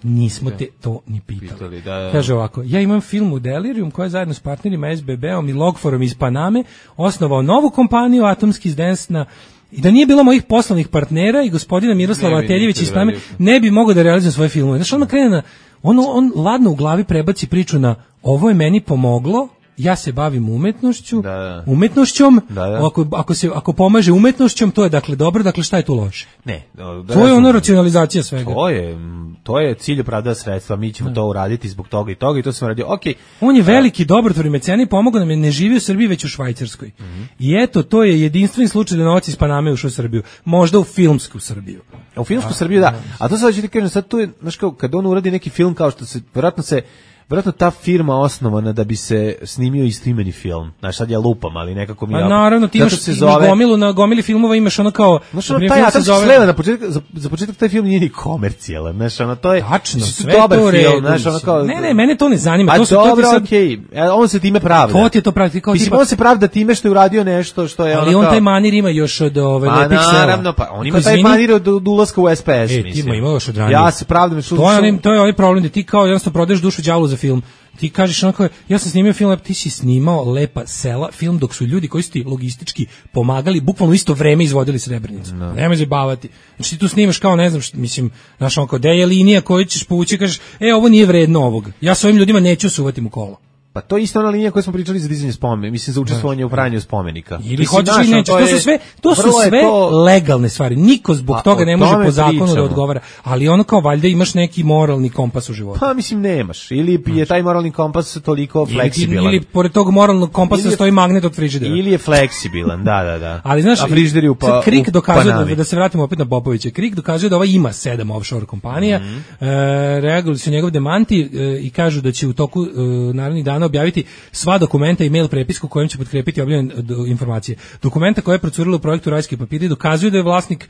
Nismo te to ni pitali. pitali da, da. Kaže ovako, ja imam film u Delirium koja je zajedno s partnerima S B B-om i Logforom iz Paname osnovao novu kompaniju Atomski iz Desna i da nije bilo mojih poslovnih partnera i gospodina Miroslava Ateljevića iz Paname, ne bi mogao da realizujem svoje filmove. Znači, on krene na, on, on ladno u glavi prebaci priču na ovo je meni pomoglo, ja se bavim umetnošću, da, da. umetnošćom, da, da. Ako, ako, se, ako pomaže umetnošćom, to je dakle dobro, dakle šta je tu loše? Ne. Da, to je ono racionalizacija svega. To je, to je cilj opravdava sredstva, mi ćemo da. to uraditi zbog toga i toga i to smo radio. Okay. On je veliki dobrotvor i mecena i pomogao nam je, ne živi u Srbiji, već u Švajcarskoj. Mm-hmm. I eto, to je jedinstven slučaj da novac iz Paname ušao u Srbiju. Možda u filmsku Srbiju. U filmsku A, Srbiju, da. A to sad ću ti kažem, sad tu je, znaš kao, kad on uradi neki film kao što se, vjerojatno se vjerojatno ta firma osnovana da bi se snimio istoimeni film. Znaš, sad ja lupam, ali nekako mi... A naravno, ti imaš zove... na, gomilu, na gomili filmova imaš ono kao... Znaš, ono, taj Atomski zove... sleva na početak, za, za početak taj film nije ni komercijalan, znaš, ono, to je... Tačno, sve dobar to film, znaš, ono kao... Ne, ne, mene to ne zanima. A to su, dobro, to sad... okej, okay. On se time pravda. Ko ti je to pravda? Kao, Mislim, tipa... on se pravda time što je uradio nešto što je... Ali ono on kao... taj manir ima još od ove pa, Lepih sela. Naravno, pa on ima taj manir od, od ulaska u S P S, e, mislim. Ti ima još od ranije. Ja se pravdam što... To je, to je onaj problem da ti kao jednostavno prodaješ dušu đavolu za film. Ti kažeš onako, ja sam snimio film, ti si snimao Lepa sela, film dok su ljudi koji su ti logistički pomagali, bukvalno isto vreme izvodili Srebrenicu. No. Nemoj zabavati. Znači ti tu snimaš kao, ne znam, što, mislim, znaš onako, gde je linija koju ćeš povući, kažeš, e, ovo nije vredno ovog. Ja s ovim ljudima neću suvati mu kolo. Pa to je isto ona linija koju smo pričali za dizanje spomenika, mislim za učestvovanje u pranju spomenika. Ili hoćeš ili nećeš, to, to su sve, to su sve to... legalne stvari. Niko zbog a, toga ne može po zakonu pričamo. Da odgovara, ali ono kao valjda imaš neki moralni kompas u životu. Pa mislim nemaš, ili je taj moralni kompas toliko fleksibilan. Ili, ili pored tog moralnog kompasa je, stoji magnet od frižidera. Ili je fleksibilan, da, da, da. Ali znaš, a frižider je u pa, Krik dokazuje da, da se vratimo opet na Popovića. Krik dokazuje da ova ima sedam offshore kompanija. Mm-hmm. E, reagovali su njegov demanti e, i kažu da će u toku e, narednih dana objaviti sva dokumenta i mail prepisku kojim će potkrepiti objavljene informacije. Dokumenta koje je procurilo u projektu Rajski papiri dokazuju da je vlasnik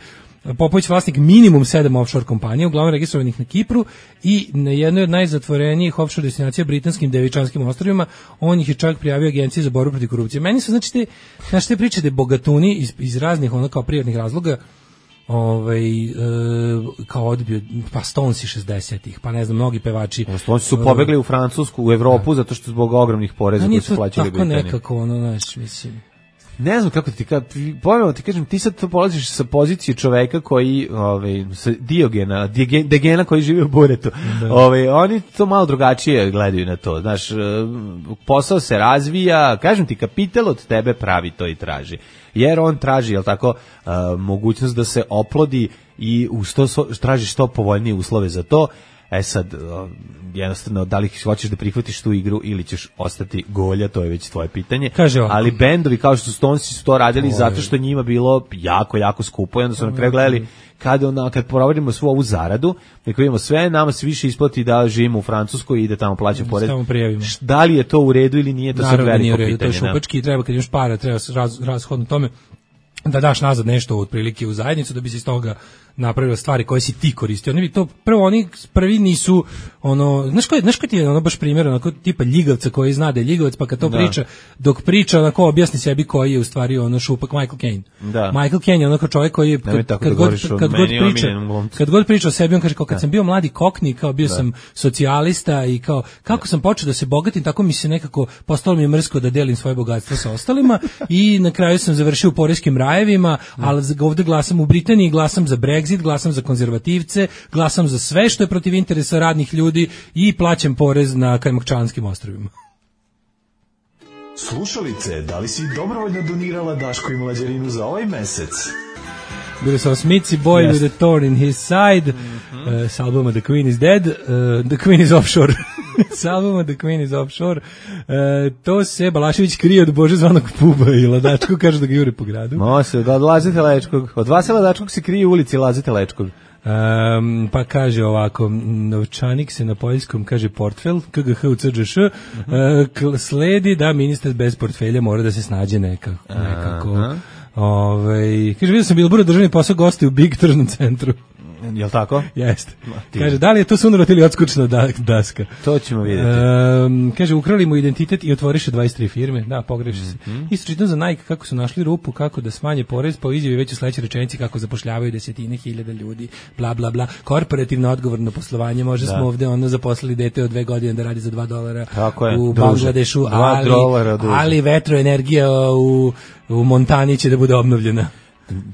Popović vlasnik minimum sedam offshore kompanija, uglavnom registrovanih na Kipru i na jednoj od najzatvorenijih offshore destinacija britanskim Devičanskim ostrvima. On ih je čak prijavio Agenciji za borbu protiv korupcije. Meni su znači te, znači te priče da bogatuni iz, iz raznih ono kao privatnih razloga ovaj e, kao odbio pa Stonesi šezdesetih, pa ne znam, mnogi pevači. Stonesi su pobegli u Francusku, u Evropu, da. Zato što zbog ogromnih poreza koji su plaćali Britaniji. Tako nekako ono, znaš, mislim. Ne znam kako ti ka pojmemo ti kažem, ti sad to polaziš sa pozicije čoveka koji ovaj sa Diogena, Degena koji živi u Buretu. Da. Ovaj oni to malo drugačije gledaju na to. Znaš, posao se razvija, kažem ti, kapital od tebe pravi to i traži. Jer on traži, jel tako, uh, mogućnost da se oplodi i u sto traži što povoljnije uslove za to. E sad, jednostavno, da li hoćeš da prihvatiš tu igru ili ćeš ostati golja, to je već tvoje pitanje. Ali bendovi kao što su Stonesi su to radili to zato što njima bilo jako, jako skupo i onda su na kraju gledali kad, ona, kad provodimo svu ovu zaradu, neko vidimo sve, nama se više isplati da živimo u Francuskoj i da tamo plaćamo porez. Da li je to u redu ili nije, to se veliko pitanje. To je šupački, treba kad imaš para, treba raz, razhodno tome da daš nazad nešto otprilike u zajednicu da bi se iz toga napravile stvari koje si ti koristio. Oni bi to prvo oni prvi nisu ono, znaš koji, znaš koji ti je ono baš primjer onako tipa ljigavca koji zna da je ljigavac, pa kad to da. priča, dok priča onako objasni sebi koji je u stvari ono šupak Michael Caine. Da. Michael Caine je onako čovjek koji je kad, kad, god, kad, god priča, kad god priča o sebi, on kaže kao kad da. sam bio mladi kokni, kao bio da. sam socijalista i kao kako da. sam počeo da se bogatim, tako mi se nekako postalo mi je mrsko da delim svoje bogatstvo sa ostalima i na kraju sam završio u poreskim rajevima, ali ovde glasam u Britaniji, glasam za Brexit, glasam za konzervativce, glasam za sve što je protiv interesa radnih ljudi i plaćam porez na Kajmakčanskim ostrvima. Slušalice, da li si dobrovoljno donirala Daško i Mlađarinu za ovaj mesec? Bili su Smithy Boy yes. with a thorn in his side, mm-hmm. uh, s albuma The Queen is Dead, uh, The Queen is Offshore. S albuma The Queen is Offshore. Uh, to se Balašević krije od Bože zvanog Puba i Ladačko kaže da ga jure po gradu. Mo se, od Lazete Lečkog. Od vas je Ladačkog se krije u ulici Lazete Lečkog. Um, pa kaže ovako, novčanik se na poljskom kaže portfel, K G H u C Ž Š, uh, sledi da ministar bez portfelja mora da se snađe nekako. nekako. Uh-huh. Ove, kaže, vidio sam Bilbura državni posao gosti u Big tržnom centru. Jel' tako? Jeste. Kaže, da li je to sunorot ili odskučna da, daska? To ćemo vidjeti. Um, kaže, ukrali mu identitet i otvoriše dvadeset tri firme. Da, pogreši se. Mm-hmm. Isto čitam za Nike kako su našli rupu, kako da smanje porez, pa u izjavi već u sledećoj rečenici kako zapošljavaju desetine hiljada ljudi, bla, bla, bla. Korporativno odgovorno poslovanje. Može da. smo ovde ono zaposlili dete od dve godine da radi za dva dolara u Bangladešu, ali, ali vetroenergija u, u Montani će da bude obnovljena.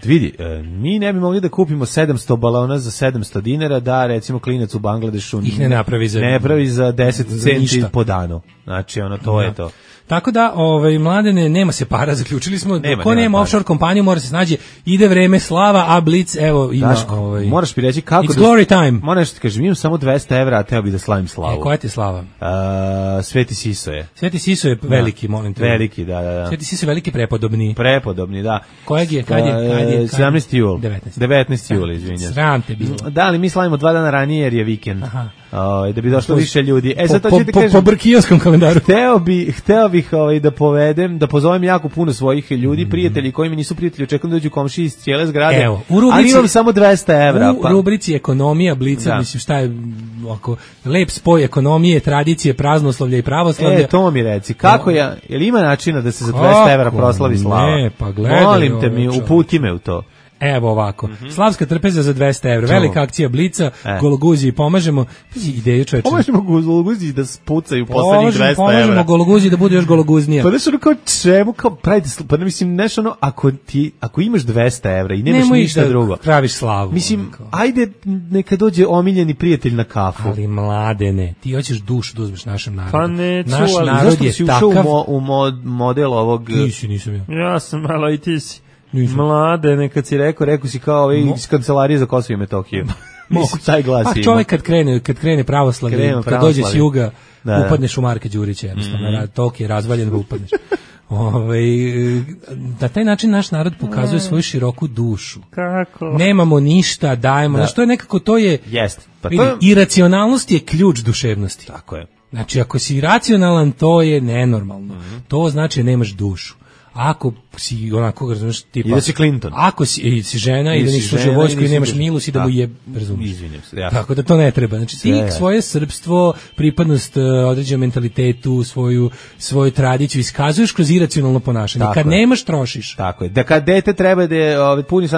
Vidi, mi ne bi mogli da kupimo sedamsto balona za sedamsto dinara, da recimo klinac u Bangladešu ih ne napravi za, ne pravi za deset centi po danu. Znači, ono, to da. je to. Tako da, ovaj, Mladene, nema se para, zaključili smo, nema, ko nema, nema offshore kompaniju, mora se snađe, ide vreme slava, a Blitz, evo, ima... Daško, ovaj, moraš mi reći kako... It's da, glory time. Moraš ti kažem, imam samo dvesta evra, a teo bi da slavim slavu. E, koja ti je slava? Uh, Sveti Siso je. Sveti Siso je veliki, molim te. Veliki, da, da, da. Sveti Siso je veliki, prepodobni. Prepodobni, da. Kojeg je, kad je, kad je? sedamnaesti jul. devetnaesti. devetnaesti jul, izvinjam. Sram te bilo. Da, ali mi slavimo dva dana ranije jer je vikend. Aha. O, da bi došlo više ljudi. E, sad to po, ćete po, kažem, po brkijoskom kalendaru. Hteo, bi, hteo bih ovaj, da povedem, da pozovem jako puno svojih ljudi, mm. prijatelji koji mi nisu prijatelji, očekujem da dođu komšiji iz cijele zgrade. Evo, u rubrici, ali imam samo dvesta evra. U pa. rubrici ekonomija Blica, da. mislim šta je oko, lep spoj ekonomije, tradicije, praznoslovlja i pravoslavlja. E, to mi reci, kako no. ja, je li ima načina da se za dvesta evra proslavi slava? Ne, pa gledaj. Molim te mi, uputi me u to. Evo ovako. Mm-hmm. Slavska trpeza za dvesta evra. Velika akcija Blica, e. Gologuziji pomažemo. Ideju čoveče. Pomažemo Gologuziji da spucaju poslednjih dvesta evra. Pomažemo Gologuziji da bude još gologuznija. Pa nešto ono kao čemu, kao pravite, pa ne mislim nešto ono, ako, ti, ako imaš dvesta evra i nemaš Nemo ništa da drugo. Praviš slavu. Mislim, ajde neka dođe omiljeni prijatelj na kafu. Ali mladene, ti hoćeš dušu da uzmeš našem narodu. Pa neću, naš ali narod zašto je si takav... ušao u, mo, u mod, model ovog... Nisi, nisam ja. Ja sam malo i ti si. Nisam. Mladene, kad si rekao, rekao si kao ovaj iz kancelarije za Kosovo i Metohiju. Mislim, taj glas pa ima. čovjek kad krene, kad krene pravoslavlje, krene kad dođe s juga, da, upadneš u Marka Đurića, jednostavno, mm-hmm. tok je razvaljen da upadneš. Ove, na taj način naš narod pokazuje svoju široku dušu. Kako? Nemamo ništa, dajemo. Da. Što je nekako, to je... Jest. Pa vidi, to... iracionalnost je ključ duševnosti. Tako je. Znači, ako si iracionalan, to je nenormalno. Mm-hmm. To znači da nemaš dušu. Ako si onako, razumiješ, tipa... I da si Clinton. Ako si, i si žena i, i da nisi služio vojsku i nemaš milus i da mu je, razumiješ. Izvinjam se, ja. Tako da to ne treba. Znači, ti ja. svoje srpstvo, pripadnost određenom mentalitetu, svoju, svoju tradiciju iskazuješ kroz iracionalno ponašanje. Tako kad je. Nemaš, trošiš. Tako je. Da kad dete treba da je ovaj, puni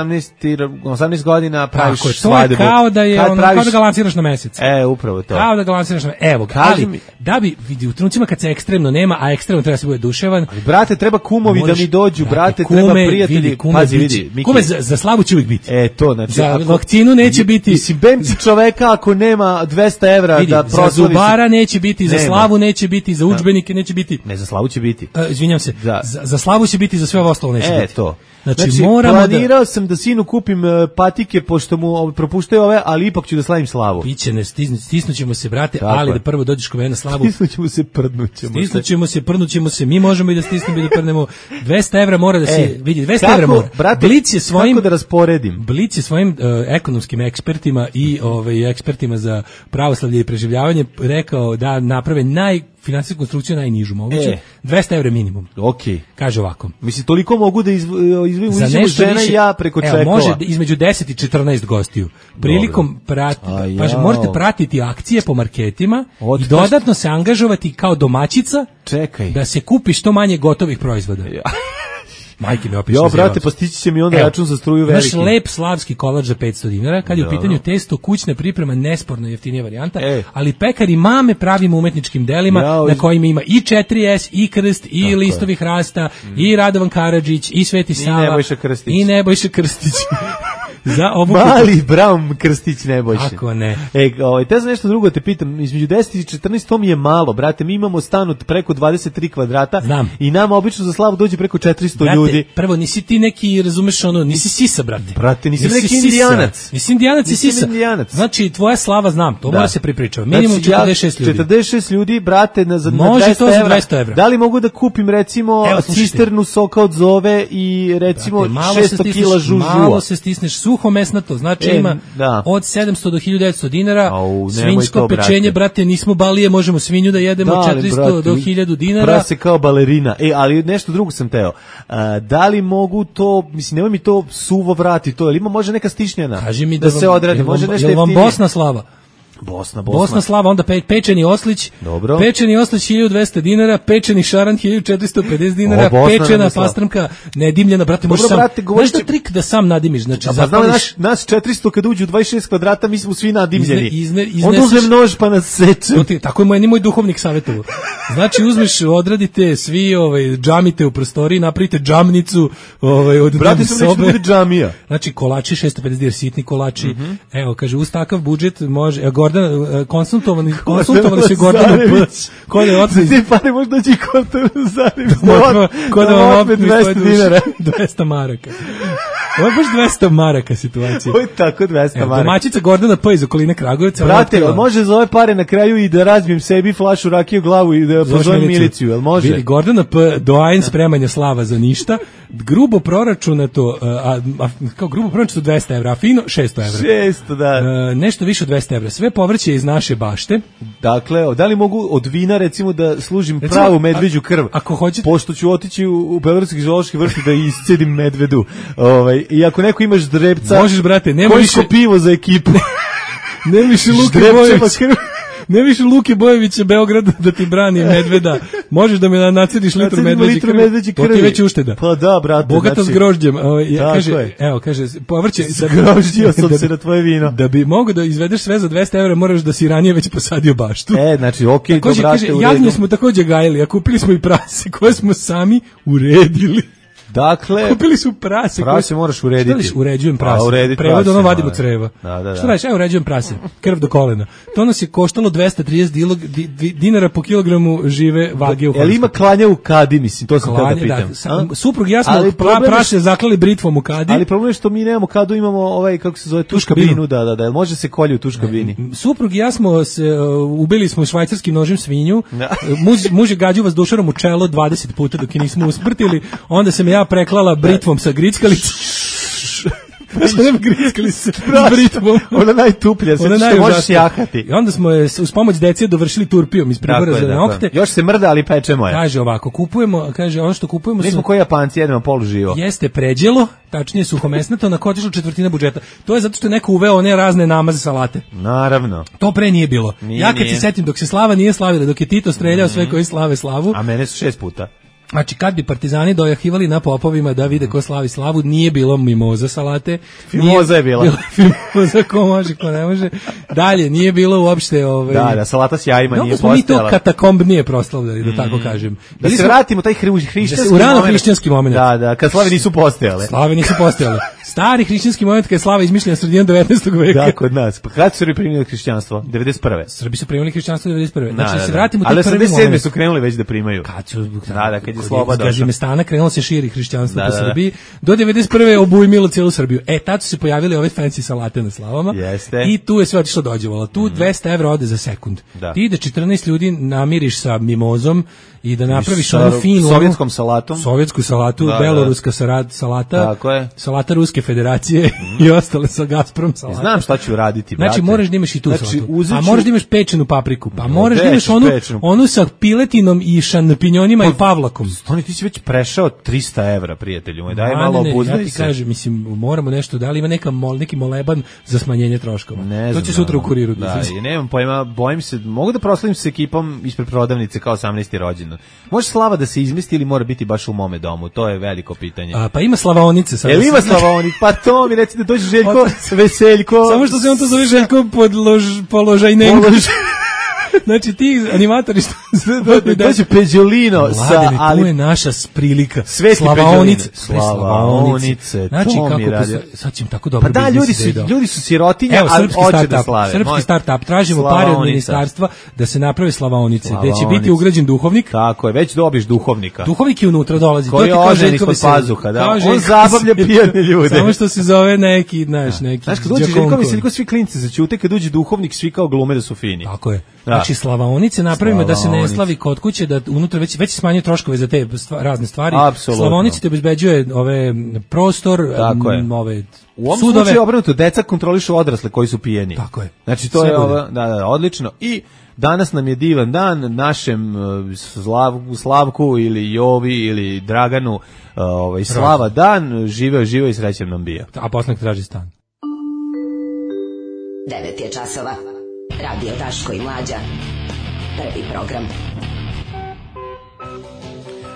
osamnaest godina praviš tako, svadbu. To je kao da, je, ono, praviš... kao da galansiraš na mesec. E, upravo to. Kao da galansiraš na mesec. Evo, ali, mi... da bi, vidi, u trenucima kad se ekstremno nema, a ekstremno treba se bude duševan. Ali, brate, treba kumovi možeš, da mi dođu, brate. Brate, kume, treba prijatelji, vidi, kume, pazi, vidi. Miki. Kume, za, za slavu će uvijek biti. E, to, znači. Za ako, vakcinu neće biti. Mislim, bem čoveka ako nema dvesta evra vidi, da proslavi. Za zubara neće biti, za slavu neće biti, za udžbenike neće biti. Ne, za slavu će biti. Uh, izvinjam se, za, za, za slavu će biti, za sve ovo ostalo neće e, biti. E, to. Znači, znači moramo planirao da... sam da sinu kupim uh, patike, pošto mu propuštaju ove, ali ipak ću da slavim slavu. Biće, ne, stisnu, stisnućemo se, brate, tako ali je. Da prvo dođeš kod mene na slavu. Stisnućemo se, prdnućemo se. Stisnućemo se, prdnućemo se, mi možemo i da stisnemo i da prdnemo. dvesta evra mora da se e, vidi, dvesta kako, evra mora. Brate, Blic je svojim, kako da rasporedim? Blic je svojim uh, ekonomskim ekspertima i ovaj, ekspertima za pravoslavlje i preživljavanje rekao da naprave naj finansijsku konstrukciju najnižu moguće, e. dvesta evra minimum. Okej. Kaže ovako. Mislim, toliko mogu da izviju žena više, i ja preko čekova. Evo, može između deset i četrnaest gostiju. Prilikom prati, pa možete pratiti akcije po marketima Od, i dodatno se angažovati kao domaćica čekaj. Da se kupi što manje gotovih proizvoda. Ja. Majke mi opiše. Jo, brate, postići će mi onda račun za struju veliki. Naš lep slavski kolač za petsto dinara, kad je da, u pitanju testo, kućna priprema, nesporno jeftinija varijanta, e. ali pekari mame pravimo umetničkim delima, ja, na kojima ima i četiri es, i krst, i tako listovi hrasta, mm. i Radovan Karadžić, i Sveti Sava, i Nebojša Krstić. I Nebojša Krstić. Za ovu mali Braun Krstić Nebojša. Kako ne? E, ovaj, te za nešto drugo te pitam, između deset i četrnaest to mi je malo, brate, mi imamo stan od preko dvadeset tri kvadrata. Znam. I nama obično za slavu dođe preko četiristo brate, ljudi. Prvo, nisi ti neki, razumeš ono, nisi sisa, brate. Brate, nisi, nisi neki sisa. indijanac. Nisi indijanac i sisa. Indijanac. Znači, tvoja slava znam, to da. Mora se pripričati. Minimum znači, četrdeset šest ljudi. četrdeset šest ljudi, brate, na, za može to za dvesta evra. Da li mogu da kupim, recimo, evo, cisternu soka od Zove i, recimo, brate, šesto kila žužua? Malo se stisneš suho mesnato, znači e, ima da. Od sedamsto do hiljadu devetsto dinara, Au, svinjsko to, pečenje, brate, nismo balije, možemo svinju da jedemo da, četiristo brate, do hiljadu dinara. Prase kao balerina. E, ali nešto drugo sam teo. A, da li mogu to, mislim, nemoj mi to suvo vrati to, ili ima može neka stišnjena? Kaži mi da, da se odradi, vam, može nešto jeftinije. Jel vam Bosna slava? Bosna, Bosna. Bosna slava, onda pe, pečeni oslić. Dobro. Pečeni oslić hiljadu dvesta dinara, pečeni šaran hiljadu četiristo pedeset dinara, o, pečena pastrmka nedimljena, brate, možeš sam. Brate, znaš što trik da sam nadimiš, znači pa znamo naš nas četiristo kad uđu u dvadeset šest kvadrata, mi smo svi nadimljeni. Izne, izne, onda uzmem nož pa nas seče. Tako je moj ni moj duhovnik savjetovao. Znači uzmeš, odradite svi, ovaj džamite u prostoriji, napravite džamnicu, ovaj od brate sam neće bude džamija. Znači kolači šesto pedeset dinara, sitni kolači. Mm-hmm. Evo kaže uz takav budžet može evo, Gordana konsultovani konsultovani se Gordana P. Kod je otići. Ti pare možda doći kod Zarević. Kod vam opet dvesta dinara, dvesta maraka. Ovo je baš dvesta maraka situacija. Ovo je tako dvesta maraka. Domaćica Gordana P. iz okoline Kragujevca. Brate, može za ove pare na kraju i da razbijem sebi flašu rakije u glavu i da pozovem miliciju, jel može? Vidi, Gordana P. doajen spremanja slava za ništa, grubo proračunato, a, a, kao grubo proračunato dvesta evra, a fino šesto evra. šesto, da. A, nešto više od dvesta evra. Sve povrće iz naše bašte. Dakle, da li mogu od vina, recimo, da služim recimo, pravu medveđu krv? A, ako hoćete... Pošto ću otići u, u Beogradski zoološki vrt da iscedim medvedu. Ovaj, i ako neko imaš drepca, možeš, brate, nema više pivo za ekipu. Nema više Luke Bojović. Ne više Luke Bojevića Beograd da ti brani medveda. Možeš da me nacediš litru medveđe krvi. medveđe krvi. To ti već ušteda. Pa da, brate. Bogata znači, s grožđem. O, ja, kaže, je. evo, kaže, povrće... Zgrožđio sam da, se na tvoje vino. Da bi mogo da izvedeš sve za dvesta evra, moraš da si ranije već posadio baštu. E, znači, okej, okay, to brate u redu. Jagnje smo takođe gajili, a kupili smo i prase koje smo sami uredili. Dakle, kupili su prase. Prase koje... moraš urediti. Šta uređujem prase? A, prevod ono vadimo creva. Da, da, da. Šta radiš? Evo uređujem prase. Krv do kolena. To nas je koštalo dvesta trideset dilog, di, di, dinara po kilogramu žive vage u Hrvatskoj. Jel ima klanja u kadi, mislim, to sam klanje, te da pitam. Da, sa, suprug i ja smo pra, prase zaklali britvom u kadi. Ali problem je što mi nemamo kadu, imamo ovaj, kako se zove, tuškabinu, da, da, da. Može se kolje u tuškabini. Suprug i ja smo se, uh, ubili smo švajcarskim nožem svinju. Muž, muž je gađao vas dušarom u čelo dvadeset puta dok je nismo usmrtili. Onda sam ja preklala britvom sa grickalicom. Sam grickali se s britvom. Ona najtuplja, sve što možeš jahati. I onda smo je uz pomoć dece dovršili turpijom iz pribora za nokte. Još se mrda, ali pečemo je. Kaže ovako, kupujemo, kaže ono što kupujemo... Mi smo koji Japanci, jedemo polu živo. Jeste pređelo, tačnije suhomesnato, na kotišlo četvrtina budžeta. To je zato što je neko uveo one razne namaze salate. Naravno. To pre nije bilo. Nije, ja kad nije. se setim, dok se Slava nije slavila, dok je Tito streljao mm-hmm. sve koji slave slavu... A mene su šest puta. Znači, kad bi partizani dojahivali na popovima da vide ko slavi slavu, nije bilo mimoza salate. Mimoza je bila. Mimoza ko može, ko ne može. Dalje, nije bilo uopšte... Ovaj, da, da, salata s jajima nije postojala. Smo mi to katakombnije proslavljali, da tako kažem. Da se vratimo taj hrišćanski moment. U rano hrišćanski moment. Da, da, kad slave nisu postojale. Slave nisu postojale. Stari hrišćanski moment kad je slava izmišljena sredinom devetnaestog veka. Da, kod nas. Pa kad su Srbi primili hrišćanstvo? devedeset prve. Srbi su primili hrišćanstvo devedeset prve. Znači, da, da, se vratimo u taj prvi moment. Ali osamdeset sedme su krenuli već da primaju. Kad su... Da, da, kad je sloba došla. Stana krenulo se širi hrišćanstvo da, po Srbiji. Do devedeset prve obujmilo cijelu Srbiju. E, tad su se pojavili ove fancy salate na slavama. Jeste. I tu je sve otišlo dođevalo. Tu mm. dvesta evra ode za sekund. Da. Ti da četrnaest ljudi namiriš sa mimozom i da napraviš onu finu... Sovjetskom salatom. Sovjetsku salatu, da, beloruska da. salata. Tako je. Salata Ruske federacije mm. i ostale sa Gazprom salata. Znam šta ću raditi, brate. Znači, moraš da imaš i tu znači, salatu. Uzeću... A moraš da imaš pečenu papriku. Pa moraš Već, da imaš onu, pečenu. onu sa piletinom i šanpinjonima pa, i pavlakom. Stoni, ti si već prešao trista evra, prijatelju moj. Daj malo obuzdaj se. Ja ti kažem, mislim, moramo nešto, da li ima neka mol, neki moleban za smanjenje troškova. Ne to će sutra u kuriru. Da, i nemam pojma, bojim se, mogu da proslavim se ekipom ispred prodavnice kao osamnaesti rođendan. Može slava da se izmesti ili mora biti baš u mome domu? To je veliko pitanje. A, pa ima slavaonice. Jel ima slavaonice? Pa to mi reci da dođe Željko Veseljko. Samo što se on to zove Željko podlož, položajnenko. Polož... Znači ti animatori što dođe Peđolino sa ali tu je naša prilika. Slavaonice, Slavaonice. Znači to kako mi radi. Sad ćemo tako dobro. Pa da, ljudi su ljudi su sirotinja, ali hoće da slave. Srpski startup, tražimo pare od ministarstva da se naprave Slavaonice, gde će biti ugrađen duhovnik. Tako je, već dobiš duhovnika. Duhovnik je unutra dolazi. Koji je ožen ispod pazuha, da. On zabavlja pijane ljude. Samo što se zove neki, znaš, neki. Znaš, kad dođe Željko Veseljko, svi klinci zaćute, kad dođe duhovnik, svi kao glume da su fini. Tako je. Znači slavaonice napravimo da se ne slavi kod kuće, da unutra već već smanjuje troškove za te stva, razne stvari. Apsolutno. Slavaonice te obezbeđuje ove prostor, m, ove u ovom sudove. slučaju obrnuto, deca kontrolišu odrasle koji su pijeni. Tako je. Znači to sve je ovo, da, da, odlično. I danas nam je divan dan našem uh, Slav, Slavku ili Jovi ili Draganu, uh, ovaj slava dan, živeo, živeo i srećan nam bio. A posle traži stan. devet je časova. Radio Daško i Mlađa. Prvi program.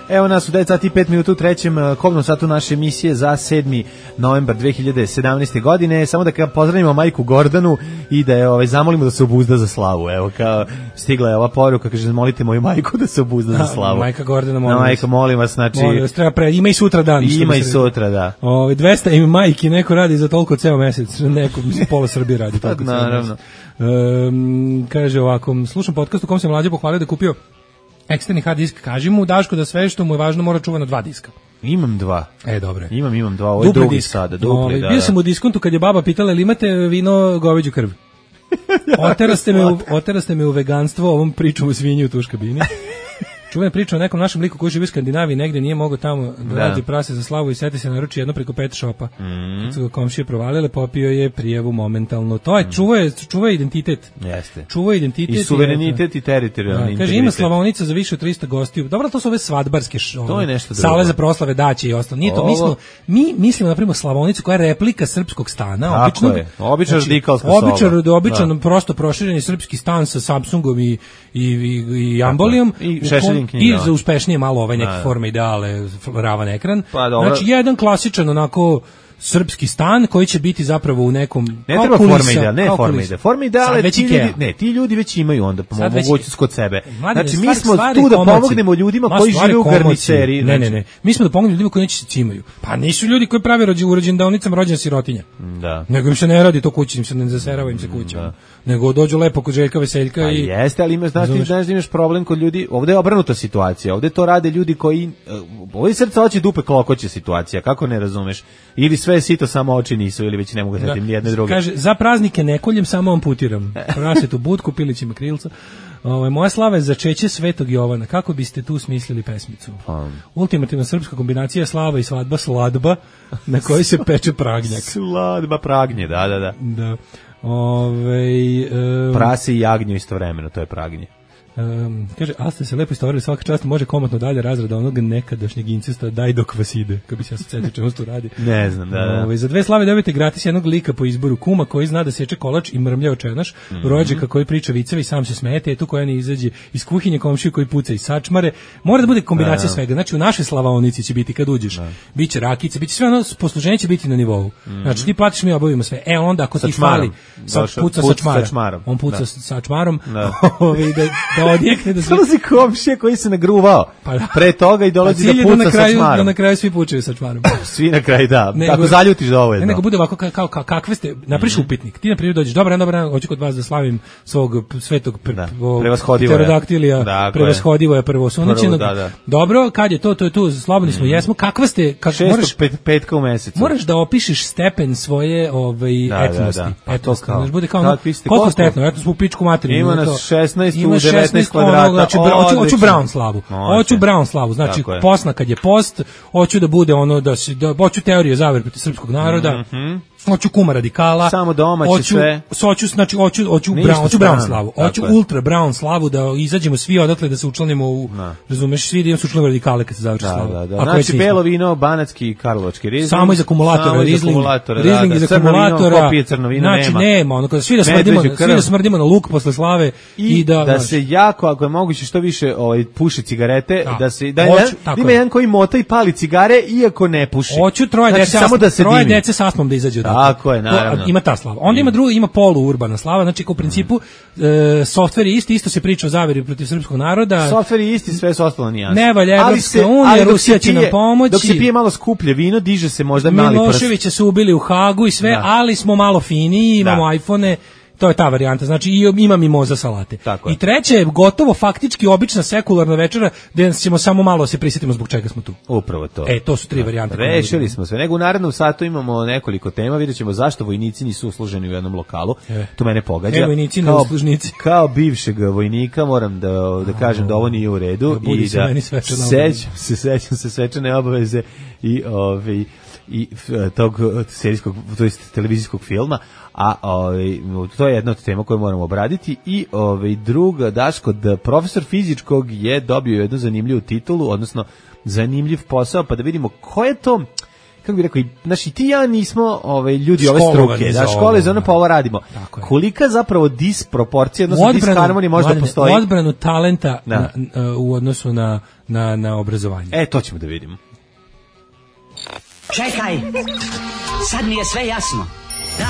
Evo nas u devet sati i pet minuta u trećem kobnom satu naše emisije za sedmi novembar dve hiljade sedamnaeste. godine. Samo da pozdravimo majku Gordanu i da je ovaj zamolimo da se obuzda za slavu. Evo kao stigla je ova poruka, kaže molite moju majku da se obuzda za slavu. Majka Gordana, molim vas. Majka, molim vas, znači molim vas, treba pre, ima i sutra dan. Ima i sutra, da. Ovaj dvesta im majki neko radi za toliko ceo mesec, neko mislim pola Srbije radi tako. Naravno. Um, kaže ovako, slušam podcast u kom se Mlađa pohvalio da je kupio eksterni hard disk, kaži mu Daško da sve što mu je važno mora čuva na dva diska. Imam dva. E, dobre. Imam, imam dva, ovo je drugi disk. Sada, dupli, da, bio da. sam u diskontu kad je baba pitala ili imate vino goveđu krv. Oteraste me, u, oteraste me u veganstvo ovom pričom u svinji u tuš kabini. Čuvena priča o nekom našem liku koji živi u Skandinaviji, negde nije mogao tamo da, da. radi prase za slavu i seti se naruči jedno preko pet šopa. Mm. Kad su ga komšije provalile, popio je prijavu momentalno. To je, čuva, čuva identitet. Jeste. Čuva identitet. I suverenitet i, i teritorijalni integritet. Kaže, ima slavonica za više od trista gostiju. Dobro, to su ove svadbarske š, to je nešto drugo. Sale za proslave, daće i ostalo. Nije to, mi, smo, mi mislimo, na primjer, slavonicu koja je replika srpskog stana. Tako običnog, je. Običan znači, radikalska soba. Običan, običan prosto prošireni srpski stan sa Samsungom i, i, i, i ambolijom. I šešeljim knjigama. I za uspešnije malo ove neke da, forme ideale, ravan ekran. Pa, dobro. Znači, jedan klasičan onako srpski stan koji će biti zapravo u nekom ne treba forma ideal, ne forma ideal. Forma ideal ti ljudi, ne, ti ljudi već imaju onda po mogućnosti kod sebe. Mladine, znači mi smo stvari, tu da komoci. pomognemo ljudima Ma, koji žive u garniceri. Ne, ne, ne. Mi smo da pomognemo ljudima koji neće cimaju. Pa nisu ljudi koji prave rođe u rođendaonicama rođena sirotinja. Da. Nego im se ne radi to kući, im se ne zaserava im se kuća. Da. Nego dođu lepo kod Željka Veseljka A i jeste, ali imaš, znaš, ti znaš da imaš problem kod ljudi. Ovde je obrnuta situacija. Ovde to rade ljudi koji ovdje srca hoće dupe klokoće situacija. Kako ne razumeš? Ili sve je sito, samo oči nisu, ili već ne mogu setim da, jedne druge. Kaže, za praznike ne koljem, samo amputiram. Prasetu budku, pilićima krilca. Ove, moja slava je za čeće Svetog Jovana. Kako biste tu smislili pesmicu? Um. Ultimativna srpska kombinacija slava i svadba, sladba, na kojoj se peče pragnjak. Sladba pragnje, da, da, da. Da. Ove, um, Prase i jagnju istovremeno, to je pragnje. Um, kaže, ali ste se lepo istovarili, svaka čast može komotno dalje razrada onog nekadašnjeg incesta, daj dok vas ide, kad bi se ja sad setio čemu se tu radi. Ne znam, da, da. Ove, za dve slave dobijete gratis jednog lika po izboru, kuma koji zna da seče kolač i mrmlja očenaš, mm -hmm. rođaka koji priča viceve i sam se smete, eto koja ne izađe iz kuhinje, komšiju koji puca i sačmare. Mora da bude kombinacija da, svega. Znači u našoj slavaonici će biti kad uđeš, da. Biće rakice, biće sve ono, posluženje će biti na nivou. Mm -hmm. Znači ti platiš, mi obavimo sve. E onda ako ti fali, sa, puca put sačmara. sačmarom. On puca da. sačmarom. Da. Ove, da, da odjekne da sve dolazi komšija koji se nagruvao pa da. pre toga i dolazi pa da puca na kraju, sa čmarom. Da na kraju svi pučaju sa čmarom. Svi na kraju, da. Nego, Ako zaljutiš dovoljno. Ne, nego bude ovako kao, kao, kao kakve ste, napriš mm -hmm. upitnik. Ti na primjer dođeš, dobar dan, dobar dan, hoću kod vas da slavim svog svetog da. Prevashodivoja. Pterodaktilija, dakle. Prevashodivoja prvosunećenog. Da, da. Dobro, kad je to, to je tu, slobodni smo, mm -hmm. jesmo. Kakva ste, kako moraš pet, petka u mesecu. Moraš da opišeš stepen svoje ovaj da, etnosti. Da, da. Pa etnosti. Kao, bude kao ono, koliko stepno, eto smo u pičku materinu. Ima nas šesnaest u devetnaest kvadrata. Znači, hoću Brown slavu. Hoću Brown slavu. Znači, posna kad je post, hoću da bude ono, da se, da, hoću teorije zavere protiv srpskog naroda, mm -hmm. hoću kuma radikala, samo domaće hoću, sve. Hoću, znači, hoću, hoću, brown, hoću Brown slavu. Hoću ultra Brown slavu, da izađemo svi odatle, da se učlanimo u, no. razumeš, svi da imamo se učlanimo radikale kad se završi da, slavu. Da, da. Znači, belo vino, banatski i karlovački rizling. Samo iz akumulatora, rizling, rizling iz akumulatora. Kopije crno vino znači, nema. nema, ono, kada svi da smrdimo, svi da smrdimo na luk posle slave i, i da, da se jako, ako je moguće, što više ovaj, puši cigarete, da, da se, da, hoću, da ima jedan koji mota i pali cigare, iako ne puši. Hoću troje znači, dece, samo da se troje dece sa astmom da izađe odatle. Tako je, naravno. To, ima ta slava. Onda ima druga, ima poluurbana slava, znači u principu mm. e, softver je isti, isto se priča o zaveri protiv srpskog naroda. Softver je isti, sve su ostalo nije jasno. Ne valja Evropska unija, Rusija će nam pomoći. Dok se pije malo skuplje vino, diže se možda mali prst. Miloševića su ubili u Hagu i sve, da. Ali smo malo finiji, imamo da. iPhone-e. To je ta varijanta, znači i ima mimoza salate. I treće je gotovo faktički obična sekularna večera gde ćemo samo malo se prisjetimo zbog čega smo tu. Upravo to. E, to su tri varijante. Rešili smo sve. Nego u narednom satu imamo nekoliko tema, vidjet ćemo zašto vojnici nisu usluženi u jednom lokalu. E. To mene pogađa. E, vojnici kao, ne uslužnici. Kao bivšeg vojnika moram da, da kažem da ovo nije u redu. Da i da sećam se, sećam se svečane obaveze i ovaj i tog serijskog, to jest televizijskog filma, a ovaj to je jedna od tema koju moramo obraditi i ovaj druga Daško da profesor fizičkog je dobio jednu zanimljivu titulu, odnosno zanimljiv posao, pa da vidimo ko je to, kako bih rekao, znači ti ja nismo ovaj ljudi ove struke, da škole za ono pa ovo radimo. Kolika zapravo disproporcija, odnosno disharmonija možda postoji? Odbranu talenta na, na, u odnosu na, na, na obrazovanje. E, to ćemo da vidimo. Čekaj, sad mi je sve jasno. Da,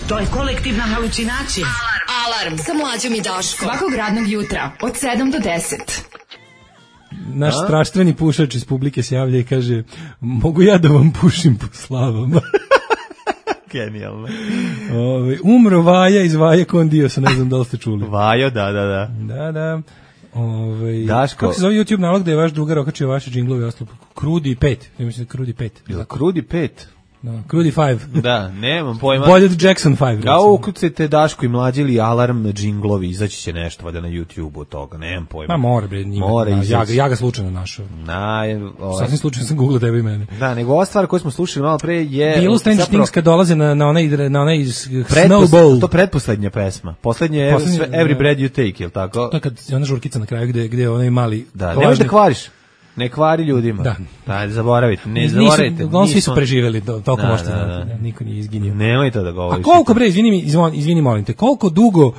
to je kolektivna halucinacija. Alarm, alarm, sa Mlađom i Daškom. Svakog radnog jutra, od sedam do deset. Naš A? straštveni pušač iz publike se javlja i kaže, mogu ja da vam pušim po slavama? Genijalno. Ove, umro Vaja iz Vaje Kondiosa, ne znam da li ste čuli. Vajo, da, da, da. Da, da. Ove, Daško. Kako se zove YouTube nalog da je vaš drugar okačio vaše džinglove i ostalo? Krudi pet. Ja mislim da Krudi pet. Jel Krudi pet? Da, Krudi five. Da, nemam pojma. Bolje od Jackson five. Da, ukucajte Daško i Mlađi ili alarm džinglovi, izaći će nešto valjda na YouTube od toga, nemam pojma. Ma mora bre, njima. Mora da, ja, ga, ja ga slučajno našao. Na, ovaj. Sasvim slučajno sam googlao tebe i mene. Da, nego ova stvar koju smo slušali malo pre je... Bilo Stranger zapravo, Things kad dolaze na, na onaj, na onaj pretpos, Snowball. To pretposlednja pesma. Poslednje je sve, Every Breath You Take, jel tako? To je kad ona žurkica na kraju gde, gde onaj mali... Da, nemaš da kvariš. Ne kvari ljudima. Da. Daj, zaboravite, ne zaboravite. Uglavnom svi su preživeli, to, toliko da, možete da, znati. da. Niko nije izginio. Nemoj to da govoriš. A koliko bre, izvini mi, izvini, izvini molim te, koliko dugo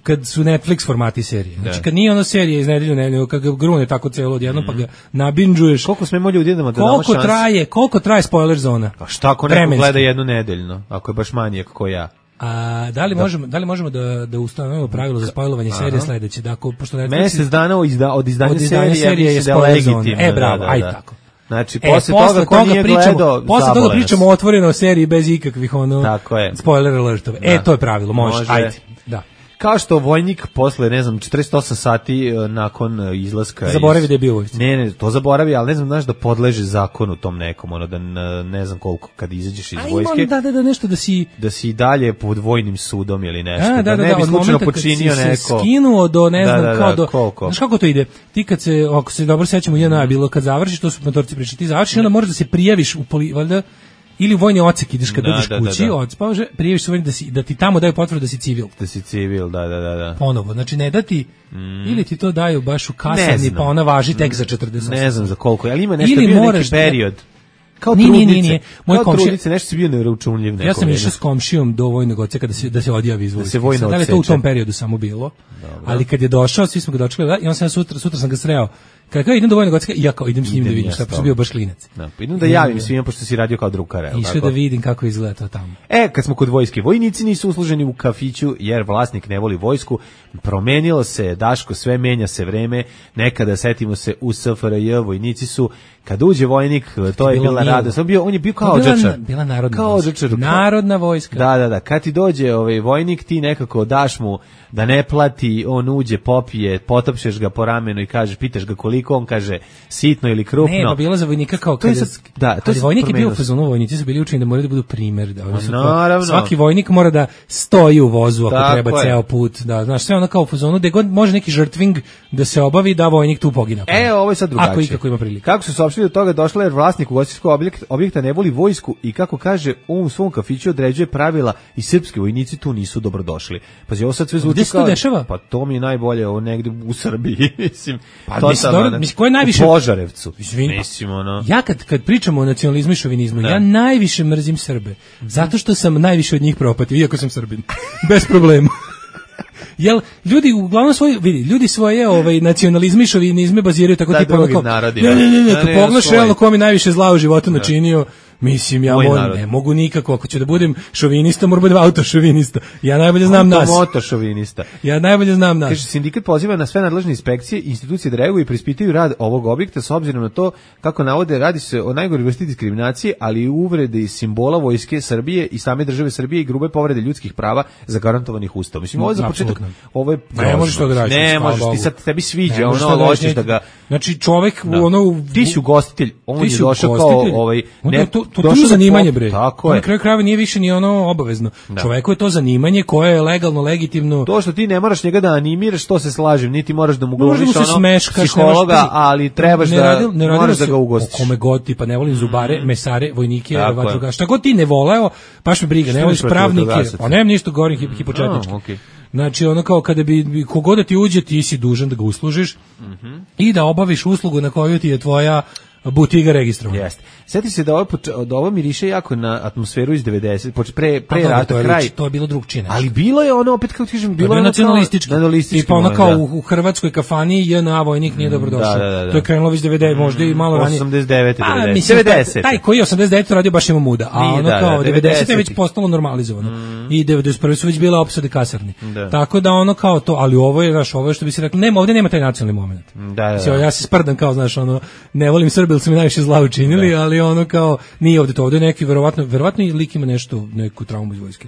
kad su Netflix formati serije? Znači kad nije ona serija iz nedelju nedelju, kad ga grune tako celo odjednom, mm. pa ga nabinđuješ. Koliko smemo ljudi da damo koliko traje, koliko traje spoiler zona? Pa šta ako neko gleda jednu nedeljno, ako je baš manijak ko ja? A da li da. možemo da li možemo da da ustanovimo pravilo za spojlovanje serije sledeće, da ako pošto Netflix mesec dana od, izda, od izdanja, od izdanja serije, serije je da legitimno. E bravo, da, da, ajde da. tako. Znači e, posle, posle toga, toga nije pričamo, gledao, posle toga pričamo otvoreno o seriji bez ikakvih ono tako je. Spoiler alertova. Da. E to je pravilo, može, može. Ajde. Da. Kao što vojnik posle, ne znam, četrdeset osam sati nakon izlaska... Zaboravi iz... da je bio vojnik. Ne, ne, to zaboravi, ali ne znam, znaš da podleže zakonu tom nekom, ono, da ne znam koliko kad izađeš iz a vojske... Imam, da, da, da, nešto da si... Da si dalje pod vojnim sudom ili nešto, a, da, da, da ne da, bi slučajno počinio neko... Da, se skinuo do, ne znam, da, da, kao da, do... koliko? Znaš kako to ide? Ti kad se, ako se dobro sećamo, jedna je bilo, kad završiš, to su motorci pričali, ti završiš, onda možeš da se prijaviš u poli... Valjda, ili u vojni odsek ideš kad da, dođeš da, kući, da, da. Odspavaš, prijaviš se vojni da, si, da ti tamo daju potvrdu da si civil. Da si civil, da, da, da. da. Ponovo, znači ne da ti, mm. ili ti to daju baš u kasarni, pa ona važi tek za četrdeset osam. Ne znam za koliko, ali ima nešto, ili bio moraš, neki period. Kao nije, trudnice, nije, nije. Moj kao komšija, trudnice, nešto si bio neuračunljiv neko. Ja sam išao s komšijom do vojnog odseka da se, da se odjavi iz vojske. Da se vojno odseče. Da li to u tom periodu samo bilo? Dobro. Ali kad je došao, svi smo ga dočekali, i on sam sutra, sutra sam ga sreo. Kad kao idem do vojnog odseka, ja kao idem s njim idem da vidim šta, pošto bio baš klinac. Da, pa idem da javim svima, pošto si radio kao drukar. Išao da vidim kako izgleda to tamo. E, kad smo kod vojske, vojnici nisu usluženi u kafiću, jer vlasnik ne voli vojsku. Promenilo se, Daško, sve menja se vreme. Nekada, setimo se, u S F R J vojnici su, kad uđe vojnik, to je bila radost. On, bio, on je bio kao odžačar. Bila narodna kao vojska. Narodna vojska. Da, da, da. Kad ti dođe ovaj vojnik, ti nekako daš mu da ne plati, on uđe, popije, potopšeš ga po ramenu i kažeš, pitaš ga koliko, on kaže sitno ili krupno. Ne, pa bilo za vojnika kao kad je, da, to ali vojnik je bio u fazonu, vojnici su bili učeni da moraju da budu primer, da oni su naravno. Svaki vojnik mora da stoji u vozu ako tako treba je. Ceo put, da, znaš, sve ono kao u fazonu, da god može neki žrtving da se obavi, da vojnik tu pogine. E, ovo je sad drugačije. Ako i kako ima prilike. Kako su saopštili od toga došla jer vlasnik ugostiteljskog objekta, objekta ne voli vojsku i kako kaže, on u svom kafiću određuje pravila i srpski vojnici tu nisu dobrodošli. Pazi, ovo sad sve zvuči kao... dešava? Pa to mi je najbolje, ovo negde u Srbiji, mislim. Pa mislim, dobro, mislim, ko je najviše... U Požarevcu. Izvini, mislim, ono... Ja kad, kad pričamo o nacionalizmu i šovinizmu, da. Ja najviše mrzim Srbe. Zato što sam najviše od njih propatio, iako sam Srbin. Bez problema. Jel ljudi uglavnom svoje vidi ljudi svoje ovaj nacionalizme i šovinizme baziraju tako da, tipa onako ne ne ne ne, ne kad pogledaš realno ko mi najviše zla u životu da. Načinio mislim ja moram, ne mogu nikako ako ću da budem šovinista moram da budem autošovinista ja najbolje znam nas motošovinista ja najbolje znam nas kaže sindikat poziva na sve nadležne inspekcije institucije da reaguju i preispitaju rad ovog objekta s obzirom na to kako navode radi se o najgoroj vrsti diskriminacije ali i uvrede i simbola vojske Srbije i same države Srbije i grube povrede ljudskih prava zagarantovanih ustavom mislim ovo je za početak ovo je ne možeš to da radiš ne možeš ti sad tebi sviđa ono hoćeš da ga znači čovjek u ono ti si ugostitelj on je došao kao ovaj ne to to je zanimanje bre. Na kraju krajeva nije više ni ono obavezno. Da. Čoveku je to zanimanje koje je legalno, legitimno. To što ti ne moraš njega da animiraš, to se slažem, niti moraš da mu glumiš ono smeškaš, psihologa, nemaš, ali trebaš ne, da radi, ne moraš da ga ugostiš. Kome god ti, pa ne volim zubare, mm. mesare, vojnike, vatrogaše. Šta god ti ne voleo, baš me briga, ne voliš pravnike, pa nemam ništa govorim hip, hipočetnički. Okay. Znači ono kao kada bi kogod da ti uđe, ti si dužan da ga uslužiš mm-hmm. i da obaviš uslugu na koju ti je tvoja butiga registrovana. Jeste. Sjeti se da ovo, da ovo miriše jako na atmosferu iz devedesetih, pre, pre pa, rata, to je, kraj. To je bilo drugčije. Ali bilo je ono, opet kao ti kažem, bilo je ono nacionalistički. nacionalistički. I pa ono kao da. u, u hrvatskoj kafani J N A vojnik nije dobrodošao. Da, da, da. To je krenulo već devedeset, možda i malo ranije. osamdeset devete, devedeset. Taj koji je osamdeset devete radio baš ima muda, a ono da, kao da, devedeset je već postalo normalizovano. Mm. I devedeset prve su već bile opsade kasarni. Da. Tako da ono kao to, ali ovo je, znaš, ovo je što bi se rekli, nema, ovdje nema taj nacionalni moment. Da, da, da. Ja se sprdam kao, znaš, ono, ne volim Srbi, su mi najviše zla učinili, da. Ali ono kao, nije ovdje to, ovdje neki, verovatno, verovatno i lik ima nešto, neku traumu iz vojske.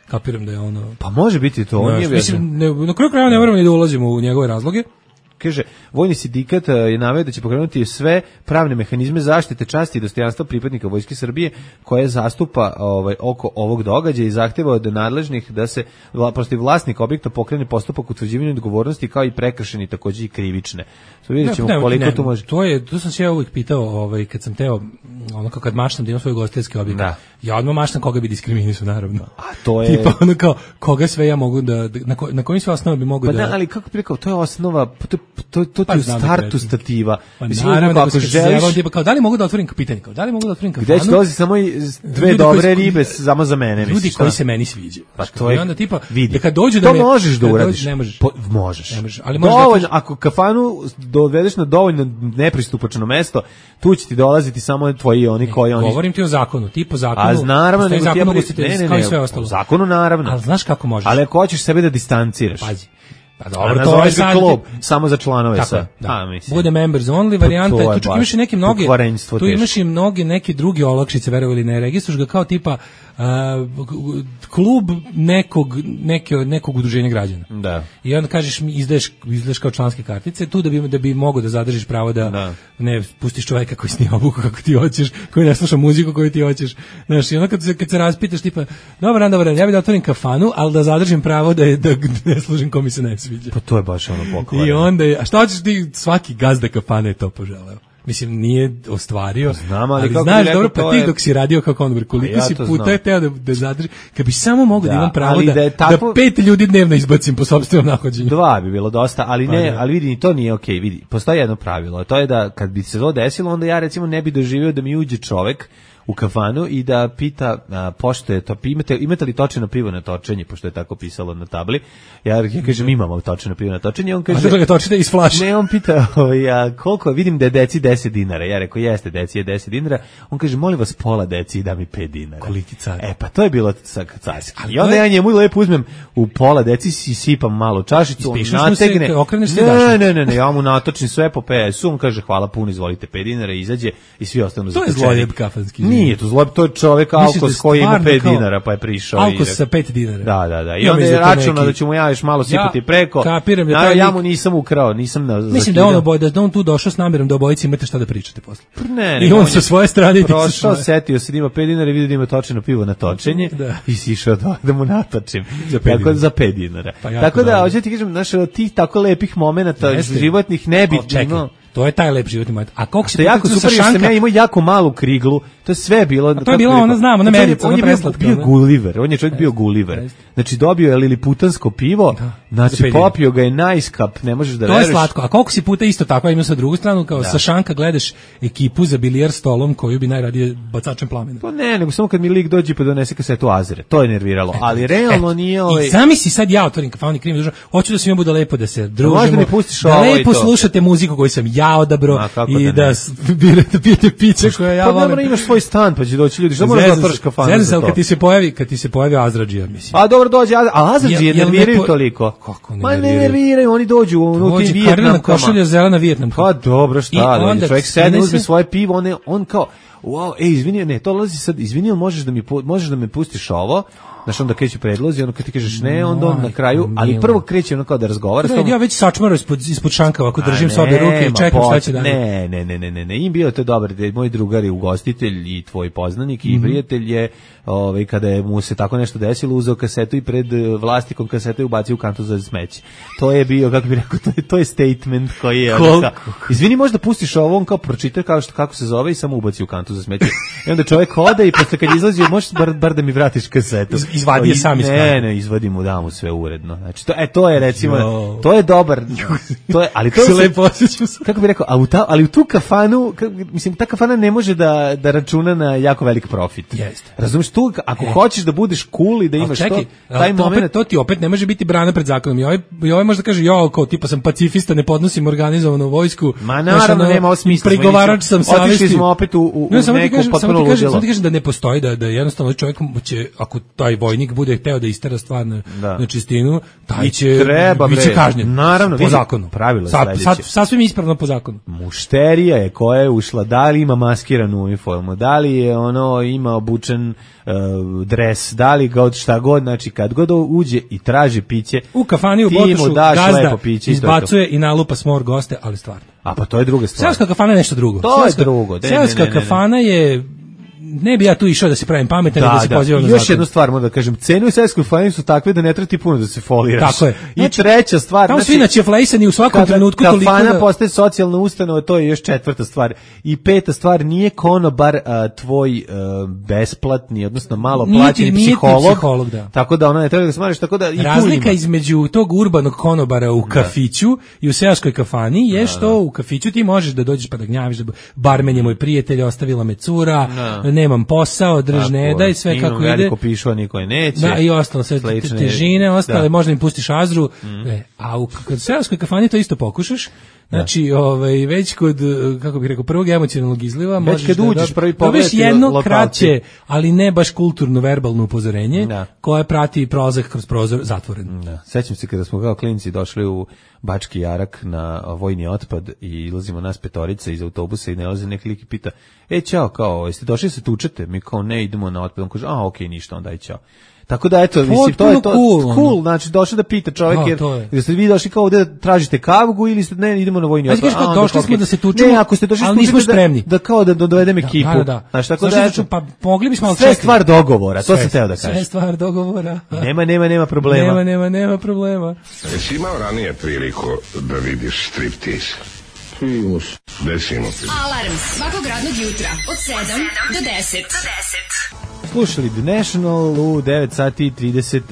Kapiram da je ono... Pa može biti to, on je mislim, ne, na kraju kraja ne moramo ni da ulazimo u njegove razloge, kaže, vojni sindikat je naveo da će pokrenuti sve pravne mehanizme zaštite časti i dostojanstva pripadnika Vojske Srbije koje zastupa ovaj, oko ovog događaja i zahteva od nadležnih da se protiv vlasnika objekta pokrene postupak utvrđivanja odgovornosti kao i prekršeni takođe i krivične. So, vidjet ćemo ne, koliko ne, to može. To je, to sam se ja uvijek pitao, ovaj, kad sam teo, ono kao kad maštam da imam svoj gostinski objekt. Da. Ja odmah maštam koga bi diskriminisao, naravno. A to je... Tipa ono kao, koga sve ja mogu da, na, ko, na kojim sve osnova bi mogu pa da... Pa da, ali kako bi rekao, to je osnova, to, to, to pa ti u startu stativa. Pa mislim, naravno, da ako želiš... Zeva, kao, da li mogu da otvorim pitanje, kao, da li mogu da otvorim kafanu? Gde će dolazi samo i dve dobre koji, ribe samo za mene, ljudi misliš, koji se meni sviđaju. Pa to je, i onda tipa, vidi, da kad dođu da to me... možeš da uradiš. Dođu, ne možeš. Po, možeš. Ne možeš, ali možeš dovoljno, da kažeš... ako kafanu dovedeš na dovoljno nepristupačno mesto, tu će ti dolaziti samo tvoji oni ne, koji oni... Govorim ti o zakonu, ti po zakonu... A naravno, nego ti ja... Ne, ne, ne, sve ostalo. U zakonu naravno. Ali znaš kako možeš? Ali ako hoćeš sebe da distanciraš. Pazi. Pa dobro, to je sad klub samo za članove tako, sa. Da. A, mislim. Bude members only varijanta, tu čak imaš i neke mnoge, tu imaš i mnoge neke druge olakšice, verovali ne, registruš ga kao tipa uh, klub nekog, neke, nekog udruženja građana. Da. I onda kažeš mi izdaješ, izdaješ kao članske kartice, tu da bi, da bi mogo da zadržiš pravo da, da. ne pustiš čoveka koji snima obuku kako ti hoćeš, koji ne sluša muziku koju ti hoćeš. Znaš, i onda kad se, kad se raspitaš tipa, dobar dan, dobar dan, ja bih da otvorim kafanu, ali da zadržim pravo da, da, da ne služim kom mi se ne sviđa. Pa to je baš ono pokvareno. I onda je, a šta hoćeš ti, svaki gazda kafane je to poželeo. Mislim, nije ostvario, znam, ali, ali kako znaš, rekao, dobro, pa ti je... dok si radio kao konobir, koliko ja si puta je teo da, da zadrži, kad bi samo mogu da, da imam pravo da, da, tako... da pet ljudi dnevno izbacim po sopstvenom nahođenju. Dva bi bilo dosta, ali pa ne, ne, ali vidi, to nije okej, okay, vidi, postoji jedno pravilo, to je da kad bi se to desilo, onda ja recimo ne bi doživio da mi uđe čovek u kafanu i da pita a, pošto je to imate imate li točeno pivo na točenje, pošto je tako pisalo na tabli. Ja ja kažem imamo točeno pivo na točenje, on kaže a da točite iz flaše. Ne, on pita ovaj a koliko, vidim da je deci deset dinara. Ja rekao jeste, deci je deset dinara. On kaže molim vas pola deci i da mi pet dinara. Koliki car. E pa to je bilo carski. I onda ja njemu lepo uzmem u pola deci si sipam malo čašicu, nategne. Ne, ne, ne, ne, ja mu natočim sve po pe esu, on kaže hvala puno, izvolite pet dinara, izađe i svi ostanu za to je zlojeb kafanski. Nije to zlob, to je čovjek Alkos koji ima pet dinara pa je prišao. Alkos sa pet dinara. Da, da, da. I onda je računao da ću mu ja još malo sipati ja preko. Kapiram da taj ja mu nisam ukrao, nisam na mislim da on oboj, da on tu došao s namjerom da obojici imate šta da pričate posle. Ne, ne, i on sa svoje strane prošao, setio se da ima pet dinara i vidio da ima točeno pivo na točenje i sišao da, da mu natočim. Tako za pet dinara. Tako da, hoćete ti kažem, znaš, od tih tako lepih momenata životnih ne bi imao. To je taj lep životni moment. A koliko se jako super što sam ja imao jako malu kriglu. To je sve bilo. A to je bilo ona znamo, na mericu, on je bio, bio Gulliver. On je čovjek bio Gulliver. Znači dobio je liliputansko pivo, znači popio ga je najskap, ne možeš da veruješ. To je slatko. A koliko si puta isto tako imao sa drugu stranu kao sa šanka gledaš ekipu za bilijar stolom koju bi najradije bacačem plamena. Pa ne, nego samo kad mi lik dođe pa donese kasetu Azere. To je nerviralo, ali realno nije ovaj. I sami si sad ja otvorim kafanu i krim držao. Hoću da svima bude lepo da se družimo. Možda mi pustiš da lepo slušate muziku koju sam ja odabro i da birate pijete piće koje ja volim. Pa imaš svoj stan pa će doći ljudi. Što možeš da otvoriš kafanu za to? Kad ti se pojavi, kad ti se pojavi Azradžija, mislim. Pa dobro dođe, a Azradžije nerviraju toliko. Kako ne? Ma ne nerviraju, oni dođu u tim Vijetnamkama. Košulja zelena Vijetnamka. Pa dobro, šta da, čovjek sedne, uzme svoje pivo, on, on kao, wow, ej, izvini, ne, to lazi sad, izvini, možeš da mi, možeš da me pustiš ovo, znaš, onda kreće predlozi, ono kad ti kažeš ne, onda on na kraju, ali prvo kreće ono kao da razgovara. Ne, ja već sačmaro ispod, ispod šanka, ovako držim s obje ruke i čekam šta će da... Ne, ne, ne, ne, ne, ne, im bilo to dobro, da moj drugar je ugostitelj i tvoj poznanik i prijatelj je, ovaj, kada je mu se tako nešto desilo, uzeo kasetu i pred vlastikom kasete ubacio u kantu za smeće. To je bio, kako bih rekao, to je, to je statement koji je... Onda, izvini, možda pustiš ovo, on kao pročita kao što, kako se zove i samo ubaci u kantu za smeće. I onda čovjek ode i posle kad izlazi, možeš bar, bar da mi vratiš kasetu. Izvadi je sam iz kante. Ne, ne, izvadim mu, dam mu sve uredno. Znači, to, e, to je recimo, to je dobar, to je, ali to se lepo osjećam. Kako bih rekao, a u ta, ali u tu kafanu, kako, mislim, ta kafana ne može da, da računa na jako velik profit. Jeste. Razumiješ, tu, ako e. hoćeš da budeš cool i da imaš čekaj, to, taj to, moment... Opet, to ti opet ne može biti brana pred zakonom. I ovaj, i ovaj možda kaže, jo, kao tipa sam pacifista, ne podnosim organizovanu vojsku. Ma naravno, nema ovo smisla. Pregovarač sam savesti. Otišli smo opet u, u, u ne, samo ti neko kažem, potpuno samo ti kažem, ludilo. samo ti kažem da ne postoji, da, da jednostavno čovjek će, ako taj vojnik bude hteo da istera stvar na, Da. na čistinu, taj I će treba, bre, biće kažnjen. naravno, po vidi, zakonu. pravilo je Sad, sledeće. sad, sasvim ispravno po zakonu. Mušterija je koja je ušla, da li ima maskiranu uniformu, da li je ono ima obučen uh, dres, da li god šta god, znači kad god uđe i traži piće, U kafani u ti mu Botošu daš gazda lepo piće i to je to. izbacuje i nalupa smor goste, ali stvarno. A pa to je druga stvar. Seoska kafana je nešto drugo. To je Seoska- drugo, ne, ne, Seoska ne, ne, ne. kafana je, ne bi ja tu išao da se pravim pametan i da se pozivam na I još zakon. jednu stvar moram da kažem, cene u seoskoj kafani su takve da ne treba ti puno da se foliraš. Tako je. I Znači, treća stvar, Tamo znači, svi načeflejsani u svakom kada trenutku toliko kafana da... postaje socijalna ustanova, to je još četvrta stvar. I peta stvar, nije konobar a, tvoj a, besplatni, odnosno malo Nije ti- plaćeni nije ti psiholog, psiholog, da. tako da ona ne treba da ga smariš, tako da i tu Razlika ima. između tog urbanog konobara u kafiću i u seoskoj kafani je što u kafiću ti možeš da dođeš pa da gnjaviš, da barmen je moj prijatelj, ostavila me cura, Da. nemam posao, drž Tako ne je. daj, sve Imam kako ide. veliko pišo, niko je neće. Da, i ostalo, sve te- Slične- težine, ostale, da. možda im pustiš azru, e, a u k- kod seoskoj kafani to isto pokušaš, znači, ovaj, već kod, eh, kako bih rekao, prvog emocionalnog izliva, Već možeš kad da uđeš dob- prvi dobiješ pogledati jedno lokalci. kraće, ali ne baš kulturno verbalno upozorenje, Da. koje prati prolazak kroz prozor zatvoren. Da. Sećam se kada smo kao klinci došli u Bački Jarak na vojni otpad i ilazimo nas petorica iz autobusa i nalazi neki lik i pita, e, čao, kao, jeste došli da se tučete? Mi kao, ne, idemo na otpad. On kaže, a, okej, ništa, onda i čao. Tako da, eto, mislim, to je to, cool, ono. cool, znači, došli da pita čovjek, Da, jer, to je. jer ste vi došli kao ovde da tražite kavgu ili ste, ne, idemo na vojni Ajde, otpad. kažeš kao, A, onda došli kao, smo okej. da se tučemo, Ne, ako ste došli ali da se nismo tučete, spremni. Da, da kao da dovedem ekipu. Da, da, da. Znaš, tako Došli da, smo, eto, pa mogli bismo, ali sve čekaj. stvar dogovora, to Sve- sam teo da Sve kažem. stvar dogovora. Nema, nema, nema problema. Nema, nema, nema problema. Jesi imao ranije priliku da vidiš striptease? Desimo ti. Alarm svakog radnog jutra od sedam do deset. Slušali The National u devet sati i trideset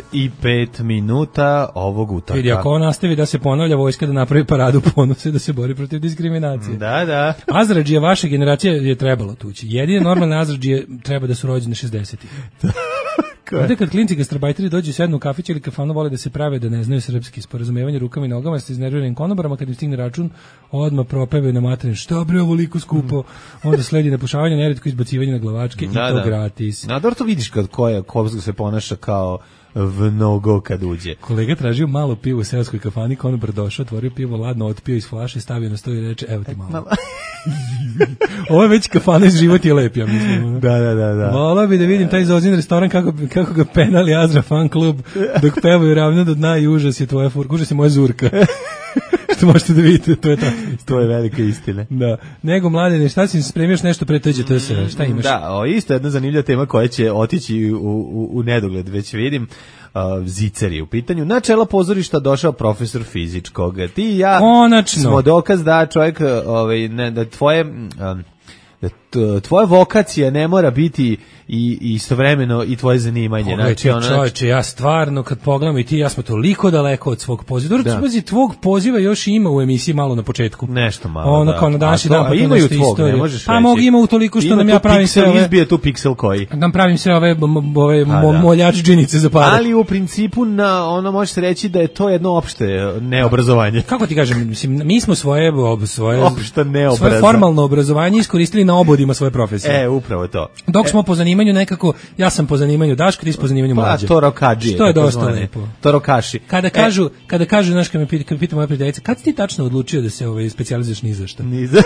pet minuta ovog utorka. Vidi, ako on nastavi da se ponavlja, vojska da napravi paradu ponosa i da se bori protiv diskriminacije. Da, da. Azradžije vaše generacije je trebalo tući. Jedine normalne Azradžije treba da su rođene šezdesetih. Ovdje kad klinci gastarbajteri dođu sednu u kafić ili kafanu, vole da se prave da ne znaju srpski, sporazumevanje rukama i nogama sa iznerviranim konobarama, kad im stigne račun, odmah propevaju na materin, šta bre ovoliko skupo, onda sledi napušavanje, neretko izbacivanje na glavačke Da, i to da. gratis. Na dobro to vidiš kad ko je, ko se ponaša kao mnogo kad uđe. Kolega tražio malo pivo u seoskoj kafani, konobar došao, otvorio pivo, ladno otpio iz flaše, stavio na sto i reče, evo ti malo. Ovo je već kafana iz Život je lep, ja mislim. ono. Da, da, da, da. Volao bi da vidim taj Zozin restoran kako, kako ga penali Azra fan klub dok pevaju ravno do dna i užas je tvoja furka, užas je moja zurka. Što možete da vidite, to je tako. To je velika istina. Da. Nego, mladine, šta si im spremio još nešto pre tođe T S R? Šta imaš? Da, o, isto jedna zanimljiva tema koja će otići u, u, u nedogled, već vidim. Uh, Ziceri u pitanju. Na čelo pozorišta došao profesor fizičkog. Ti i ja Konačno. smo dokaz da čovjek, ovaj, ne, da tvoje... Um, da t- tvoja vokacija ne mora biti i i istovremeno i tvoje zanimanje. Pogledajte, ono, čovječe, ja stvarno kad pogledam i ti, ja smo toliko daleko od svog poziva. Da. Dobro, pazi, tvog poziva još ima u emisiji malo na početku. Nešto malo, Ono da. kao na današnji A to- dan, pa a to imaju nešto tvog, istorije. ne možeš Pa reći. mogu ima u toliko što Ima nam tu ja pravim piksel, sve ove... izbije tu piksel koji. Nam pravim sve ove, m- m- ove Pa mo- da. moljač džinice za pare. Ali u principu na ono može se reći da je to jedno opšte neobrazovanje. Kako ti kažem, mislim, mi smo svoje, ob, svoje, Opšta neobrazna. svoje formalno obrazovanje iskoristili na obodima svoje profesije. E, upravo to. Dok smo po zanimanju nekako, ja sam po zanimanju Daško, ti si po zanimanju Pa Mlađe. to rokađije. Što je tako dosta zvane. lepo. To rokaši. Kada kažu, kada kažu, znaš, kad me pita, kad me pita moja prijateljica, kad si ti tačno odlučio da se ovaj specijalizuješ ni za šta? Ni za...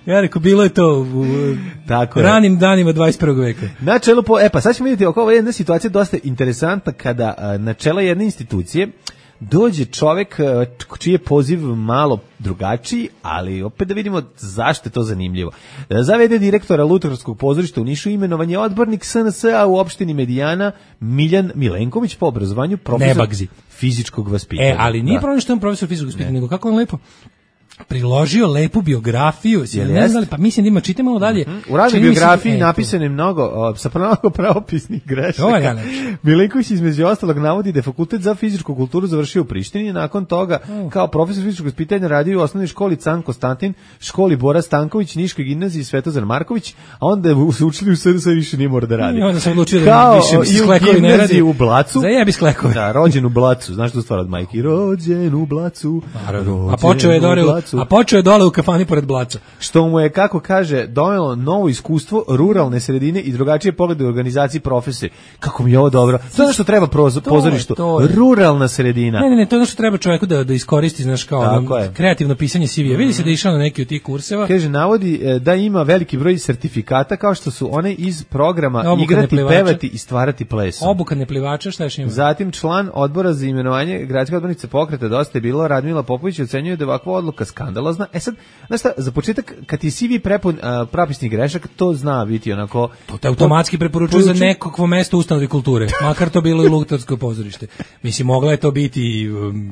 Ja rekao, bilo je to u Tako je. ranim danima dvadeset prvog veka. Na čelu po, e pa sad ćemo vidjeti oko ova jedna situacija dosta interesantna kada a, na čelo jedne institucije dođe čovjek a, čiji je poziv malo drugačiji, ali opet da vidimo zašto je to zanimljivo. Zavede direktora Lutkarskog pozorišta u Nišu imenovan je odbornik S N S-a u opštini Medijana Miljan Milenković, po obrazovanju profesor Nebagzi. fizičkog vaspitanja. E, ali nije Da. problem što je on profesor fizičkog vaspitanja, nego kako on lepo priložio lepu biografiju, si Jel ne jest? znam, pa mislim da ima, čitaj malo dalje. U radnoj Čini mi se da- biografiji e, to. napisano je mnogo, o, sa mnogo pravopisnih To je grešaka. najlepše. Milenković između ostalog navodi da je fakultet za fizičku kulturu završio u Prištini, nakon toga kao profesor fizičkog vaspitanja radio u osnovnoj školi Can Konstantin, školi Bora Stanković, Niškoj gimnaziji Svetozar Marković, a onda je se učili u S R S više nije mora da radi. I onda sam odlučio da Kao više mi se i u sklekovi ne gimnaziji radi. u Blacu. Zajebi sklekove. Da, rođen u Blacu, znaš tu stvar od majke, rođen u Blacu. Naravno. A rođen počeo je u dore u, Blacu. Blacu. A počeo je dole u kafani pored Blaca. Što mu je, kako kaže, donelo novo iskustvo ruralne sredine i drugačije poglede u organizaciji profesije. Kako mi je ovo dobro. To je ono što treba prozo, to pozorištu. Je, to je. Ruralna sredina. Ne, ne, ne, to je ono što treba čovjeku da, da iskoristi, znaš, kao ono, kreativno pisanje C V-a. Vidi se da je išao na neki od tih kurseva. Kaže, navodi da ima veliki broj sertifikata kao što su one iz programa Obuka igrati, neplivača. pevati i stvarati plesom. Obuka neplivača, šta još ima? Zatim član odbora za imenovanje gradske odbornice pokreta Dosta je bilo, Radmila Popović ocenjuje da je ovakva odluka skandalozna. E sad, znaš šta, za početak, kad ti C V prepun uh, prapisnih grešaka, to zna biti onako... To te automatski preporučuje za nekakvo mesto ustanove kulture, makar to bilo i Luktarsko pozorište. Mislim, mogla je to biti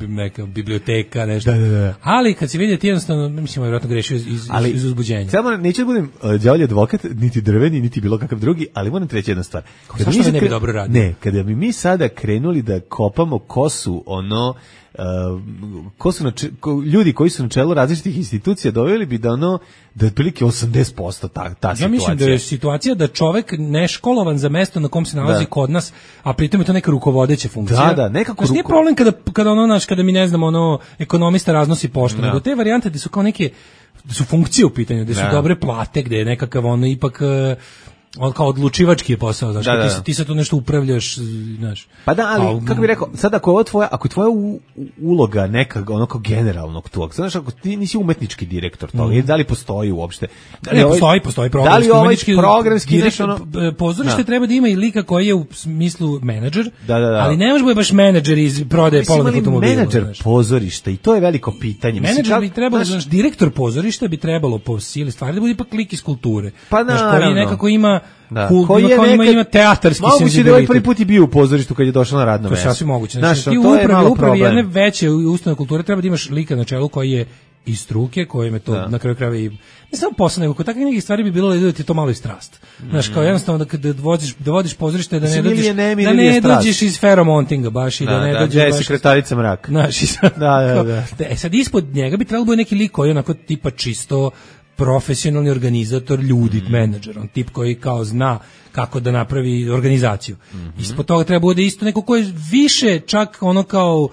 neka biblioteka, nešto. Da, da, da. Ali kad se vidi ti jednostavno, mislim, vjerojatno grešio iz, iz, ali, iz uzbuđenja. Samo neću da budem uh, đavolji advokat, niti drveni, niti bilo kakav drugi, ali moram treći jedna stvar. Kada mi ne bi dobro radio? Ne, kada bi mi sada krenuli da kopamo kosu, ono... Uh, ko su na če, ko, ljudi koji su na čelu različitih institucija doveli bi da ono da je otprilike osamdeset posto ta, ta ja situacija. Ja mislim da je situacija da čovek neškolovan za mesto na kom se nalazi da. Kod nas, a pritom je to neka rukovodeća funkcija. Da, da, nekako ruko... nije problem kada, kada ono naš, kada mi ne znamo, ono, ekonomista raznosi poštu, nego te varijante da su kao neke, da su funkcije u pitanju, da su da. dobre plate, gde je nekakav ono ipak... on kao odlučivački je posao, znači da, da, da. ti ti sad tu nešto upravljaš, znaš. Pa da, ali a, kako bih rekao, sad ako je ovo tvoja, ako je tvoja u, uloga neka ono kao generalnog tog, znaš, ako ti nisi umetnički direktor toga, mm. da li postoji uopšte? Da li ne, ovaj, postoji, postoji programski, da li ovaj programski direktor, ono, pozorište da. Treba da ima i lika koji je u smislu menadžer, da, da, da. ali ne može biti baš menadžer iz prodaje polovnih automobila. Menadžer pozorišta i to je veliko pitanje. Menadžer bi trebalo, znaš, direktor pozorišta bi trebalo po sili stvari da bude ipak lik iz kulture. Pa znaš, koji nekako ima da. Cool, koji je nekad, ima, ima teatarski senzibilitet. Moguće da je ovaj prvi put i bio u pozorištu kad je došao na radno mesto. To je sasvim moguće. Znači, znaš, ti u upravi, upravi jedne veće ustanove kulture treba da imaš lika na čelu koji je iz struke, kojem je to da. Na kraju krajeva i ne samo posao, nego kod takvih nekih stvari bi bilo da ti je to malo i strast. Mm. Znaš, kao jednostavno da, da, vodiš, da vodiš pozorište, da ne dođeš, ne, da ne dođeš iz feromontinga baš i da, da ne da, dođeš da, baš... sekretarica mrak. Znaš, i sad, da, da, da. E, sad ispod njega bi trebalo biti neki lik koji je onako tipa čisto profesionalni organizator ljudi, mm. menadžer, on tip koji kao zna kako da napravi organizaciju. Mm-hmm. Ispod toga treba bude isto neko ko je više čak ono kao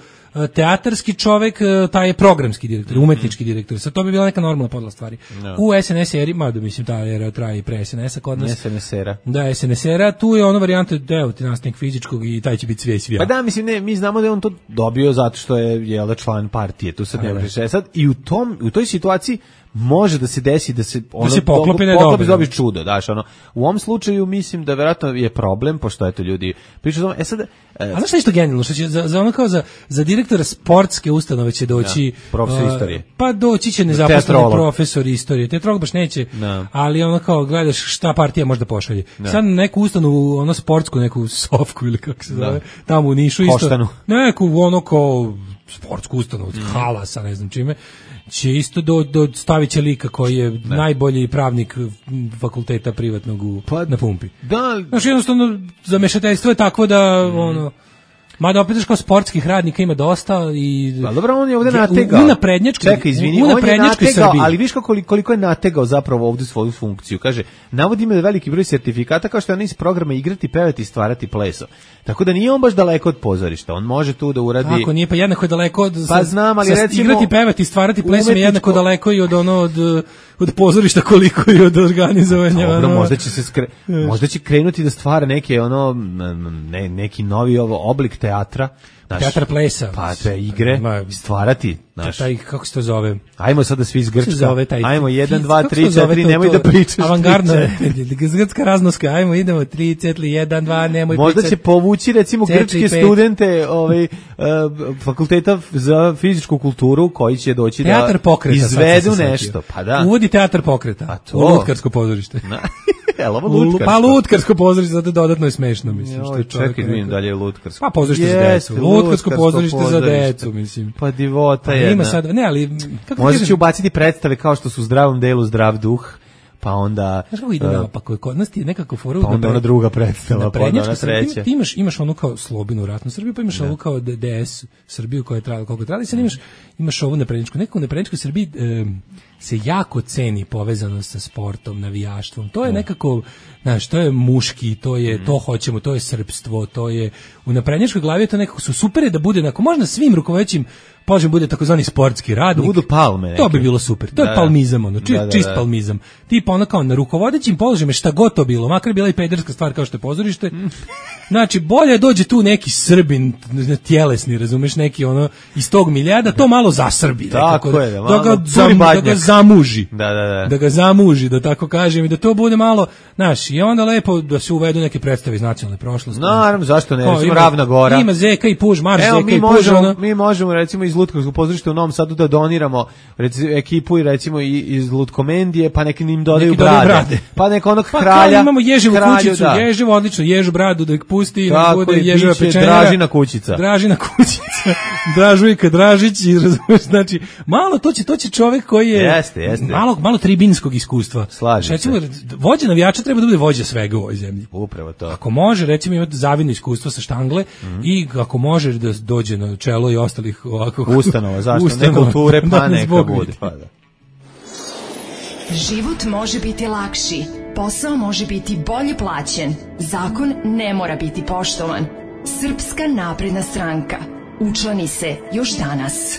teatarski čovek, taj je programski direktor, mm-hmm. umetnički direktor. Sad to bi bila neka normalna podla stvari. No. U S N S eri, mada mislim ta era traje i pre S N S-a kod nas. S N S era. Da, S N S era, tu je ono varijanta deo ti nastavnik fizičkog i taj će biti sve i svija. Pa da, mislim, ne, mi znamo da je on to dobio zato što je jel, član partije, tu sad ne možeš sad i u tom, u toj situaciji može da se desi da se ono da se poklopi ne poklopi dobiš čudo, daš ono. U ovom slučaju mislim da verovatno je problem pošto eto ljudi pričaju o e sad e, a znaš šta je isto genijalno što će za, za ono kao za za direktora sportske ustanove će doći ja, profesor uh, istorije. Pa doći će nezaposleni profesor istorije. Teatrolog baš neće. No. Ali ono kao gledaš šta partija može da pošalje. No. Sad neku ustanovu, ono sportsku neku sofku ili kako se zove, no. Tamo u Nišu isto. Koštanu. Neku ono kao sportsku ustanovu, mm. halasa, ne znam čime. Će isto do, do stavit će lika koji je ne. najbolji pravnik fakulteta privatnog u, pa, na pumpi. Da, znači jednostavno zamešateljstvo je takvo da mm. ono mada opet kao sportskih radnika ima dosta i pa dobro on je ovde nategao. U naprednjačkoj Čekaj, izvini, on je nategao, ali viš kako koliko je nategao zapravo ovde svoju funkciju. Kaže, navodi me da veliki broj sertifikata kao što je on iz programa igrati, pevati i stvarati pleso. Tako da nije on baš daleko od pozorišta. On može tu da uradi. Tako nije pa jednako je daleko od pa znam, ali recimo igrati, pevati, stvarati plesom je jednako daleko i od ono od od pozorišta koliko i od organizovanja. Dobro, ono... možda će se skre... možda će krenuti da stvara neke ono ne, neki novi ovo oblik teatra. Naš, teatar plesa. Pa te igre, ma, stvarati. Naš. Taj, kako se to zove? Ajmo sada svi iz Grčka. Zove taj, ajmo jedan, dva, tri, četiri, nemoj to, da pričaš. Avangardna, grčka raznoska, ajmo idemo, tri, četiri, jedan, dva, nemoj možda pričati. Možda će povući recimo četiri, grčke pet. Studente ovaj, uh, fakulteta za fizičku kulturu koji će doći teatar da pokreta, izvedu nešto. Pa da. Uvodi teatar pokreta. Pa to. U Lutkarsko pozorište. Jel, lutkarsko. Pa lutkarsko pozorište, zato dodatno je smešno, mislim. Joj, što čekaj, vidim dalje je lutkarsko. Pa pozorište yes, za decu. Lutkarsko pozorište, pozorište za decu, mislim. Pa divota je. Ima sad, ne, ali kako možda će ubaciti predstave kao što su u Zdravom delu Zdrav duh, pa onda znaš kako ide uh, pa kod nas ti nekako foru pa onda ona druga predstava, pa onda ona treća. Ti imaš imaš onu kao Slobinu ratnu Srbiju, pa imaš ovu kao D S Srbiju koja je trajala koliko trajala, i sad imaš imaš ovu naprednjačku, nekako u naprednjačkoj Srbiji e, se jako ceni povezanost sa sportom, navijaštvom. To je nekako, znaš, to je muški, to je mm. to hoćemo, to je srpstvo, to je u naprednjačkoj glavi je to nekako su super je da bude, ako možda svim rukovodećim položen bude takozvani sportski radnik. Da budu palme neke. To bi bilo super. To da, je palmizam, ono, čist, da, da, čist da. palmizam. Tipa ono kao na rukovodećim položajima šta god to bilo, makar bila i pederska stvar kao što je pozorište. Znači, bolje dođe tu neki Srbin, tjelesni, razumeš, neki ono, iz tog miljada, to malo zasrbi. Tako nekako, je, da, da, malo ga, zam, da ga zamuži. Da, da, da. Da ga zamuži, da tako kažem, i da to bude malo, znaš, i onda lepo da se uvedu neke predstave iz nacionalne prošlosti. Naravno, zašto ne, Kao, recimo ima- Ravna Gora. Ima Zeka i Puž, Marš Evo, Zeka mi i Puž, možemo, ono. mi možemo recimo iz Lutkovskog pozorišta u Novom Sadu da doniramo recimo, ekipu i recimo i, iz Lutkomendije, pa neki im dodaju Neki dodaju brade. brade. Pa neko onog Pa kralja. kao imamo Ježevu kralju, kućicu, da. Ježevu, odlično, Ježu bradu da ih pusti i da Tako bude je, Ježeva biće pečenjara. Dražina kućica. Dražina kućica, Dražujka Dražić, i razumeš, znači, malo to će, to će čovjek koji je Jeste, jeste. malo, malo tribinskog iskustva. Slažem se. Recimo, vođa navijača treba da bude vođa svega u ovoj zemlji. Upravo to. Ako može, recimo, imati zavidno iskustvo sa štangle Mhm. i ako može da dođe na čelo i ostalih ovako Ustanova, zašto? ustanova, Ne kulture, pa da nas neka Bog bude. vidi. Pa da. Život može biti lakši, posao može biti bolje plaćen, zakon ne mora biti poštovan. Srpska napredna stranka. Učlani se još danas.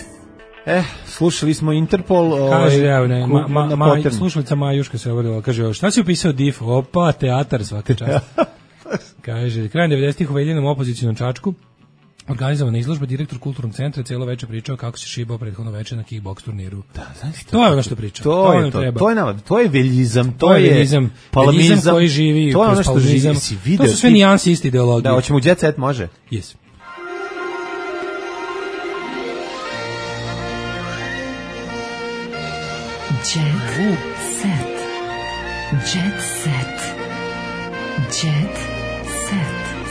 Eh, slušali smo Interpol. Kaže, ovaj, evo, ne, ma, ma, na ma, Potternu. slušalica Majuška se obradila, kaže, šta si upisao D I F? Opa, teatar svaka čast. Kaže, krajem devedesetih u Veljinom opozicijnom Čačku, organizovana izložba, direktor kulturnog centra cijelo veče pričao kako se šibao prethodno veče na kickboks turniru. Da, znači, To je ono što priča. To, je nam to. treba. To je nama, to je veljizam, to, To je veljizam, palmizam, veljizam koji živi to je ono kroz što palmizam. živi, si video. To su sve ti- nijanse iste ideologije. Da, hoćemo u Jet Set, može. Yes. Jet set. Jet set. Jet set.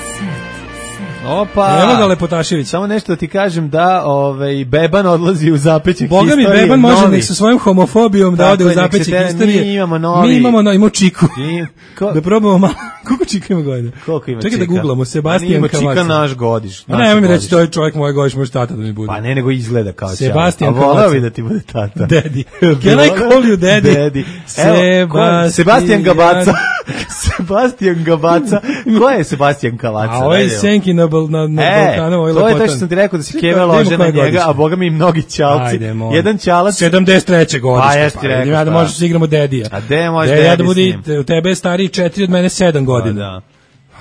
Set. Set. Opa. Evo ga Lepotašević. Samo nešto da ti kažem da ovaj Beban odlazi u zapećak Boga mi historije. Beban može novi. nek sa svojom homofobijom da Tako ode u je, nek se zapećak tera- historije. mi imamo novi- Mi imamo no, imamo Čiku. I- ko- Da probamo malo. Koliko Čika ima godina? Koliko ima Čekaj da Čika? guglamo. Ma Sebastijan nije Čika Kavaca. naš godiš. A ne, mi reći, to je čovjek moj godiš, može tata da mi bude. Pa ne, nego izgleda kao Sebastijan Ćale. A voleo Kavaca. bi da ti bude tata. Daddy. Can I call you daddy? Daddy. Evo, ko je? Sebastijan Gabaca. Sebastijan Gabaca. Ko je Sebastijan Kavaca? A ovo je Ajde, evo. Senki na, Bal, na, na E, Balkanu, ovo je to je to lepotan. što sam ti rekao da si Svi Keve kao, lože vidimo na koje njega, godište. a boga mi i mnogi ćalci. Ajde, molim. Jedan ćalac. sedamdeset treće godište. Pa, jesi ti rekao, ja da šta? možeš da igramo Dedija. A de može Dedija da Dedi bude, s njim? u tebe je stariji četiri, od mene sedam godina. Da.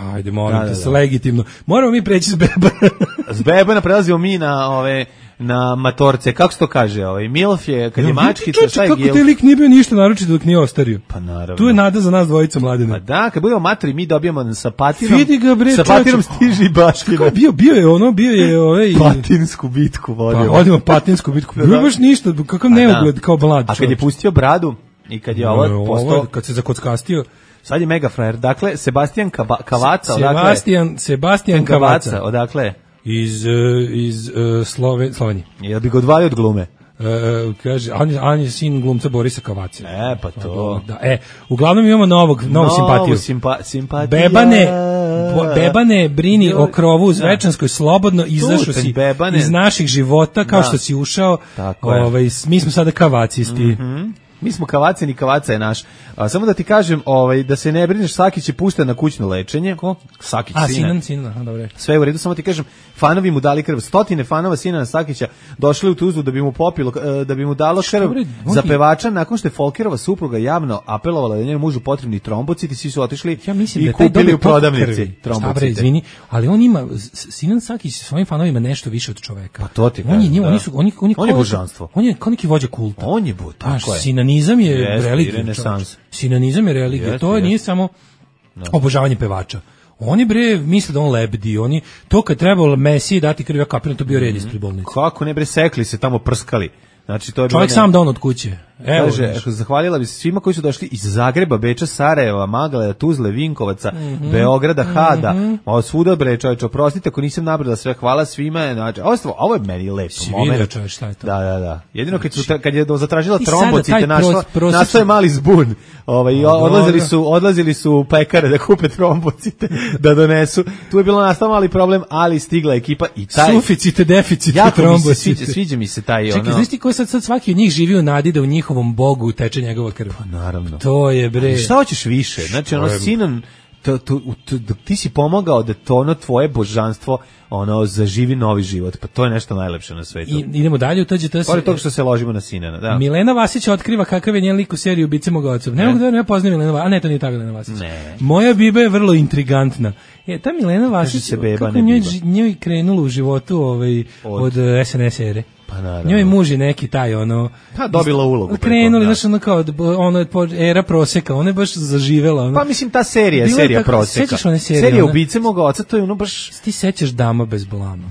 Ajde, molim Da, te, da, se da. legitimno. Moramo mi preći s beba. S Bebana prelazimo mi na ove na matorce. Kako se to kaže? Ovaj Milf je kad je mačkica, šta je Kako gil? te lik nije bio ništa naročito dok nije ostario. Pa naravno. Tu je nada za nas dvojica mladina. Pa da, kad budemo matori, mi dobijamo sa patinom. Vidi ga, bre, sa patinom čoveče. stiže i baština. Kako je bio, bio je ono, bio je ovaj... Patinsku bitku Pa, vodio. odimo patinsku bitku. Bio baš ništa, kakav A da. neugled, kao mlad A kad je čovječ. pustio bradu i kad je ovo Ovo, postao, kad se zakockastio. sad je mega frajer. Dakle, Sebastijan Kaba, Kavaca, odakle? Sebastian, Sebastian Kavaca, Kavaca. odakle? Iz, uh, iz uh, Slove, Slovenije. Jel bi ga odvajao od glume? Uh, kaže, on je, on je sin glumca Borisa Kavaca. E, pa to. Da, e, uglavnom imamo novog, novu simpatiju. Simpa, simpatija. Bebane, bo- Bebane, brini o krovu u Zvečanskoj, slobodno izašao Tutanj, si Bebane. iz naših života, kao Da. što si ušao. Tako je. Ovaj, s- mi smo sada kavacisti. Mhm. Mi smo Kavacin i Kavaca je naš. A, samo da ti kažem, ovaj, da se ne brineš, Sakić je pušten na kućno lečenje. Ko? Sakić, A, sina. Sinan, Sinan, aha, dobro. Sve je u redu, samo ti kažem, fanovi mu dali krv. Stotine fanova Sinana Sakića došli u Tuzlu da bi mu popilo, e, da bi mu dalo krv bre, on za je- pevača nakon što je Folkerova supruga javno apelovala da je njenom mužu potrebni trombociti, svi su otišli Ja mislim i da je taj kupili dobio u prodavnici krvi. Šta bre, trombocite. izvini, ali on ima, S- Sinan Sakić sa svojim fanovima nešto više od čoveka. Pa to ti on je, kažem, njima- da. oni su, oni, oni On je kao- božanstvo. On je kao neki vođa kulta. On je bud, Znaš, tako je. sinanizam je Jeste, religija. renesans. čoveče. Sinanizam je religija. Jeste, to jeste. nije samo obožavanje pevača. Oni bre misle da on lebdi, oni to kad trebalo Mesiji dati krv, ja kapiram, to bio red ispred bolnice. Kako ne bre, sekli se tamo, prskali. Znači, to je bilo Čovjek ne- sam da on od kuće. Evo, Kaže, znaš. zahvalila bi se svima koji su došli iz Zagreba, Beča, Sarajeva, Magleda, Tuzle, Vinkovaca, Mhm. Beograda, Hada, ovo svuda bre, čovječe, oprostite ako nisam nabrala sve, hvala svima, znači, ovo, je stvarno- ovo je meni lepo Si moment. vidio, čoveč, šta je to? Da, da, da. Jedino kad, su, kad je zatražila I sada trombocite, taj našla, pros- prosječni- nastao je mali zbun. Ovaj, i A, odlazili dobro. su, odlazili su u pekare da kupe trombocite, da donesu. Tu je bilo nastao mali problem, ali stigla ekipa i taj... Suficite, deficite, Jako mi se trombocite. sviđa, sviđa mi se taj, Čekaj, ono... znaš ti ko sad, sad svaki od njih živi u nadi da u njihovom bogu teče njegova krv? Naravno. To je bre. Šta hoćeš više? Znači, ono, je- Sinan to, to, to, ti si pomogao da to ono tvoje božanstvo ono zaživi novi život, pa to je nešto najlepše na svetu. I idemo dalje u T G T. Pored toga što se ložimo na Sinana, da. Milena Vasić otkriva kakav je njen lik u seriji Ubice mog oca. Ne mogu da ne poznajem Milena Vasić, a ne, to nije ta Milena Vasić. Ne. Moja biba je vrlo intrigantna. E, ta Milena Vasić, se beba, kako ne njoj, biba. njoj krenulo u životu ovaj, od, od S N S ere. Pa naravno. Njoj muž je neki taj ono. Pa dobila ulogu. Krenuli, znaš, ono kao ono era proseka, ona je baš zaživela. Ono. Pa mislim ta serija, je serija tako, proseka. Sećaš one serije? Serija ona, Ubice mog oca, to je ono baš. Ti sećaš Dama bez blama?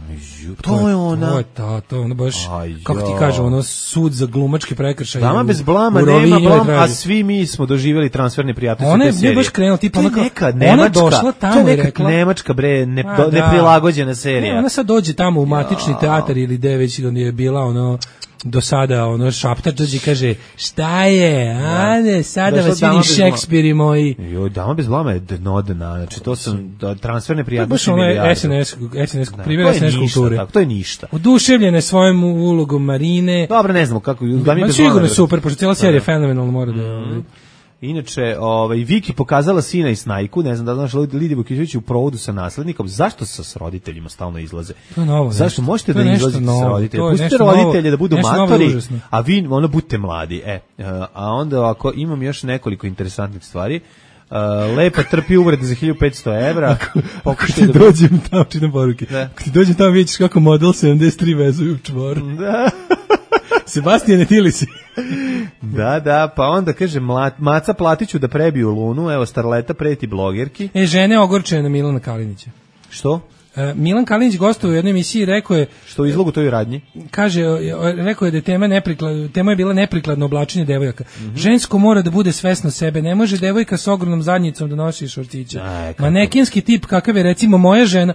To je ona. To je ta, to je ono baš, Aj, kako ti kažem, ono sud za glumački prekršaj. Dama bez blama, nema blam, a svi mi smo doživjeli transferne prijatnosti one, te serije. Ona je baš krenula, tipa ona neka, Nemačka, ona došla tamo to je i rekla. Nemačka, bre, ne, a, do, da. neprilagođena serija. Ne, ona sad dođe tamo u matični ja. teatar ili gde već je bila ono do sada ono šaptač dođe i kaže šta je, ane, sada da, vas vidim Šekspiri moji. Joj, Dama bez blama je dno dna, znači to sam da, transferne prijatnosti. Baš ono je S N S, S N S, primjer S N S kulture. Tako, to je ništa. Oduševljene svojom ulogom Marine. Dobro, ne znamo kako. Da mi bez sigurno je super, pošto cijela serija je fenomenalna, mora da... Mm. Inače, ovaj, Viki pokazala sina i Snajku, ne znam da znaš, Lidija Vukićević u provodu sa naslednikom, zašto sa s roditeljima stalno izlaze? To je novo. Zašto nešto. možete to da izlazite sa roditeljima? Pustite roditelje da budu matori, a vi ono budete mladi. E, a onda ako imam još nekoliko interesantnih stvari, Uh, lepa trpi uvrede za hiljadu petsto evra. Ako, ako ti da dođem tamo, čitam poruke, da. Ako ti dođem tamo, vidješ kako model sedamdeset tri vezuju u čvor. Da. Sebastijane, ti li si? Da, da, pa onda kaže mlat, Maca platiću da prebiju Lunu, evo starleta preti blogerki. E, žene ogorčene na Milana Kalinića. Što? E, Milan Kalinić gostovao u jednoj emisiji, rekao je... Što u izlogu toj radnji? Kaže, rekao je da je tema, neprikladno, tema je bila neprikladno oblačenje devojaka. Mm-hmm. Žensko mora da bude svesno sebe, ne može devojka s ogromnom zadnjicom da nosi šortiće. Aj, manekinski tip kakav je recimo moja žena...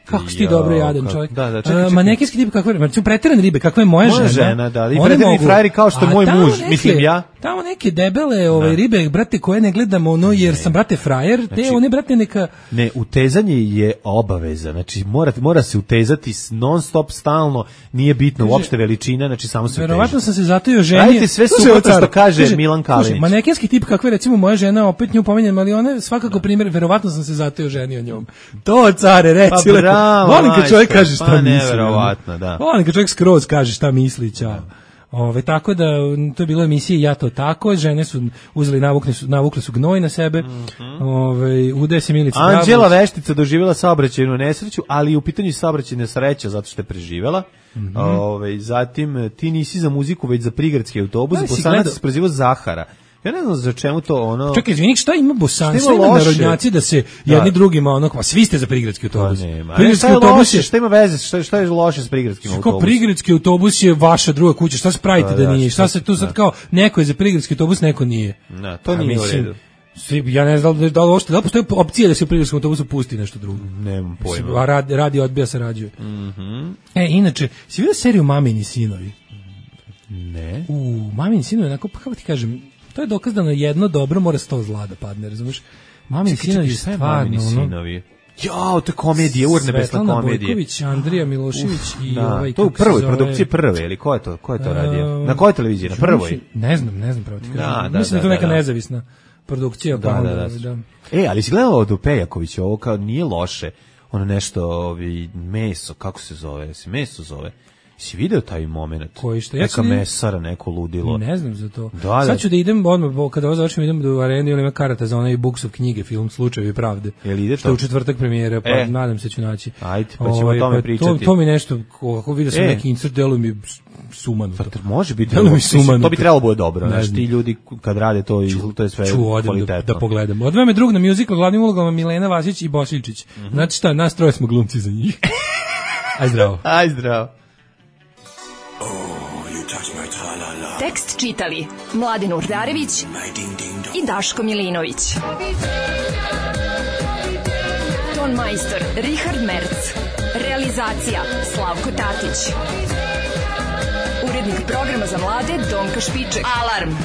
Kako si ti dobro jadan čovjek. Da, da, čekaj, čekaj. Manekinski tip kakve, recimo preterane ribe, kakva je moja, moja žena. žena, da, i preterani frajeri kao što je moj muž, neke, mislim ja. Tamo neke debele ove da. ribe, brate, koje ne gledamo ono, jer ne. sam, brate, frajer, te znači, one, brate, neka... Ne, utezanje je obaveza, znači mora, mora se utezati non stop, stalno, nije bitno uopšte veličina, znači samo se verovatno sam se zato i oženio. Radite sve suprotno što kaže, kaže Milan Kalinić. Manekinski tip kakve, recimo, moja žena, opet nju pominjem, ali ona svakako primjer, verovatno sam se zato i oženio njom. To, care, reci, pa bravo, volim kad čovjek kaže šta pa misli. Neverovatno, da. Volim kad čovjek skroz kaže šta misli, ćao. Ove, tako da, to je bilo emisije Ja to tako, žene su uzeli, navukle su, navukle su gnoj na sebe, mm-hmm. Ove, ude se Milica Anđela Veštica doživjela saobraćajnu nesreću, ali u pitanju saobraćajne sreća zato što je preživjela. Mm-hmm. Ove, zatim, ti nisi za muziku, već za prigradski autobus, Bosanac se prezivo Zahara. Ja ne znam za čemu to ono... Čekaj, izvini, šta ima Bosanci, šta ima narodnjaci da se jedni da. drugima ono, pa svi ste za prigradski autobus. Pa prigradski autobus je, šta ima veze, šta, šta je loše s prigradskim autobusom? Kao prigradski autobus je vaša druga kuća, šta se pravite da, da nije, šta se tu sad kao, neko je za prigradski autobus, neko nije. Da, to nije u redu. Svi, ja ne znam da li da li da li postoji opcija da se u prigradskom autobusu pusti nešto drugo. Nemam pojma. A radi, radi odbija se rađuje. Mhm. E, inače, si vidio seriju Mamini sinovi? Ne. U, Mamini sinovi, onako, pa kako ti kažem, to je dokaz da na jedno dobro mora sto zla da padne, razumiješ? Mamini sinovi je stvarno, sinovi. Jao, to je komedija, urnebesna komedija. Svetlana Bojković, Andrija Milošević Uf, i da, ovaj... To je u prvoj zove... produkciji prve, ili ko je to, ko je to radio? Na kojoj televiziji? Na prvoj? Ne znam, ne znam pravo ti kažem. Da, da, mislim da je to neka da, da. nezavisna produkcija. Da, pa onda, da, da. da. E, ali si gledala od Pejakovića, ovo kao nije loše, ono nešto, ovi, meso, kako se zove, se meso zove. Si video taj moment? Koji što? Neka ja mesara, neko ludilo. Ne znam za to. Da, da. Sad ću da idem, odmah, kada ovo završim, idem do arene, ili ima karata za onaj Buksov knjige, film Slučajevi pravde. Jel ide to? Što je u četvrtak premijere, pa e. nadam se ću naći. Ajde, pa ćemo o tome pa pričati. To, to mi nešto, ako vidio sam e. neki insert, delo mi sumano. To može biti, delo mi sumano. To bi trebalo bude dobro, znaš, ti ljudi kad rade to, to je sve kvalitetno. Da, da pogledam. Odveo me drug na musical, glavnim ulogama Milena Vasić i Bosiljčić. Mm-hmm. Znači šta, nas troje smo glumci za njih. Aj zdravo. Aj zdravo. Tekst čitali Mladin Urdarević i Daško Milinović. Ton majstor Richard Merc. Realizacija Slavko Tatić. Urednik programa za mlade Donka Špiček. Alarm!